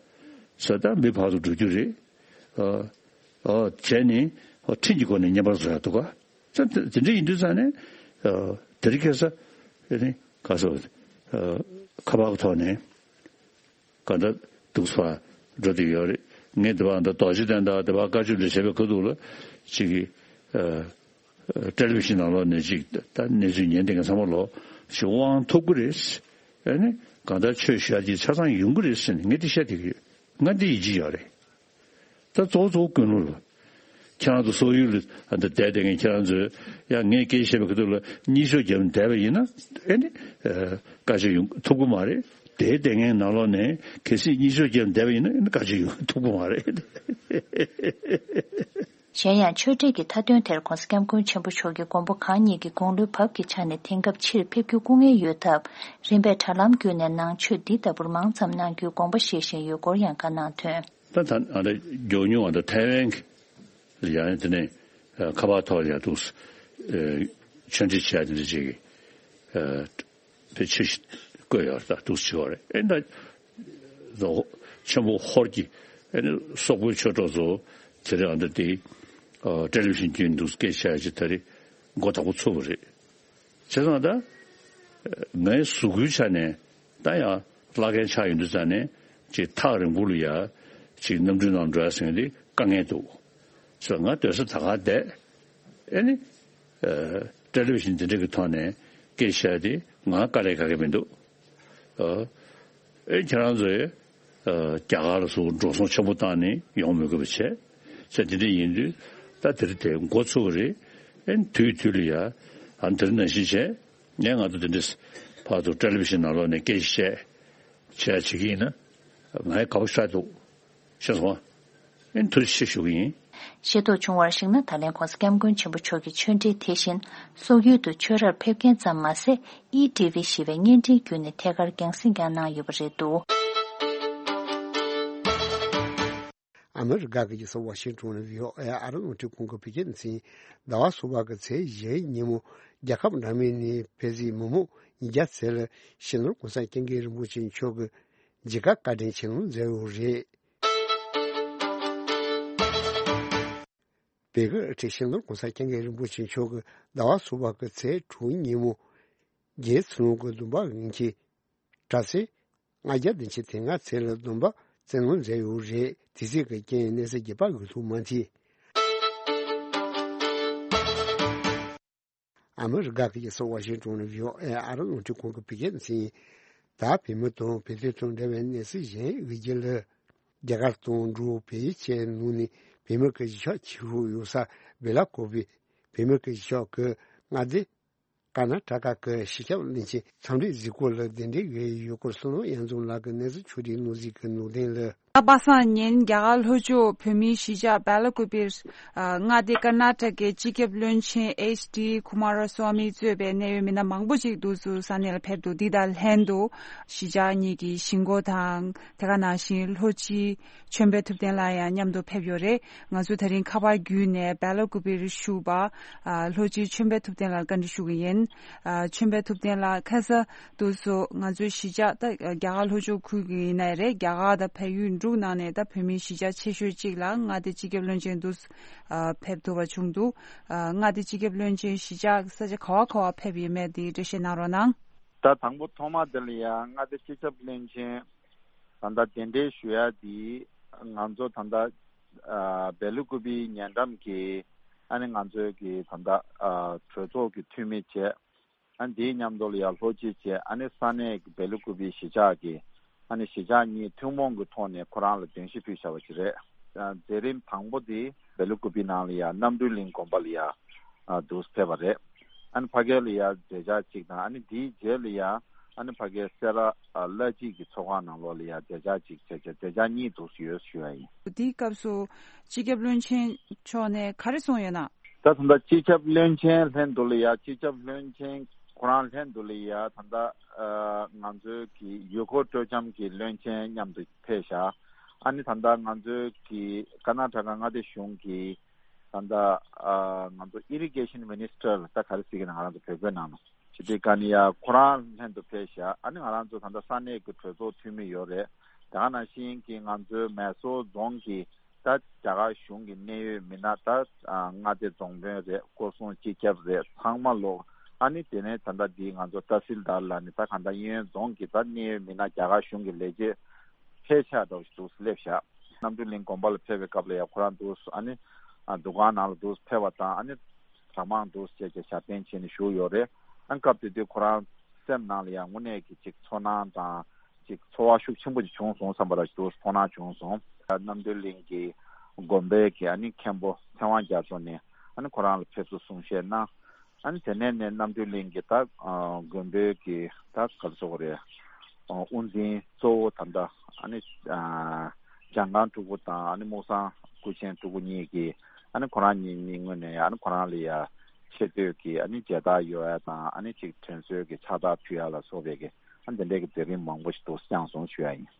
ས་ད་མི་ཕར་ཚུར་འགྲོ་རྒྱུ་རེད། ཨ། ཨ། བྱས་ནས་ཁྲིམས་ཀྱི་སྒོ་ནས་བསྙེན་པར་བཟོ་ཡག་འདུག་ག། ད་དེ་འདྲ་ཡིན་དུས་ཙང་ནས། ཨ། དེ་རིང་ཁ་སང་། ཨ་ནི་ག་ཟེར། ཨ། ཁ་པར་གྱི་ཐོག་ནས་གང་ལྟར་འདུག་སེ་འགྲོ་བསྡད་ཡོད་རེད། ངས་དེ་བར་འདི་རྡོ་རྗེ་གདན་དང་དེ་བར་བཀའ་ཆོས་འདི་བྱས་པའི་ཁ་ཐུག་ལ་ཅིག་གིས། ཨ། ཊེ་ལི་བི་ཤན་ནང་ལོགས་ནས་ཅིག་ད་གནས་ཚུལ་ཉན་བསྡད་མཁན་ཚང་མ་ལོག་ཅིག་དབང་ཐོབ་ཀྱི་རེད། ཨ་ནི་གང་ལྟར་ཆོས་ཞུ་ཡག་ཅིག་ཆ་ཚང་ཡོང་གི་རེད་ཟེར་ནས་ངས་འདི་བཤད་བསྡད་ཀྱི་ཡོད། ང་འདི་ཡིད་ཆེས་ཡོད་རེད། ད་གཙོ་བོ་གཙོ་བོ་ཀུན་སློང་རེད། ཁྱེད་རང་ཚོ་སོག་ཡུལ་ལ་ཨ་འདི་བསྡད་བསྡད་མཁན་ཁྱེད་རང་ཚོས་ཡང་ངས་སྐད་ཆ་བཤད་པའི་ཁ་ཐུག་ལ་གཉིད་ཤོག་བརྒྱབ་བསྡད་པ་ཡིན་ན། ཨེ་ནི་ཨ་བཀའ་ཆོས་ཡོང་ཐུབ་ཀྱི་མ་རེད། དེ་བསྡད་མཁན་ནང་ལོགས་ནས་གལ་སྲིད་གཉིད་ཤོག་བརྒྱབ་བསྡད་པ་ཡིན་ན། ཨེ་ནི་བཀའ་ཆོས་ཡོང་ཐུབ་ཀྱི་མ་རེད། གཞན་ཡང་ཆོས་འབྲེལ་གྱི་མཐའ་དོན་དེར་༸གོང་ས་༸སྐྱབས་མགོན་ཆེན་པོ་མཆོག་གིས་མགོན་པོ་གང་ཉིད་ཀྱི་དགུང་ལོའི་བབས་ཀྱི་ཆ་ནས་དེང་སྐབས་ཕྱིར་ཕེབས་རྒྱུ་སྐུ་ངལ་ཡོད་སྟབས། རིམ་པས་དྲ་ལམ་བརྒྱུད་ནས་ནང་ཆོས་འདི་ལྟ་བུར་མང་ཙམ་གནང་རྒྱུའི་དགོངས་པ་བཞེས་བཞིན་ཡོད་སྐོར་ཡང་བཀའ་གནང་དོན། ད་ད་ཨ་ད་མགྱོགས་མྱུར་བ་ད་ཐའེ་ཝན་གྱི་ཡང་དེ་ནས་ཨ་ཁ་པར་ཐོག་ལ་ཡང་འདུག་སེ་ཨ་ཆོས་འབྲེལ་བྱས་དེ་འདྲ་ཅིག་གི་ཨ་དེ་ཆོས་ཞིག་བཀོད་ཡོད་རེད། ད་འདུག་སེ་བྱེད་པ་རེད། ཨེ་ད་ཆེན་པོ་ཧོར་གྱི་ཨེ་ནི་སོག་པོའི་ཆོས་གྲོགས་ཚོ་དེ་རིང་ཨ་ད་དེ་ཨ་ཊེ་ལི་བི་ཤན་བརྒྱུད་འདུག་སེ་སྐད་ཆ་ཅིག་ད་རེས་མགོ་དག་པོ་ཚོས་པ་རེད། བྱས་ཙང་ད་ངའི་གཟུགས་པོའི་ཆ་ནས་ད་ཡང་བླ་རྒན་ཆགས་ཡོང་དུས་ཙང་ནས་ཅིག་ཐག་རིང་པོ་ལ་ཡ་ཅིག་གནམ་གྲུའི་ནང་འགྲོ་ཡ་ཟེར་མཁན་དེ་དཀའ་ངལ་འདུག། བྱས་ཙང་ང་སྡོད་ས་ད་ག་བསྡད། ཨེ་ནི་ཨ་ཊེ་ལི་བི་ཤན་དེ་འདྲ་གི་ཐོག་ནས་སྐད་ཆ་དེ་ང་དཀའ་ལས་ཁག་གི་མི་འདུག། ཨ་ཨེ་ཁྱེད་རང་ཚོས་ཨ་རྒྱ་གར་ལ་སོགས་འགྲོ་སོང་ཆེན་པོ་བཏང་ནས་ཡོང་མི་དགོས་པ་བྱས། ཚེ་འདི་འདྲ་ཡིན་དུས་ད་དེ་རིང་དེ་འགོ་ཚུགས་པ་རེད། ཨེ་དུས་དུས་ལ་ཡ་ཨ་འདིར་ནང་བཞིན་བྱས། ངས་ང་ཚོ་དེ་འདྲས་བར་དུ་ཊེ་ལི་བི་ཤན་ནང་ལོགས་ནས་སྐད་ཆ་བཤད་བྱས་བྱེད་ཀྱི་ཡིན་ན་ང་ཡང་དགའ་པོ་ཞེ་དྲག་འདུག། ཤེས་སོང་ཨ། ཨེ་ཐུགས་རྗེ་ཆེ་ཞུ་གི་ཡིན། ཤེས་རྟོགས་བྱུང་བར་གཞིགས་ན། ད་ལན་༸གོང་ས་༸སྐྱབས་མགོན་ཆེན་པོ་མཆོག་གིས་ཆོས་འབྲེལ་དེ་བཞིན་སོག་ཡུལ་དུ་ཆོས་རར་ཕེབས་མཁན་ཙམ་མ་ཟད། ཨི་ཊི་ཝི་ཞེས་པའི་བརྙན་འཕྲིན་བརྒྱུད་ནས་ཐད་ཀར་རྒྱང་སྲིང་ཀྱང་གནང་ཡོད་པ་རེད་འདུག། ཨ་མི་རི་ཀ་གི་རྒྱལ་ས་ཝ་ཤིང་ཏོན་ནས་བྷི་ཨོ་ཨེ་ཨ་རི་རླུང་འཕྲིན་ཁང་གི་བོད་སྐད་སྡེ་ཚན། ཟླ་བ་གསུམ་པ་གི་ཚེས་བཞིའི་ཉིན་མོ་རྒྱལ་ཁབ་འདྲ་མིན་ནས་ཕེབས་བསུའི་མི་མང་ཉིས་བརྒྱ་ཙམ་ལ་སྤྱི་ནོར་༸གོང་ས་༸སྐྱབས་མགོན་རིན་པོ་ཆེ་མཆོག་གིས་མཇལ་ཁ་བཀའ་དྲིན་ཆེ་གནང་མཛད་ཡོད་རེད། བོད་ཀྱི་སྤྱི་ནོར་༸གོང་ས་༸སྐྱབས་མགོན་རིན་པོ་ཆེ་མཆོག་གིས་ཟླ་བ་གསུམ་པ་གི་ཚེས་དྲུག་ཉིན་མོ་རྒྱལ་ཡུམ་གྱི་སྡོམ་པ་དབྱིན་ཇིའི་དྲ་ཚིགས་ལྔ་བརྒྱ་བདུན་ཅུ་དོན་ལྔ་ཚེས་ལ་སྡོམ་པ་བསྩལ་གནང་མཛད་ཡོད་རེད། དེ་ཚིག་གི་རྐྱེན་གནས་ཚུལ་རྒྱས་པ་འགོད་ཐུབ་མ་ཐལ། ཨ་མི་རི་ཀ་གི་རྒྱལ་ས་ཝ་ཤིང་ཏོན་ནས་བྷི་ཨོ་ཨེ་ཨ་རི་རླུང་འཕྲིན་ཁང་གི་བོད་སྐད་སྡེ་ཚན། ད་བོད་མི་དང་བོད་དོན་དང་འབྲེལ་བའི་གནས་ཚུལ་གཞན་ཡོད་རྒྱུ་ལ། རྒྱ་གར་དང་འབྲུག་བལ་ཡུལ་བཅས་ནང་ནས་བོད་མི་གི་གཞིས་ཆགས་ཆེ་ཤོས་ཡོད་ས་བེ་ལ་ཀོ་བི་བོད་མི་གི་གཞིས་ཆགས་ཀྱི་མངའ་སྡེ་ཀར་ན་ཊ་ཀ་གི་སྤྱི་ཁྱབ་བློན་ཆེན་འཚམས་འདྲི་གཟིགས་སྐོར་ལ་གདན་འདྲེན་ཡོད་སྐོར་བསོད་ནམས་དབྱངས་འཛོམས་ལགས་ཀྱིས་གནས་ཚུལ་ཕྱོགས་སྒྲིག་གནང་གཟིགས་ཀྱི་ནང་དོན་ལ། ད་པ་སངས་ཉིན་རྒྱ་གར་ལྷོ་ཕྱོགས་བོད་མིའི་གཞིས་ཆགས་སྦེ་ལ་ཀུ་པིར། ཨ། མངའ་སྡེ་ཀར་ནཱ་ཊ་ཀའི་སྤྱི་ཁྱབ་བློན་ཆེན་ཨེཆ་ཌི་ཀུ་མཱ་ར་སྭ་མི་གཙོས་པའི་གནད་ཡོད་མི་སྣ་མང་པོ་ཞིག་འདུག་སེ་ས་གནས་ལ་ཕེབས་འདུག་འདི་དང་ལྷན་དུ་གཞིས་ཆགས་གཉིས་ཀྱི་གཞིས་འགོ་དང་། དེ་ག་ནང་བཞིན་ལྷོ་སྤྱི་ཆོས་འཕེལ་ཐུབ་བསྟན་ལགས་ཡང་མཉམ་དུ་ཕེབས་ཡོད་རེད། ང་ཚོ་དེ་རིང་ཁ་པར་བརྒྱུད་ནས་སྦེ་ལ་ཀུ་པིར་བཞུགས་པ། ཨ། ལྷོ་སྤྱི་ཆོས་འཕེལ་ཐུབ་བསྟན་ལགས་བཀའ་འདྲི་ཞུ་གི་ཡིན། ཨ། ཆོས་འཕེལ་ཐུབ་བསྟན་ལགས། ཁ་ས་དུས་སུ་ང་ཚོའི་གཞིས་ཆགས་ད་རྒྱ་གར་ལྷོ་ཕྱོགས་ཁུལ་གྱི་ཡིན་ནའི་རེད། རྒྱ་གར་དང་བལ་ཡུལ་འབྲུག་ནང་ནས་ད་བོད་མིའི་གཞིས་ཆགས་ཆེ་ཤོས་གཅིག་ལ་མངའ་སྡེ་སྤྱི་ཁྱབ་བློན་ཆེན་དུ་ཨ། ཕེབས་ཐུབ་པ་བྱུང་འདུག་ཨ། མངའ་སྡེ་སྤྱི་ཁྱབ་བློན་ཆེན་གཞིས་ཆགས་ས་ཆ་ག་བ་ག་བ་ཕེབས་ཡོད་མེད་དེ་འགྲེལ་བཤད་གནང་རོགས་གནང་། ད་དང་པོ་ཐོག་མ་དེ་ལ་ཡང་མངའ་སྡེ་སྤྱི་ཁྱབ་བློན་ཆེན་ད་ལྟ་གདན་འདྲེན་ཞུ་ཡ་དེ་ང་ཚོ་ད་ལྟ་ཨ། སྦེ་ལ་ཀུ་པིའི་ཉེ་འགྲམ་གྱི་ཨ་ནི་ང་ཚོའི་གི་ད་ལྟ་ཨ། གྲོས་ཚོགས་ཀྱི་འཐུས་མི་བྱས། ཨ། དེའི་མཉམ་དུ་ལ་ཡང་ལྷོ་སྤྱི་བྱས། ཨ་ནི་ས་གནས་ཀྱི་སྦེ་ལ་ཀུ་པི་གཞིས་ཆགས་ཀྱི་ཨ་ནི་གཞིས་ཆགས་གཉིས་ཐུན་མོང་གི་ཐོག་ནས་ཁོ་རང་ལ་གདན་ཞུ་ཕུལ་བཞག་པ་ཞིག་རེད། ཨ། མཛད་རིམ་དང་པོ་དེ་སྦེ་ལ་ཀུ་པི་ནང་ལ་ཡང་རྣམ་གྲོལ་གླིང་དགོན་པ་ལ་ཡང་ཨ། འདུག་སེ་ཕེབས་པ་རེད། ཨ་ནི་ཕ་གི་ལ་ཡང་མཛད་འཆར་གཅིག་དང་། ཨ་ནི་དེའི་རྗེས་ལ་ཡང་ཨ་ནི་ཕ་གིའི་སེ་ར་ཨ། བླ་སྤྱི་གི་ཚོགས་ཁང་ནང་ལོགས་ལ་ཡང་མཛད་འཆར་གཅིག་བྱས་བྱས། མཛད་འཆར་གཉིས་འདུག་སེ་ཡོད་ཞུ་ཡ་ཡིན། དེའི་སྐབས་སུ་སྤྱི་ཁྱབ་བློན་ཆེན་མཆོག་ནས་ག་རེ་གསུངས་ཡོད་ན། ད་ད་ལྟ་སྤྱི་ཁྱབ་བློན་ཆེན་ལྷན་དུ་ལ་ཡ། སྤྱི་ཁྱབ་བློན་ཆེན་ཁོ་རང་ལྷན་དུ་ལ་ཡ་ད་ལྟ་ཨ། ང་ཚོའི་གི་ཡུལ་སྐོར་སྤྲོ་འཆམ་གྱི་བློན་ཆེན་མཉམ་དུ་ཕེབས་ཤག་ཨ་ནི་ད་ལྟ་ང་ཚོའི་གི་ཀར་ནཱ་ཊ་ཀ་མངའ་སྡེ་གཞུང་གི་ད་ལྟ་ཨ། ང་ཚོ་ཨི་རི་གེ་ཤན་མི་ནི་སི་ཊར་ད་ག་རེ་ཟེར་གི་ན་ང་རང་ཚོ་བོད་སྐད་ནང་ན། ཇི་ཏི་ཀ་ནི་ཡ་ཁོ་རང་ལྷན་དུ་ཕེབས་ཤག་ཨ་ནི་ང་རང་ཚོ་ད་ལྟ་ས་གནས་ཀྱི་གྲོས་ཚོགས་འཐུས་མི་ཡོད་རེད། དེ་ག་ནང་བཞིན་གྱི་ང་ཚོའི་མེ་སོར་རྫོང་གི་ད་རྒྱ་གར་གཞུང་གི་གནད་ཡོད་མི་སྣ། ད་ཨ། མངའ་སྡེ་རྫོང་དཔོན་རེད། སྐོར་སྲུང་སྤྱི་ཁྱབ་རེད། ཚང་མ་ལོག་ཨ་ནི་དེ་ནས་ད་ལྟ་འདི་ང་ཚོ་ཏ་སིལ་དར་ལ་ནི་ད་ག་ད་གཡས་གཡོན་རྫོང་གི་ད་གནད་ཡོད་མི་སྣ། རྒྱ་གར་གཞུང་གི་ལས་བྱེད་ཕལ་ཆེར་འདྲ་བོ་ཞིག་འདུག་སེ་སླེབས་ཤག་རྣམ་གྲོལ་གླིང་དགོན་པ་ལ་ཕེབས་པའི་སྐབས་ལ་ཡང་ཁོ་རང་འདུག་ཨ་ནི་ཨ། འདུ་ཁང་ནང་ལ་འདུག་ཕེབས་པ་དང་། ཨ་ནི་གྲྭ་མང་འདུག་བྱས་བྱས་ཞབས་བརྟན་བྱས་ནས་བཞུགས་ཡོད་རེད། ཨ་ནི་སྐབས་དེ་དུས་ཁོ་རང་སེམས་ནང་ལ་ཡང་དངོས་གནས་ཀྱི་ཅིག་ཚོར་སྣང་དང་། ཅིག་ཚོར་བ་ཤུགས་ཆེན་པོ་ཅིག་བྱུང་སོང་བསམ་པ་ར་འདུག་ཚོར་སྣང་བྱུང་སོང་། རྣམ་གྲོལ་གླིང་གི་དགོན་པའི་གི་ཨ་ནི་མཁན་པོ་ཚེ་དབང་རྒྱ་མཚོ་ནས་ཨ་ནི་ཁོ་རང་ལ་ཕེབས་བསུ་གསུང་བཤད་གནང་། ཨ་ནི་དེ་ནས་ནས་རྣམ་གྲོལ་གླིང་གི་ད་ཨ། དགོན་པའི་གི་ད་ག་རེ་ཟེར་དགོས་རེད། ཨ། དབུ་འཛིན་གཙོ་བོ་ད་ལྟ་ཨ་ནི་ཨ། འཇམ་དཀར་སྤྲུལ་སྐུ་དང་ཨ་ནི་སྨུག་སང་སྐུ་ཆེན་སྤྲུལ་སྐུ་གཉིས་ཀྱིས་ཨ་ནི་ཁོ་རང་གཉིས་གཉིས་ངོས་ནས་ཨ་ནི་ཁོ་རང་ལ་ཡ་ཆེ་བསྟོད་ཀྱི་ཨ་ནི་མཇལ་དར་གཡོ་ཡ་དང་། ཨ་ནི་ཅིག་དྲན་གསོའི་གི་ཕྱག་རྟགས་ཕུལ་ཡ་ལ་སོགས་པའི་གི་ཨ་ནི་དེ་འདྲའི་གི་མཛད་རིམ་མང་པོ་ཞིག་འདུག་བསྐྱངས་སོང་ཞུ་ཡ་ཡིན།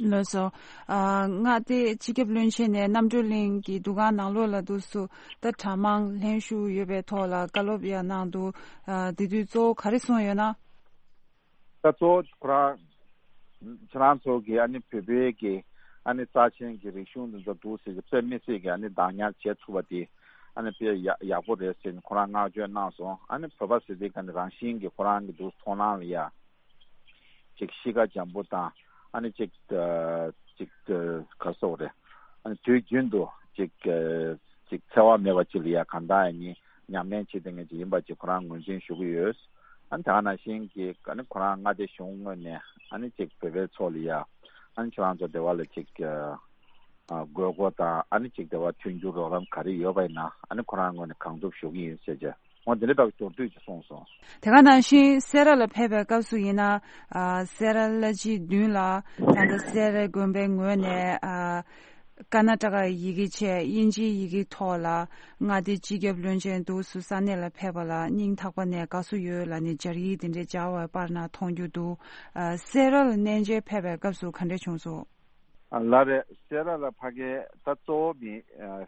ལགས་སོ། ཨ། མངའ་སྡེ་སྤྱི་ཁྱབ་བློན་ཆེན་ནས་རྣམ་གྲོལ་གླིང་གི་འདུ་ཁང་ནང་ལོགས་ལ་འདུག་སེ་ད་གྲྭ་མང་ལྷན་ཞུགས་ཡོད་པའི་ཐོག་ལ་བཀའ་སློབ་ཡང་གནང་འདུག་ཨ། དེ་དུས་གཙོ་བོ་ག་རེ་གསུངས་ཡོད་ན། ད་གཙོ་བོ་ཁོ་རང་ཁྱེད་རང་ཚོ་གི་ཨ་ནི་བོད་པའི་གི་ཨ་ནི་རྩ་ཆེན་གྱི་རིག་གཞུང་འདི་ཚོ་འདུག་སེ་གི་དཔེ་མི་སྲིད་ཀྱི་ཨ་ནི་བདག་ཉར་བྱེད་ཐུབ་པ་དེ་ཨ་ནི་དཔེ་ཡག་ཡག་པོ་རེད་ཟེར་ནས་ཁོ་རང་བསྔགས་བརྗོད་གནང་སོང་། ཨ་ནི་བོད་པ་ཟེར་དུས་ཀ་ནི་རང་བཞིན་གྱི་ཁོ་རང་གི་འདུག་མཐོང་སྣང་ལ་ཡ་ཅིག་གཤིས་ཀ་འཇམ་པོ་དང་། ཨ་ནི་ཅིག་ཨ། ཅིག་ཨ། ག་རེ་ཟེར་དགོས་རེད། ཨ་ནི་དུས་རྒྱུན་དུ་ཅིག་ཨ། ཅིག་འཚེ་བ་མེད་པ་ཅིག་ལ་ཡ་གང་དག་ཡ་ནི་ཉམས་ལེན་བྱེད་མཁན་ཅིག་ཡིན་པ་ཅིག་ཁོ་རང་ངོས་འཛིན་ཞུ་གི་ཡོད། ཨ་ནི་དེ་ག་ནང་བཞིན་གྱི་ཨ་ནི་ཁོ་རང་མངའ་སྡེ་གཞུང་ངོས་ནས་ཨ་ནི་ཅིག་བོད་པའི་ཚོགས་ལ་ཡ་ཨ་ནི་ཁྱེད་རང་ཚོ་སྡེ་བ་ལ་ཅིག་ཨ། དགོས་མཁོ་དང་། ཨ་ནི་ཅིག་སྡེ་བ་མཐུན་འགྱུར་རོགས་རམ་ག་རེ་ཡོད་པ་ཡིན་ན་ཨ་ནི་ཁོ་རང་ངོས་ནས་གང་ཐུབ་ཞུ་གི་ཡིན་ཟེར་བྱས། འོ་འདི་འདྲ་འདྲ་བོ་མདོར་བསྡུས་ཀྱིས་གསུངས་སོང་། དེ་ག་ནང་བཞིན་སེ་ར་ལ་ཕེབས་པའི་སྐབས་སུ་ཡིན་ན། ཨ། སེ་ར་བླ་སྤྱིའི་མདུན་ལ་ད་ལྟ་སེ་ར་དགོན་པའི་ངོས་ནས། ཨ། ཀར་ནཱ་ཊ་ཀ་ཡི་གེ་བྱས། དབྱིན་ཇིའི་ཡི་གེ་ཐོག་ལ་མངའ་སྡེ་སྤྱི་ཁྱབ་བློན་ཆེན་འདུག་སེ་ས་གནས་ལ་ཕེབས་པ་ལ་སྙིང་ཐག་པ་ནས་དགའ་བསུ་ཡོད་ལབ་ནས་སྦྱར་ཡིག་དེ་འདྲའི་སྦྱར་བ་པར་ནང་མཐོང་རྒྱུ་འདུག་ཨ། སེ་ར་ལ་གནས་མཇལ་ཕེབས་པའི་སྐབས་སུ་ག་འདྲས་བྱུང་སོང་། ལགས་རེད། སེ་ར་ལ་ཕ་གི་ད་གཙོ་བོ་མི་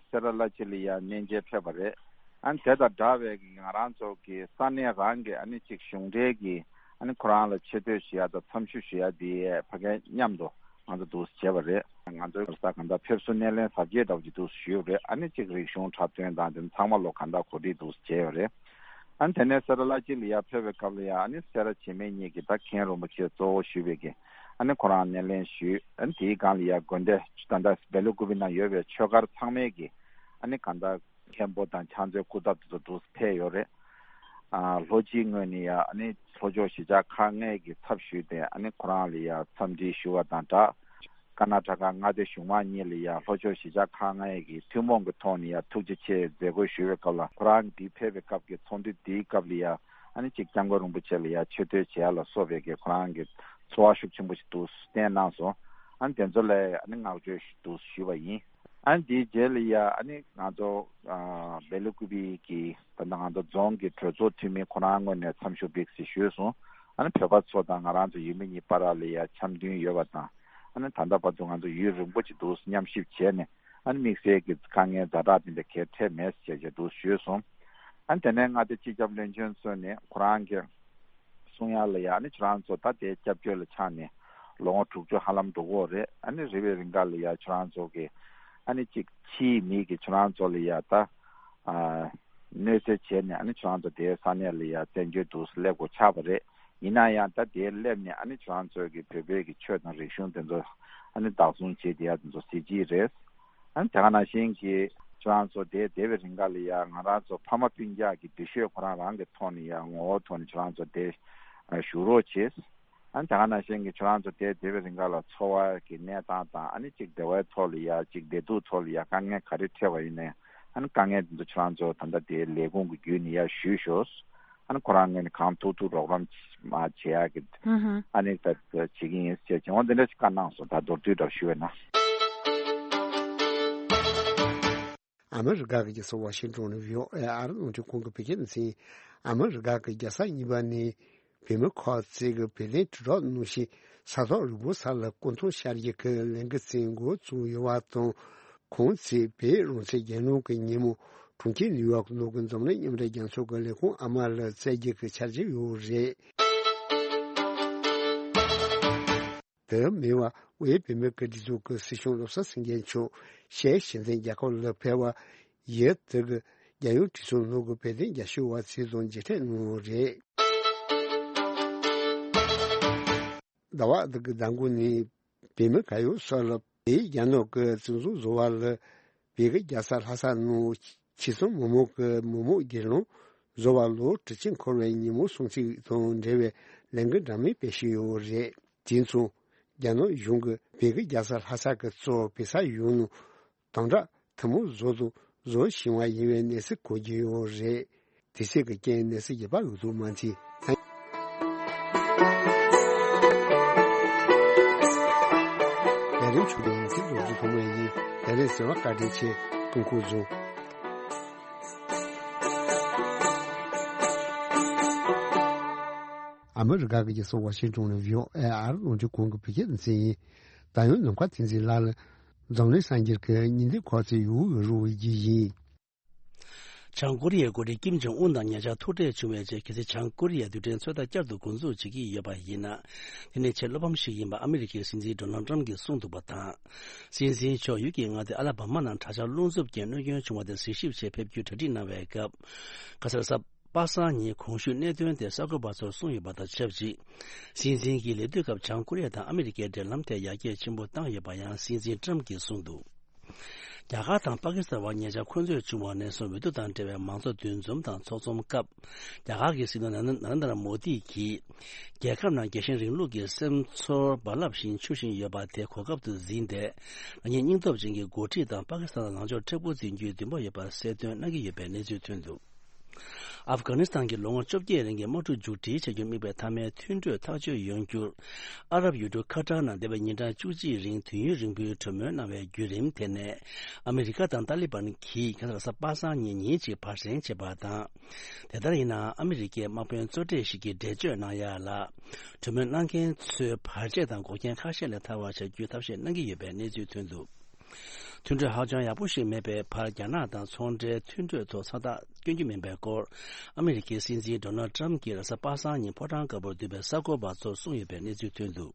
སེ་ར་བླ་སྤྱི་ལ་ཡ་གནས་མཇལ་ཕེབས་པ་རེད། ཨ་ནི་དེ་དང་འདྲ་བའི་གི་ང་རང་ཚོ་གི་ས་གནས་རང་གི་ཨ་ནི་ཅིག་གཞུང་འབྲེལ་གྱི་ཨ་ནི་ཁོ་རང་ལ་ཆེ་བསྟོད་ཞུ་ཡ་དང་འཚམས་ཞུ་ཞུ་ཡ་དེ་ཕ་གི་མཉམ་དུ་ང་ཚོ་འདུག་སེ་བྱས་པ་རེད། ང་ཚོའི་ས་གང་ལྟར་ཕེབས་བསུ་སྣེ་ལེན་གཟབ་རྒྱས་འདྲ་བོ་ཅིག་འདུག་སེ་ཞུས་པ་རེད། ཨ་ནི་ཅིག་རིག་གཞུང་འཁྲབ་སྟོན་དང་དེ་ཚང་མ་ལོ་གང་ལྟར་གོ་སྒྲིག་འདུག་སེ་བྱས་པ་རེད། ཨ་ནི་དེ་ནས་སེ་ར་བླ་སྤྱི་ལ་ཡ་ཕེབས་པའི་སྐབས་ལ་ཡ་ཨ་ནི་སེ་ར་བྱེས་སྨད་གཉིས་ཀྱི་ད་མཁན་རིན་པོ་ཆེ་གཙོ་བོ་ཞུས་པའི་གི་ཨ་ནི་ཁོ་རང་སྣེ་ལེན་ཞུས། ཨ་ནི་དེའི་སྒང་ལ་ཡ་དགོན་སྡེ་ད་ལྟ་སྦེ་ལ་ཀུ་པི་ན་ཡོད་པའི་ཆོས་སྒར་ཚང་མའི་གི་ཨ་ནི་གང་ལྟར་མཁན་པོ་དང་ཕྱག་མཛོད་སྐུ་ཚབ་དེ་ཚོ་འདུག་སེ་ཕེབས་ཡོད་རེད། ཨ། ལྷོ་སྤྱིའི་ངོས་ནས་ཡ་ཨ་ནི་ལྷོ་ཕྱོགས་གཞིས་ཆགས་ཁག་ལྔའི་གི་ཚབ་ཞུས་ཏེ་ཨ་ནི་ཁོ་རང་ལ་ཡ་འཚམས་འདྲི་ཞུ་བ་དང་སྦྲགས། ཀར་ནཱ་ཊ་ཀ་མངའ་སྡེ་གཞུང་མང་གཉིས་ལ་ཡ་ལྷོ་ཕྱོགས་གཞིས་ཆགས་ཁག་ལྔའི་གི་ཐུན་མོང་གི་ཐོག་ནས་ཡ་ཐུགས་རྗེ་ཆེ་མཛད་སྒོ་ཞུ་བའི་སྐབས་ལ་ཁོ་རང་འདི་ཕེབས་པའི་སྐབས་ཀྱི་ཚོགས་འདུ་འདིའི་སྐབས་ལ་ཡ་ཨ་ནི་ཅིག་སྐྱབས་མགོན་རིན་པོ་ཆེ་ལ་ཡ་ཆེ་བསྟོད་བྱེད་ཡ་ལ་སོགས་པའི་གི་ཁོ་རང་གི་ཚོར་བ་ཤུགས་ཆེན་པོ་ཞིག་འདུག་སེ་བསྟན་གནང་སོང་། ཨ་ནི་དེ་ཚོ་ལ་ཨ་ནི་བསྔགས་བརྗོད་ཞུ་འདུག་ཞུས་པ་ཡིན། ཨ་ནི་དེའི་རྗེས་ལ་ཡ་ཨ་ནི་ང་ཚོ་ཨ་སྦེ་ལ་ཀུ་པི་གི་ད་ལྟ་ང་ཚོ་རྫོང་གི་གྲོས་ཚོགས་འཐུས་མི་ཁོ་རང་ངོས་ནས་འཚམས་ཞུ་འགྲིགས་ཞེས་ཞུས་སོང་། ཨ་ནི་བོད་པ་ཚོ་དང་ང་རང་ཚོ་ཡུལ་མི་གཉིས་བར་ལ་ཡ་འཆམ་མཐུན་ཡོད་པ་དང་། ཨ་ནི་ད་ལྟ་བར་དུ་ང་ཚོ་ཡུན་རིང་པོ་ཅིག་འདུག་མཉམ་གཤིབ་བྱས་ནས། ཨ་ནི་དམིགས་བསལ་གྱི་དཀའ་ངལ་ཛ་དྲག་དེ་འདྲ་གལ་འཕྲད་མེད་ཅེས་བྱས་འདུག་ཞུས་སོང་། ཨ་ནི་དེ་ནས་མངའ་སྡེ་སྤྱི་ཁྱབ་བློན་ཆེན་མཆོག་ནས་ཁོ་རང་གི་གསུང་ཡ་ལ་ཡ་ཨ་ནི་ཁྱོད་རང་ཚོ་ད་དེའི་སྐྱབས་བཅོལ་ལ་ཆགས་ནས་ལོ་ངོ་དྲུག་ཅུ་ཧ་ལམ་འགྲོ་གི་ཡོད་རེད། ཨ་ནི་རེ་བའི་རིང་ག་ལ་ཡ་ཁྱོད་རང་ཚོ་གི་ཨ་ནི་གཅིག་ཕྱིའི་མི་གི་ཁྱོད་རང་ཚོ་ལ་ཡ་ད་ཨ་གནོད་འཚེ་བྱས་ནས་ཨ་ནི་ཁྱོད་རང་ཚོ་དེའི་ས་གནས་ལ་ཡ་བཙན་བྱོལ་དུ་སླེབས་དགོས་ཆགས་པ་རེད། ཡིན་ན་ཡང་ད་དེར་སླེབས་ནས་ཨ་ནི་ཁྱོད་རང་ཚོའི་གི་བོད་པའི་གི་ཆོས་དང་རིག་གཞུང་དེ་ཚོ་ཨ་ནི་བདག་བཟུང་བྱེད་བསྡད་ཡ་དེ་ཚོ་གཟི་བརྗིད་རེད། ཨ་ནི་དེ་ག་ནང་བཞིན་གྱི་ཁྱོད་རང་ཚོ་དེར་བསྡད་པའི་རིང་ག་ལ་ཡ་ང་རང་ཚོ་ཕ་མ་སྤུན་ཀྱག་གི་འདུ་ཤེས་ཁོ་རང་རང་གི་ཐོག་ནས་ཡ་ངོ་བོ་ཐོག་ནས་ཁྱོད་རང་ཚོ་དེར་བཞུགས་རོགས་བྱེད། ཨ་ནི་དེ་ག་ནང་བཞིན་གྱི་ཁྱོད་རང་ཚོ་དེར་བསྡད་པའི་རིང་ག་ལ་འཚོ་བ་གི་གནས་སྟངས་དང་ཨ་ནི་གཅིག་བདེ་བའི་ཐོག་ལ་ཡ་གཅིག་བདེ་སྡུག་ཐོག་ལ་ཡ་དཀའ་ངལ་ག་རེ་འཕྲད་པ་ཡིན་ནའི་ཨ་ནི་དཀའ་ངལ་དེ་ཚོ་ཁྱོད་རང་ཚོ་ད་ལྟ་དེའི་ལས་ཁུངས་ཀྱི་བརྒྱུད་ནས་ཡ་ཞུས་ཤོག་ཨ་ནི་ཁོ་རང་ངོས་ནས་གང་ཐུབ་ཐུབ་རོགས་རམ་མ་བྱེད་ཡག་གི་ཨ་ནི་ད་བྱེད་ཀྱི་ཡིན་ཟེར་བྱས་འོ་འདི་འདྲ་ཞིག་བཀའ་གནང་སོང་། ད་མདོར་བསྡུས་འདྲ་ཞུ་བས་ན། ཨ་མི་རི་ཀ་གི་རྒྱལ་ས་ཝ་ཤིང་ཏོན་ནས་བྷི་ཨོ་ཨེ་ཨ་རི་རླུང་འཕྲིན་ཁང་གི་བོད་སྐད་སྡེ་ཚན། ཨ་མི་རི་ཀ་གི་རྒྱལ་ས་གཉིས་པ་ནས་བོད་མི་ཁག་ཅིག་གི་བོད་དོན་དྲིལ་སྒྲོག་གནང་བཞིན་ས་ཐོག་རིང་པོ་ས་ལ་སྐུ་མཐོང་ཤར་རྒྱུ་གི་ལས་འགུལ་བཙུགས་འགོ་བཙུགས་ཡོད་པ་དང་། ཁོང་ཚོས་བོད་རང་བཙན་རྒྱལ་ནང་གི་ཉིན་མོ་གྲོང་ཁྱེར་ནིའུ་ཡོག་ནང་གི་འཛམ་གླིང་མཉམ་འབྲེལ་རྒྱལ་ཚོགས་ཀྱི་ལས་ཁུངས་ཨ་མ་ལ་བསྩལ་རྒྱུ་གི་འཆར་གཞི་ཡོད་རེད། དེ་མིན་པ་དབུས་བོད་མིའི་སྒེར་གྱི་ཚོགས་ཀྱི་སྲིད་སྐྱོང་བློ་བཟང་སེང་གེ་མཆོག་ཤར་ཕྱོགས་ཞིང་ཆེན་རྒྱལ་ཁབ་ལ་ཕེབས་པ་ཡིན། དེ་གི་རྒྱལ་ཡོངས་གྲོས་ཚོགས་ནང་གི་བོད་དོན་རྒྱབ་སྐྱོར་བ་ཚོ་དང་མཇལ་འཕྲད་གནང་བ་རེད། ཟླ་བ་འདི་གི་ཟླ་འགོ་ནས་བོད་མི་ག་ཡོད་སོགས་ལ་བོད་རྒྱ་ནག་གི་བཙན་བཟུང་བཟོ་བ་ལ་བོད་ཀྱི་རྒྱལ་ས་ལྷ་ས་ནང་ཆོལ་གསུམ་མི་མང་གི་མི་མང་སྒེར་ལངས་བཟོ་བ་ལོ་དྲུག་ཅུ་འཁོར་བའི་ཉིན་མོ་སྲུང་བརྩི་དང་འབྲེལ་བའི་ལས་འགུལ་འདྲ་མིན་སྤེལ་བཞིན་ཡོད་རེད། དེ་མཚུངས་རྒྱ་ནག་གཞུང་གིས་བོད་ཀྱི་རྒྱལ་ས་ལྷ་ས་གི་གཙོ་བོ་བོད་ས་ཡུལ་ནང་དམ་དྲག་ཐུན་མོང་བཟོ་དང་བཟོ་བཞིན་པ་ཡིན་པའི་གནས་ཚུལ་གོ་རྒྱུ་ཡོད་རེད། དེ་ཚོའི་གི་རྐྱེན་གནས་ཚུལ་རྒྱས་པ་འུ་ཚོ་མ་མཐིལ། ལས་རིམ་ཆུང་ངུ་ཡིན་ཚིག་རོགས་ཚོ་ཐོག་མ་ཡིན། ལས་རིམ་གསན་པར་བཀའ་དྲིན་ཆེ། སྐུ་ཁམས་བཟང་། ཨ་མི་རི་ཀ་གི་རྒྱལ་ས་ཝ་ཤིང་ཏོན་ནས་བྷི་ཨོ་ཨེ་ཨ་རི་རླུང་འཕྲིན་ཁང་གི་བོད་སྐད་སྡེ་ཚན་ཡིན། ད་ཡང་ནམ་མཁའ་བསྟན་འཛིན་ལགས་ལ་འཛམ་གླིང་གསར་འགྱུར་གྱི་སྙིང་བསྡུས་ཁག་ཅིག་ཡོད་རུ་བའི་རྒྱུ་ཡིན། བྱང་ཀོ་རི་ཡའི་འགོ་ཁྲིད་ཀིམ་ཇོང་ཨུན་དང་ཉེ་ཆར་ཐུག་འཕྲད་བྱུང་བའི་རྗེས། གལ་སྲིད་བྱང་ཀོ་རི་ཡས་རྡུལ་ཕྲན་ཚོད་ལྟ་བསྐྱར་དུ་འགོ་འཛུགས་བྱེད་ཀྱི་ཡོད་པ་ཡིན་ན། དེ་ནི་ཆེས་བློ་ཕམ་ཞིག་ཡིན་པ་ཨ་མི་རི་ཀའི་སྲིད་འཛིན་ཌོ་ནལ་ཏྲམ་གྱིས་གསུངས་འདུག་པ་དང་། སྲིད་འཛིན་མཆོག་ཡུལ་གྱི་མངའ་སྡེ་ཨ་ལ་བྷ་མ་ནང་གྲྭ་ཤག་རླུང་འཚུབ་རྐྱེན་གནོད་སྐྱོན་བྱུང་བ་དེ་གཟིགས་ཞིབ་ཆེད་ཕེབས་རྒྱུའི་གྲ་སྒྲིག་གནང་བའི་སྐབས། ཁ་སང་གཟའ་པ་སངས་ཉིན་གོང་ཞུས་གནད་དོན་དེ་གསར་འགོད་པ་ཚོར་གསུངས་ཡོད་པ་དང་ཆབས་ཅིག་སྲིད་འཛིན་གྱིས་ལས་དུས་སྐབས་བྱང་ཀོ་རི་ཡ་དང་ཨ་མི་རི་ཀའི་འབྲེལ་ལམ་ཐད་ཡར་རྒྱས་ཆེན་པོ་བཏང་ཡོད་པ་ཡང་སྲིད་འཛིན་ཏྲམ་གྱིས་གསུངས་འདུག་རྒྱ་གར་དང་པ་ཀི་སི་ཐན་བར་ཉེ་ཆར་འཁོན་རྩོད་བྱུང་བ་ནས་བཟུང་འོས་བསྡུ་དང་འབྲེལ་བའི་མང་གཙོ་འདུ་འཛོམས་དང་ཚོགས་འཛོམས་སྐབས། རྒྱ་གར་གྱི་སྲིད་བློན་ནར་ནར་ཨེན་དྲ་མོ་དི་གིས། རྒྱལ་ཁབ་ནང་རྒྱལ་ཞེན་རིང་ལུགས་ཀྱི་སེམས་ཚོར་རྦ་རླབས་བཞིན་འཕྱུར་བཞིན་ཡོད་པ་དེ་གོ་སྐབས་སུ་འཛིན་ཏེ། རང་ཉིད་སྙིང་སྟོབས་ཅན་གྱི་འགོ་ཁྲིད་དང་པ་ཀི་སི་ཐན་ལ་ལངས་ཕྱོགས་མཁྲེགས་པོ་འཛིན་རྒྱུའི་འདུན་པ་ཡོད་པ་གསལ་སྟོན་གནང་གི་ཡོད་པའི་གནས་ཚུལ་ཐོན་འདུག་ཨབ་གྷ་ནི་སི་ཐན་གྱི་ལོ་ངོ་བཅོ་བརྒྱད་རིང་གི་དམག་འཁྲུག་མཇུག་སྒྲིལ་བྱ་རྒྱུར་དམིགས་པའི་མཐའ་མའི་མཐུན་གྲོས་ཐག་གཅོད་ཡོང་རྒྱུར། ཨ་རབ་ཡུལ་གྲུ་ཁ་ཏར་ནང་འདས་པའི་ཉིན་གྲངས་བཅུ་གཅིག་རིང་དུས་ཡུན་རིང་པོའི་གྲོས་མོལ་གནང་བའི་བརྒྱུད་རིམ་དེ་ནས། ཨ་མི་རི་ཀ་དང་ཏཱ་ལི་བན་གྱིས་ཁ་སང་གཟའ་པ་སངས་ཉིན་ཉིན་གཅིག་བར་གསེང་བྱས་པ་དང་། དེ་ལྟར་ཡིན་ནའང་ཨ་མི་རི་ཀའི་དམག་དཔོན་གཙོ་གྲས་ཤིག་གིས་འགྲེལ་བརྗོད་གནང་ཡ་ལ། གྲོས་མོལ་གནང་མཁན་ཚོའི་བར་ཆད་དང་འགོག་རྐྱེན་ཁ་ཤས་ལས་ཐར་བར་བྱ་རྒྱུའི་ཐབས་ཤེས་གནང་གི་ཡོད་པའི་གནས་ཚུལ་ཐོན་འདུག་མཐུན་གྲོས་ཧ་ཅང་ཡག་པོ་ཞིག་མེད་པའི་བར། རྒྱ་ནག་དང་ཚོང་འབྲེལ་མཐུན་གྲོས་ཐོག་མཚམས་རྟགས་བསྐྱོན་རྒྱུ་མིན་པའི་སྐོར། ཨ་མི་རི་ཀའི་སྲིད་འཛིན་ཌོ་ནལ་ཏྲམ་གྱིས་རེས་གཟའ་པ་སངས་ཉིན་ཕོ་བྲང་དཀར་པོར་འདུས་པའི་གསར་འགོད་པ་ཚོར་གསུངས་ཡོད་པའི་གནས་ཚུལ་ཐོན་འདུག་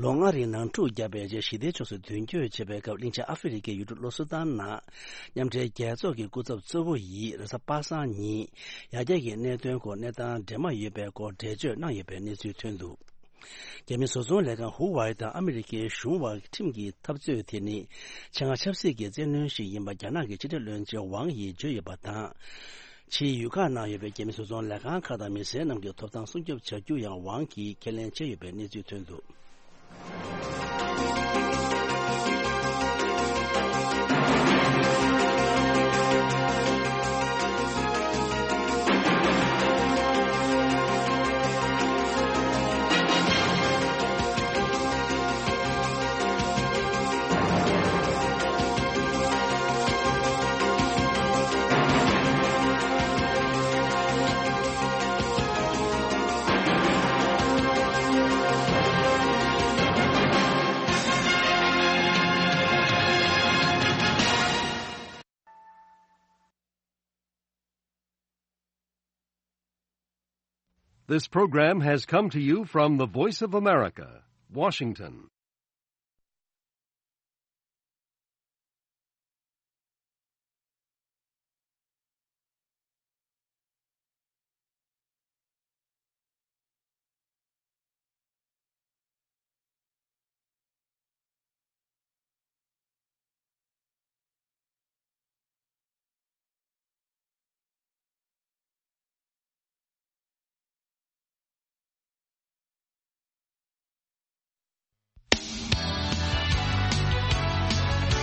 ལོ་ལྔ་རིང་ནང་འཁྲུག་བརྒྱབ་པའི་རྗེས་ཞི་བདེའི་ཕྱོགས་སུ་མདུན་སྐྱོད་བྱས་པའི་སྐབས། གླིང་ཆེན་ཨ་ཧྥེ་རི་ཁའི་ཡུལ་གྲུ་ལོ་སུ་ཏན་ནང་མཉམ་འབྲེལ་རྒྱལ་ཚོགས་ཀྱི་སྐུ་ཚབ་གཙོ་བོ་ཡིས་རེས་གཟའ་པ་སངས་ཉིན་ཡར་རྒྱས་ཀྱི་གནད་དོན་སྐོར་གནས་སྟངས་འདྲེས་མ་ཡོད་པའི་སྐོར་འགྲེལ་བརྗོད་གནང་ཡོད་པའི་གནས་ཚུལ་ཐོན་འདུག་རྒྱ་མི་བཟོ་ཚོང་ལས་ཁང་ཧུ་ཝའེ་དང་ཨ་མི་རི་ཀའི་གཞུང་དབར་ཁྲིམས་ཀྱི་འཐབ་རྩོད་དེ་ནི་ཆེད་མངགས་ཆབ་སྲིད་ཀྱི་བཙན་གནོན་ཞིག་ཡིན་པ་རྒྱ་ནག་གི་ཕྱི་དྲིལ་བློན་ཆེན་ཝང་ཡིས་བརྗོད་ཡོད་པ་དང་། ཕྱིའི་ཡུལ་ཁག་ནང་ཡོད་པའི་རྒྱ་མི་བཟོ་ཚོང་ལས་ཁང་ཁག་དང་མི་སེར་རྣམས་ཀྱི་ཐོབ་ཐང་སྲུང་སྐྱོབ་བྱ་རྒྱུ་ཡང་ཝང་གིས་ཁས་ལེན་བྱས་ཡོད་པའི་གནས་ཚུལ་ཐོན་འདུག This program has come to you from the Voice of America, Washington.